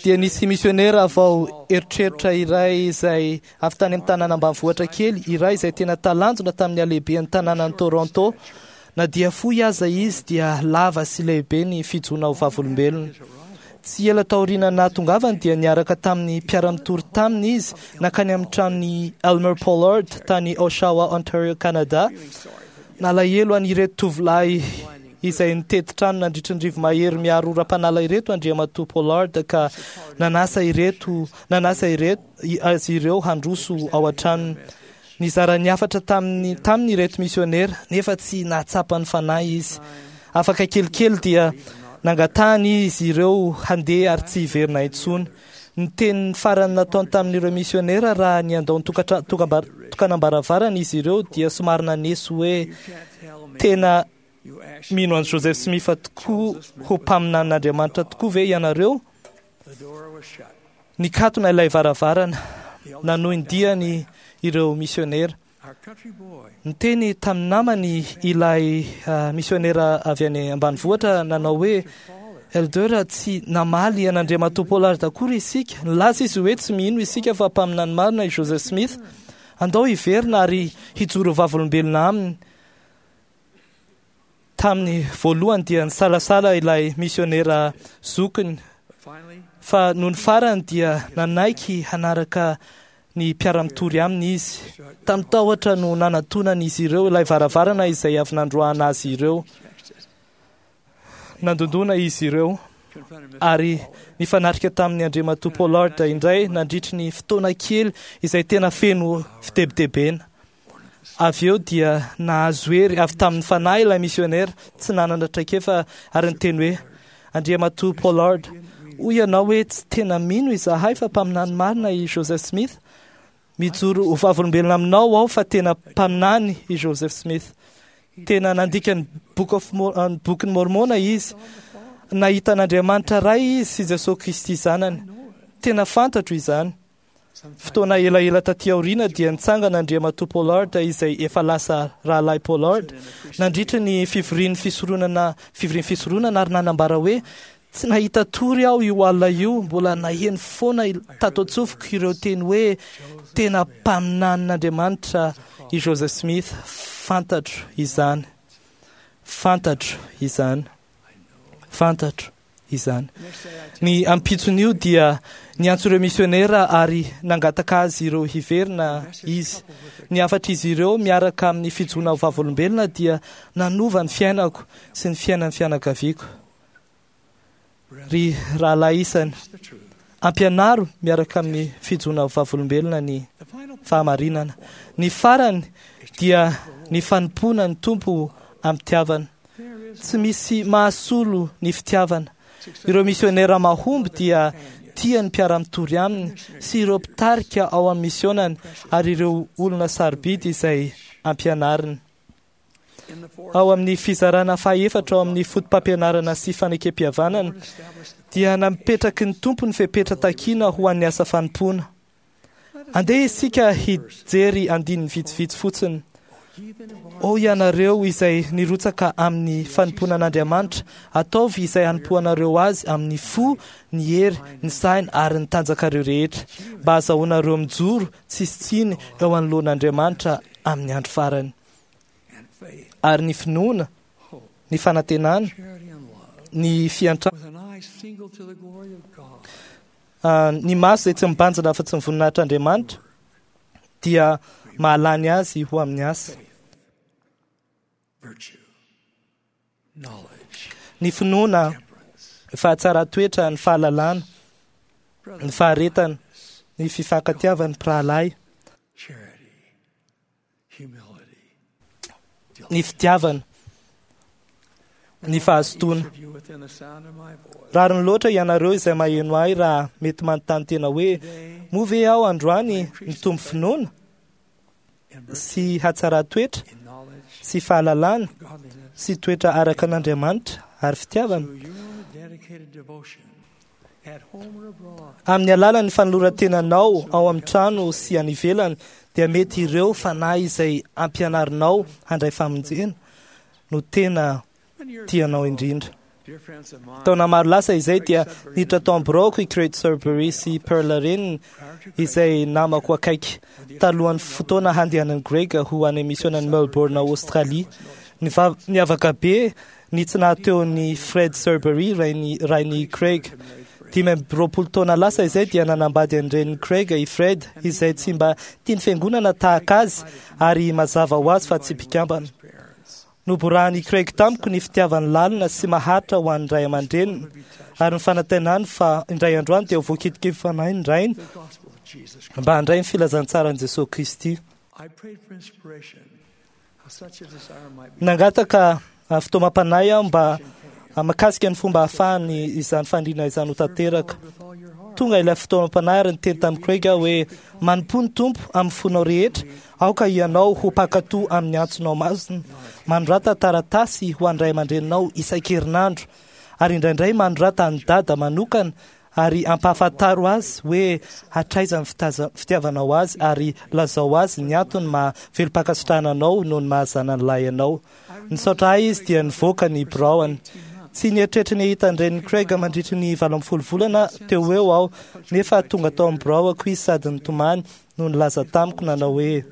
Speaker 2: dia nisy misionera vao eritreritra iray izay avy tany amin'ny tanàna ambanivohitra kely iray izay tena talanjona tamin'ny halehiben'ny tanànan'i Toronto. Na dia fohy aza izy dia lava sy lehibe ny fijoroana ho vavolombelona. Tsy ela taoriana nahatongavany dia niaraka tamin'ny mpiara-mitory taminy izy nankany amin'ny tranon'i Elmer Pollard tany Oshawa, Ontario, Canada. Nalahelo an'ireto tovolahy izay nitety trano nandritry ny rivo-mahery miaro oram-panala ireto Andriamatoa Pollard ka nanasa ireto nanasa ireto azy ireo handroso ao an-tranony. Nizara ny hafatra tamin'ny taminy ireto misionera nefa tsy nahatsapa ny fanahy izy. Afaka kelikely dia nangatahany izy ireo handeha ary tsy hiverina intsony. Ny teny farany nataony tamin'ireo misionera raha niandao ny tokatra- tokambar- tokanam-baravarana izy ireo dia somary naneso hoe tena mino an'i Joseph Smith tokoa ho mpaminanin'Andriamanitra tokoa ve ianareo? Nikatona ilay varavarana, nanohy ny diany ireo misionera. Niteny tamin'ny namany ilay uh, misionera avy any ambanivohitra nanao hoe Elder, tsy namaly an'Andriamatoa Pollard akory isika. Nilaza izy hoe tsy mino isika fa mpaminany marina i Joseph Smith. Andao hiverina ary hijoro vavolombelona aminy. Tamin'ny voalohany dia nisalasala ilay misionera zokiny, fa noho ny farany dia nanaiky hanaraka ny mpiara-mitory aminy izy. Tamin'ny tahotra no nanatonan'izy ireo ilay varavarana izay avy nandroahana azy ireo. Nandondona izy ireo ary nifanatrika tamin'ny Andriamatoa Pollard indray nandritry ny fotoana kely izay tena feno fitebitebena. Avy eo dia nahazo hery avy tamin'ny fanahy ilay misionera tsy nanana traikefa ary niteny hoe Andriamatoa Pollard, hoy ianao hoe tsy tena mino izahay fa mpaminany marina i Joseph Smith. Mijoro ho vavolombelona aminao aho fa tena mpaminany i Joseph Smith. Tena nandika ny Book of Mo- ny bokin'ny Mormona izy. Nahita an'Andriamanitra Ray izy sy Jesosy Kristy zanany. Tena fantatro izany. Fotoana elaela taty aoriana dia nitsangana Andriamatoa Pollard izay efa lasa rahalahy Pollard nandritra ny fivorian'ny fisoronana fivorian'ny fisoronana ary nanambara hoe tsy nahita tory aho io alina io, mbola naheno foana tato an-tsofiko ireo teny hoe tena mpaminanin'Andriamanitra i Joseph Smith. Fantatro izany, fantatro izany, fantatro izany. Ny ampitson'io dia niantso ireo misionera ary nangataka azy ireo hiverina izy. Ny hafatr'izy ireo miaraka amin'ny fijoroana ho vavolombelona dia nanova ny fiainako sy ny fiainan'ny fianakaviako. Ry rahalahy isany, ampianaro miaraka amin'ny fijoroana ho vavolombelona ny fahamarinana. Ny farany dia ny fanompoana ny Tompo am-pitiavana. Tsy misy mahasolo ny fitiavana. Ireo misionera mahomby dia tia ny mpiara-mitory aminy sy ireo mpitarika ao amin'ny misionany ary ireo olona sarobidy izay ampianariny. Ao amin'ny fizarana fahaefatra ao amin'ny foto-pampianarana sy fanekem-pihavanana dia napetraky ny Tompo ny fepetra takiana ho an'ny asa fanompoana. Andeha isika hijery andininy vitsivitsy fotsiny. O ianareo izay nirotsaka amin'ny fanompoanan'Andriamanitra, ataovy izay hanompoanareo azy amin'ny fo, ny hery, ny saina ary ny tanjakareo rehetra, mba hahazoanareo mijoro tsisy tsiny eo anoloan'Andriamanitra amin'ny andro farany. Ary ny finoana, ny fanantenana, ny fiantrana, ny maso izay tsy mibanjina afa-tsy ny voninahitr'Andriamanitra dia mahalany azy ho amin'ny asa. Ny finoana, ny fahatsaran-toetra, ny fahalalana, ny faharetana, ny fifankatiavan'ny mpirahalahy, ny fitiavana, ny fahazotoana. Rariny loatra ianareo izay maheno ahy raha mety manontany tena hoe moa ve aho androany mitombo finoana sy hatsaran-toetra sy fahalalana sy toetra araka an'Andriamanitra ary fitiavana? Amin'ny alalan'ny fanoloran-tenanao ao amin'ny trano sy any ivelany dia mety ireo fanahy izay ampianarinao handray famonjena no tena tianao indrindra. Taona maro lasa izay dia niditra tao amin'ny biraoko i Craig Sudbury sy Pearl reniny izay namako akaiky talohan'ny fotoana handehanan'i Greg ho any misionan'i Melbourne Australie. Niavaka be ny tsy nahateo ny Fred Sudbury rainy rainy Craig. Dimy amby roapolo taona lasa izay dia nanambady an-dreniny Craig i Fred izay tsy mba tia ny fiangonana tahaka azy ary mazava ho azy fa tsy mpikambana. Noborahan'i Craig tamiko ny fitiavany lalina sy maharitra ho an'ny ray aman-dreniny ary ny fanantenany fa indray androany dia ho voakitiky fanahy ny rainy mba handray ny filazantsaran'i Jesosy Kristy. Nangataka fitaomam-panahy aho mba mahakasika ny fomba ahafahany izany faniriana izany ho tanteraka. Tonga ilay fitaomam-panahy ary niteny tamin'i Craig aho hoe manompo ny Tompo amin'ny fonao rehetra, aoka ianao ho mpankatò amin'ny antsonao masina. Manorata taratasy ho an'ny ray aman-dreninao isan-kerinandro ary indraindray manorata an'i Dada manokana ary ampahafantaro azy hoe hatraiza ny fitiavanao azy ary lazao azy ny antony maha velom-pankasitrahana anao noho ny maha zanany lahy anao. Nisaotra ahy izy dia nivoaka ny biraony. Tsy nieritreritra ny hahita an-dreniny Craig mandritry ny valo ambin'ny folo volana teo ho eo aho, nefa tonga tao amin'ny biraoko izy sady nitomany no nilaza tamiko nanao hoe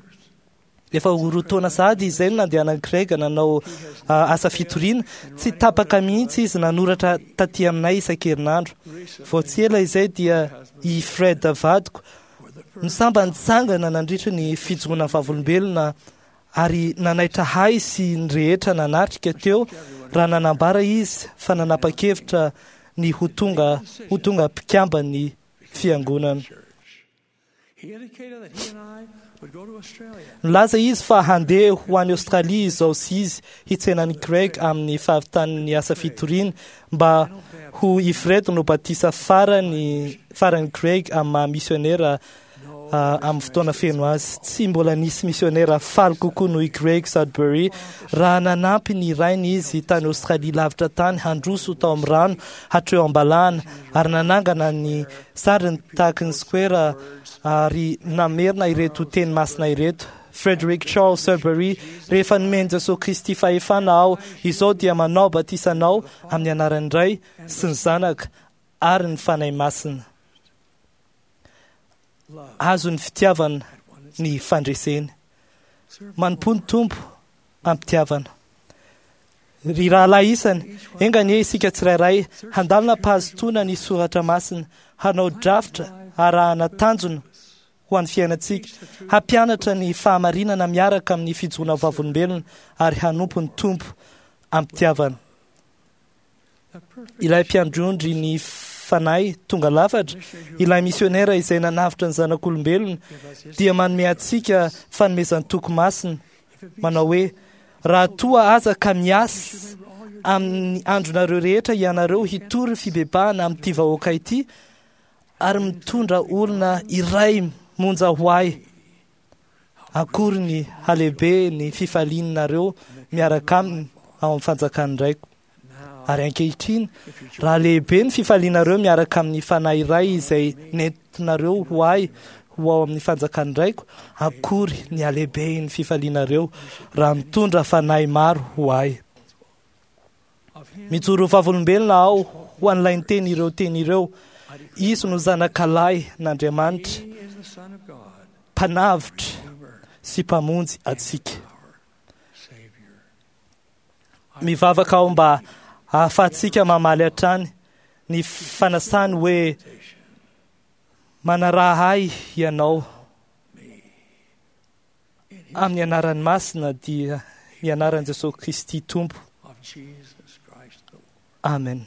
Speaker 2: efa ho roa taona sahady izay no nandehanan'i Craig nanao asa fitoriana, tsy tapaka mihitsy izy nanoratra taty aminay isan-kerinandro. Vao tsy ela izay dia i Fred vadiko no sambany nitsangana nandritry ny fijoroana vavolombelona ary nanaitra ahy sy ny rehetra nanatrika teo raha nanambara izy fa nanapa-kevitra ny ho tonga ho tonga mpikamban'ny fiangonana. Nilaza izy fa handeha ho any Australia izao sy izy hitsenan'i Craig amin'ny fahavitan'ny asa fitoriana mba ho i Fred no batisa farany farany Craig amin'ny maha misionera amin'ny fotoana feno azy. Tsy mbola nisy misionera faly kokoa noho i Craig Sudbury raha nanampy ny rainy izy tany Australia lavitra tany handroso tao amin'ny rano hatreo am-balahana ary nanangana ny sariny tahaky ny square ary namerina ireto teny masina ireto. Frederick Charles Sudbury, rehefa nomen'i Jesosy Kristy fahefana aho, izao dia manao batisa anao amin'ny anaran'ny Ray sy ny Zanaka ary ny Fanahy Masina. Azon'ny fitiavana ny fandreseny. Manompo ny Tompo am-pitiavana. Ry rahalahy isany, enga anie isika tsirairay handalina am-pahazotoana ny soratra masina, hanao drafitra arahana tanjona ho an'ny fiainantsika, hampianatra ny fahamarinana miaraka amin'ny fijoroana vavolombelona ary hanompo ny Tompo am-pitiavana. Ilay mpiandrondry ny fanahy tonga lafatra, ilay misionera izay nanavotra ny zanak'olombelona, dia manome antsika fanomezan-toky masina, manao hoe raha toa aza ka miasa amin'ny andronareo rehetra ianareo hitory fibebahana amin'ity vahoaka ity ary mitondra olona iray monja ho ahy, akory ny halehibe ny fifalianareo miaraka aminy ao amin'ny fanjakan'ny Raiko. Ary ankehitriny, raha lehibe ny fifalianareo miaraka amin'ny fanahy iray izay nentinareo ho ahy ho ao amin'ny fanjakan'ny Raiko. Akory ny halehiben'ny fifalianareo raha mitondra fanahy maro ho ahy. Mijoro vavolombelona aho ho an'ilay niteny ireo teny ireo. Izy no zanakalahy n'Andriamanitra, mpanavotra sy mpamonjy antsika. Mivavaka aho mba ahafahantsika mamaly hatrany ny fanasany hoe manaraha ahy ianao amin'ny anarany masina, dia ny anaran'i Jesosy Kristy Tompo. Amen.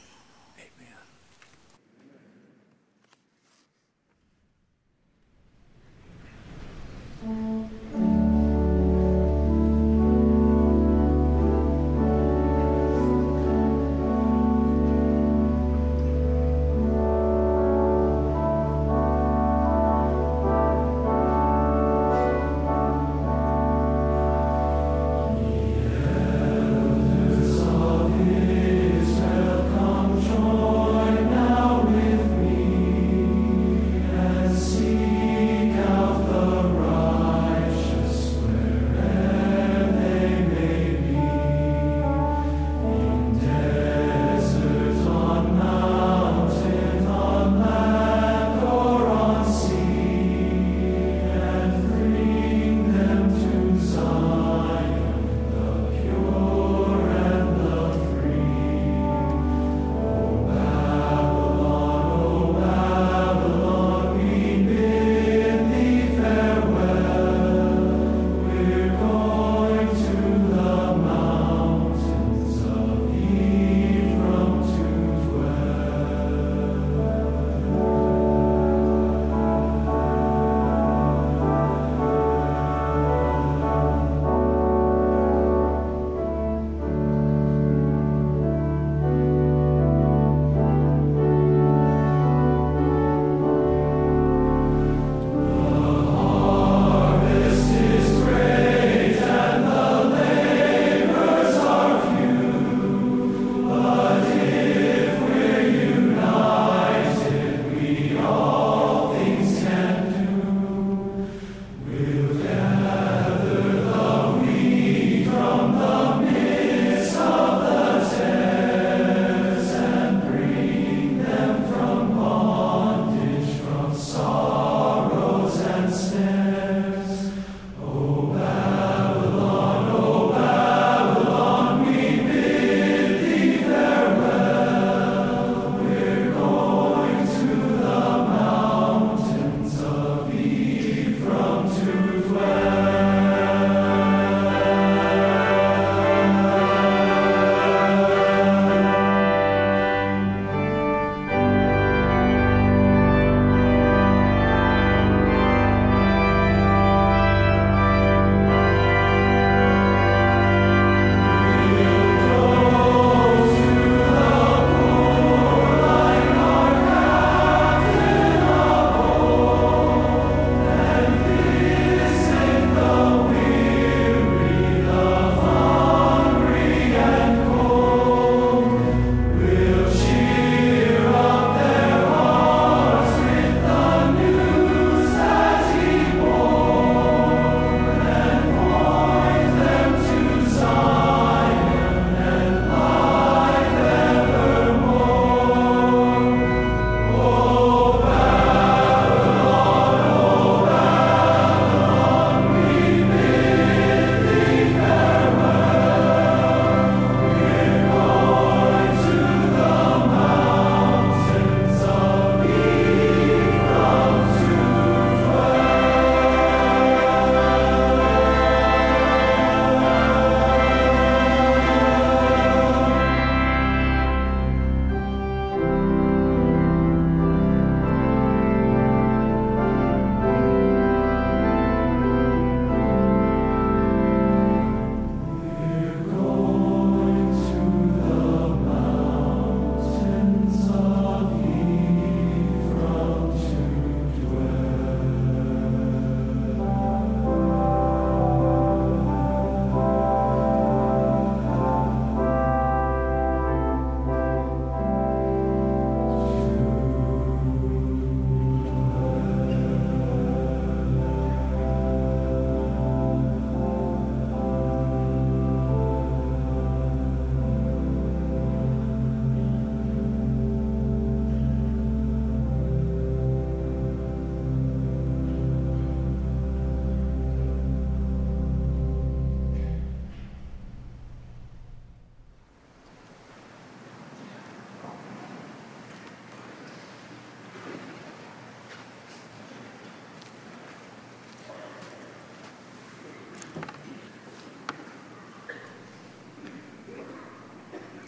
Speaker 10: Israel come.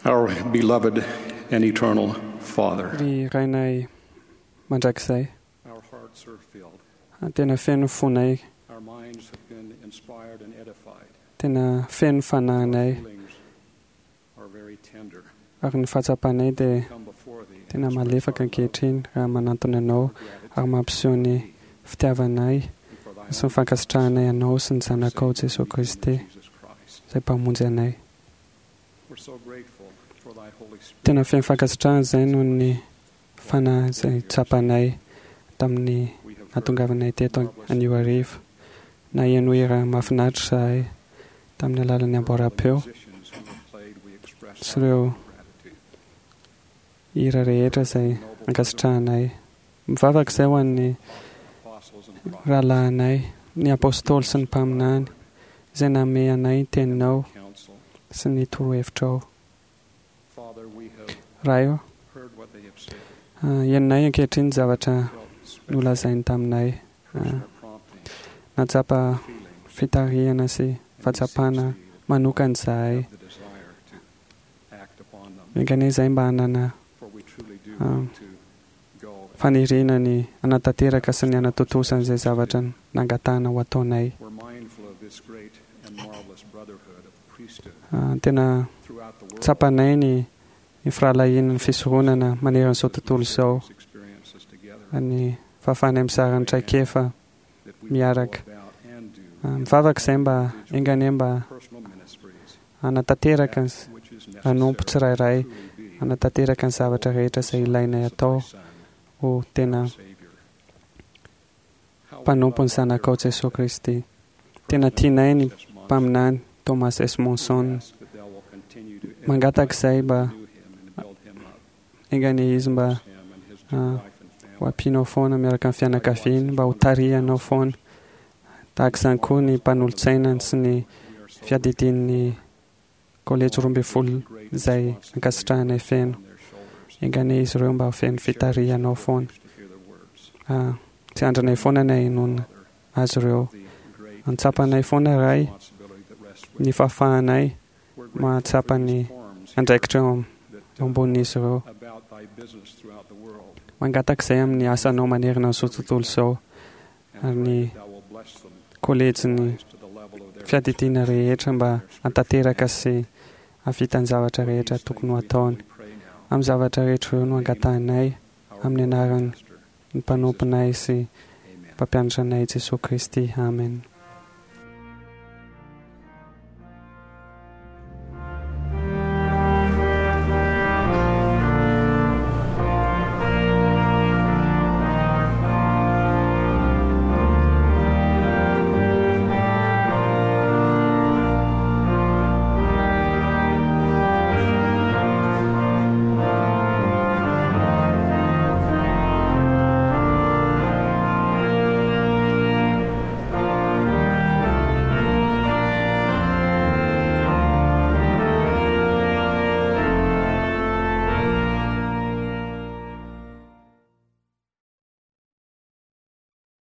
Speaker 10: Our beloved and eternal Father,
Speaker 7: Ry Rainay mandrakizay,
Speaker 10: our hearts are filled.
Speaker 7: tena feno fonay,
Speaker 10: Our minds have been inspired and edified.
Speaker 7: tena feno fanahinay,
Speaker 10: Feelings are very tender.
Speaker 7: ary ny fahatsapanay dia tena malefaka ankehitriny raha manantona anao ary mampiseho ny fitiavanay sy ny fankasitrahanay anao sy ny zanakao Jesoa Kristy izay mpamonjy anay.
Speaker 10: We're so grateful for thy Holy Spirit.
Speaker 7: Tena feno fankasitrahana izay noho ny fanahy izay tsapanay tamin'ny nahatongavanay teto anio hariva. Naheno hira mahafinaritra izahay tamin'ny alalan'ny amboaram-peo
Speaker 10: Musicians who have played, we express
Speaker 7: sy ireo hira rehetra izay ankasitrahanay. Mivavaka izay ho an'ny
Speaker 10: apostles and
Speaker 7: rahalahinay, ny apôstôly sy ny mpaminany izay nanome anay ny teninao
Speaker 10: counsel.
Speaker 7: sy ny torohevitrao.
Speaker 10: Father, we have
Speaker 7: Ray ô,
Speaker 10: heard what they have said,
Speaker 7: ah, henonay ankehitriny ny zavatra nolazainy taminay. Ah,
Speaker 10: prompting,
Speaker 7: Nahatsapa fitarihana sy fahatsapana manokana izahay.
Speaker 10: the desire to act upon them.
Speaker 7: Enga anie izahay mba hanana
Speaker 10: For we truly do
Speaker 7: ah,
Speaker 10: want to go
Speaker 7: faniriana ny hanatanteraka sy ny hanatontosa an'izay zavatra nangatahana ho ataonay.
Speaker 10: We're mindful of this great and marvelous brotherhood of the priesthood
Speaker 7: Ah, tena
Speaker 10: throughout the world.
Speaker 7: tsapanay ny ny firahalahian'ny fisoronana maneran'izao tontolo izao
Speaker 10: Experiences together
Speaker 7: ny fahafahanay mizara ny traikefa
Speaker 10: that we
Speaker 7: miaraka.
Speaker 10: go about and do
Speaker 7: Ah, Mivavaka izay mba enga anie mba
Speaker 10: personal ministries
Speaker 7: hanatanteraka ny s-
Speaker 10: which is
Speaker 7: hanompo tsirairay,
Speaker 10: truly be
Speaker 7: hanatanteraka ny zavatra rehetra izay ilainay atao ho tena
Speaker 10: Savior. How we
Speaker 7: mpanompo ny
Speaker 10: love our
Speaker 7: zanakao
Speaker 10: dear
Speaker 7: Jesoa Kristy. Tena tianay ny mpaminany Thomas S. Monson.
Speaker 10: ask that thou will continue to
Speaker 7: Mangataka izay mba
Speaker 10: renew him and build him up,
Speaker 7: enga anie izy mba
Speaker 10: him and his dear
Speaker 7: ah,
Speaker 10: wife and
Speaker 7: ho
Speaker 10: family.
Speaker 7: ampianao foana miaraka amin'ny fianakaviany, mba ho tarihanao foana. Tahaka izany koa ny mpanolotsainany sy ny fiadidian'ny kolejy roa ambin'ny folo izay ankasitrahanay feno. Enga anie izy ireo mba ho feno fitarihanao foana.
Speaker 10: To hear their words,
Speaker 7: Ah, Tsy andranay foana ny hahenoana azy ireo.
Speaker 10: the great
Speaker 7: Antsapanay foana Ray
Speaker 10: responsibility that rests with
Speaker 7: ny fahafahanay
Speaker 10: We're grateful
Speaker 7: mahatsapa
Speaker 10: for
Speaker 7: ny
Speaker 10: these forums here
Speaker 7: andraikitra eo am-
Speaker 10: that,
Speaker 7: eo
Speaker 10: uh,
Speaker 7: ambonin'izy ireo.
Speaker 10: about thy business throughout the world.
Speaker 7: Mangataka izay amin'ny asanao manerana an'izao tontolo izao
Speaker 10: And
Speaker 7: ary
Speaker 10: pray
Speaker 7: ny
Speaker 10: that thou will bless them
Speaker 7: kolejin'ny
Speaker 10: to the level of their
Speaker 7: fiadidiana rehetra mba hanatanteraka sy hahavita ny zavatra rehetra tokony ho ataony.
Speaker 10: We pray now,
Speaker 7: Amin'ny zavatra rehetra ireo no angatahanay
Speaker 10: our
Speaker 7: amin'ny anaran'ny
Speaker 10: Master.
Speaker 7: mpanomponay sy
Speaker 10: Amen.
Speaker 7: mpampianatra anay Jesoa Kristy. Amen.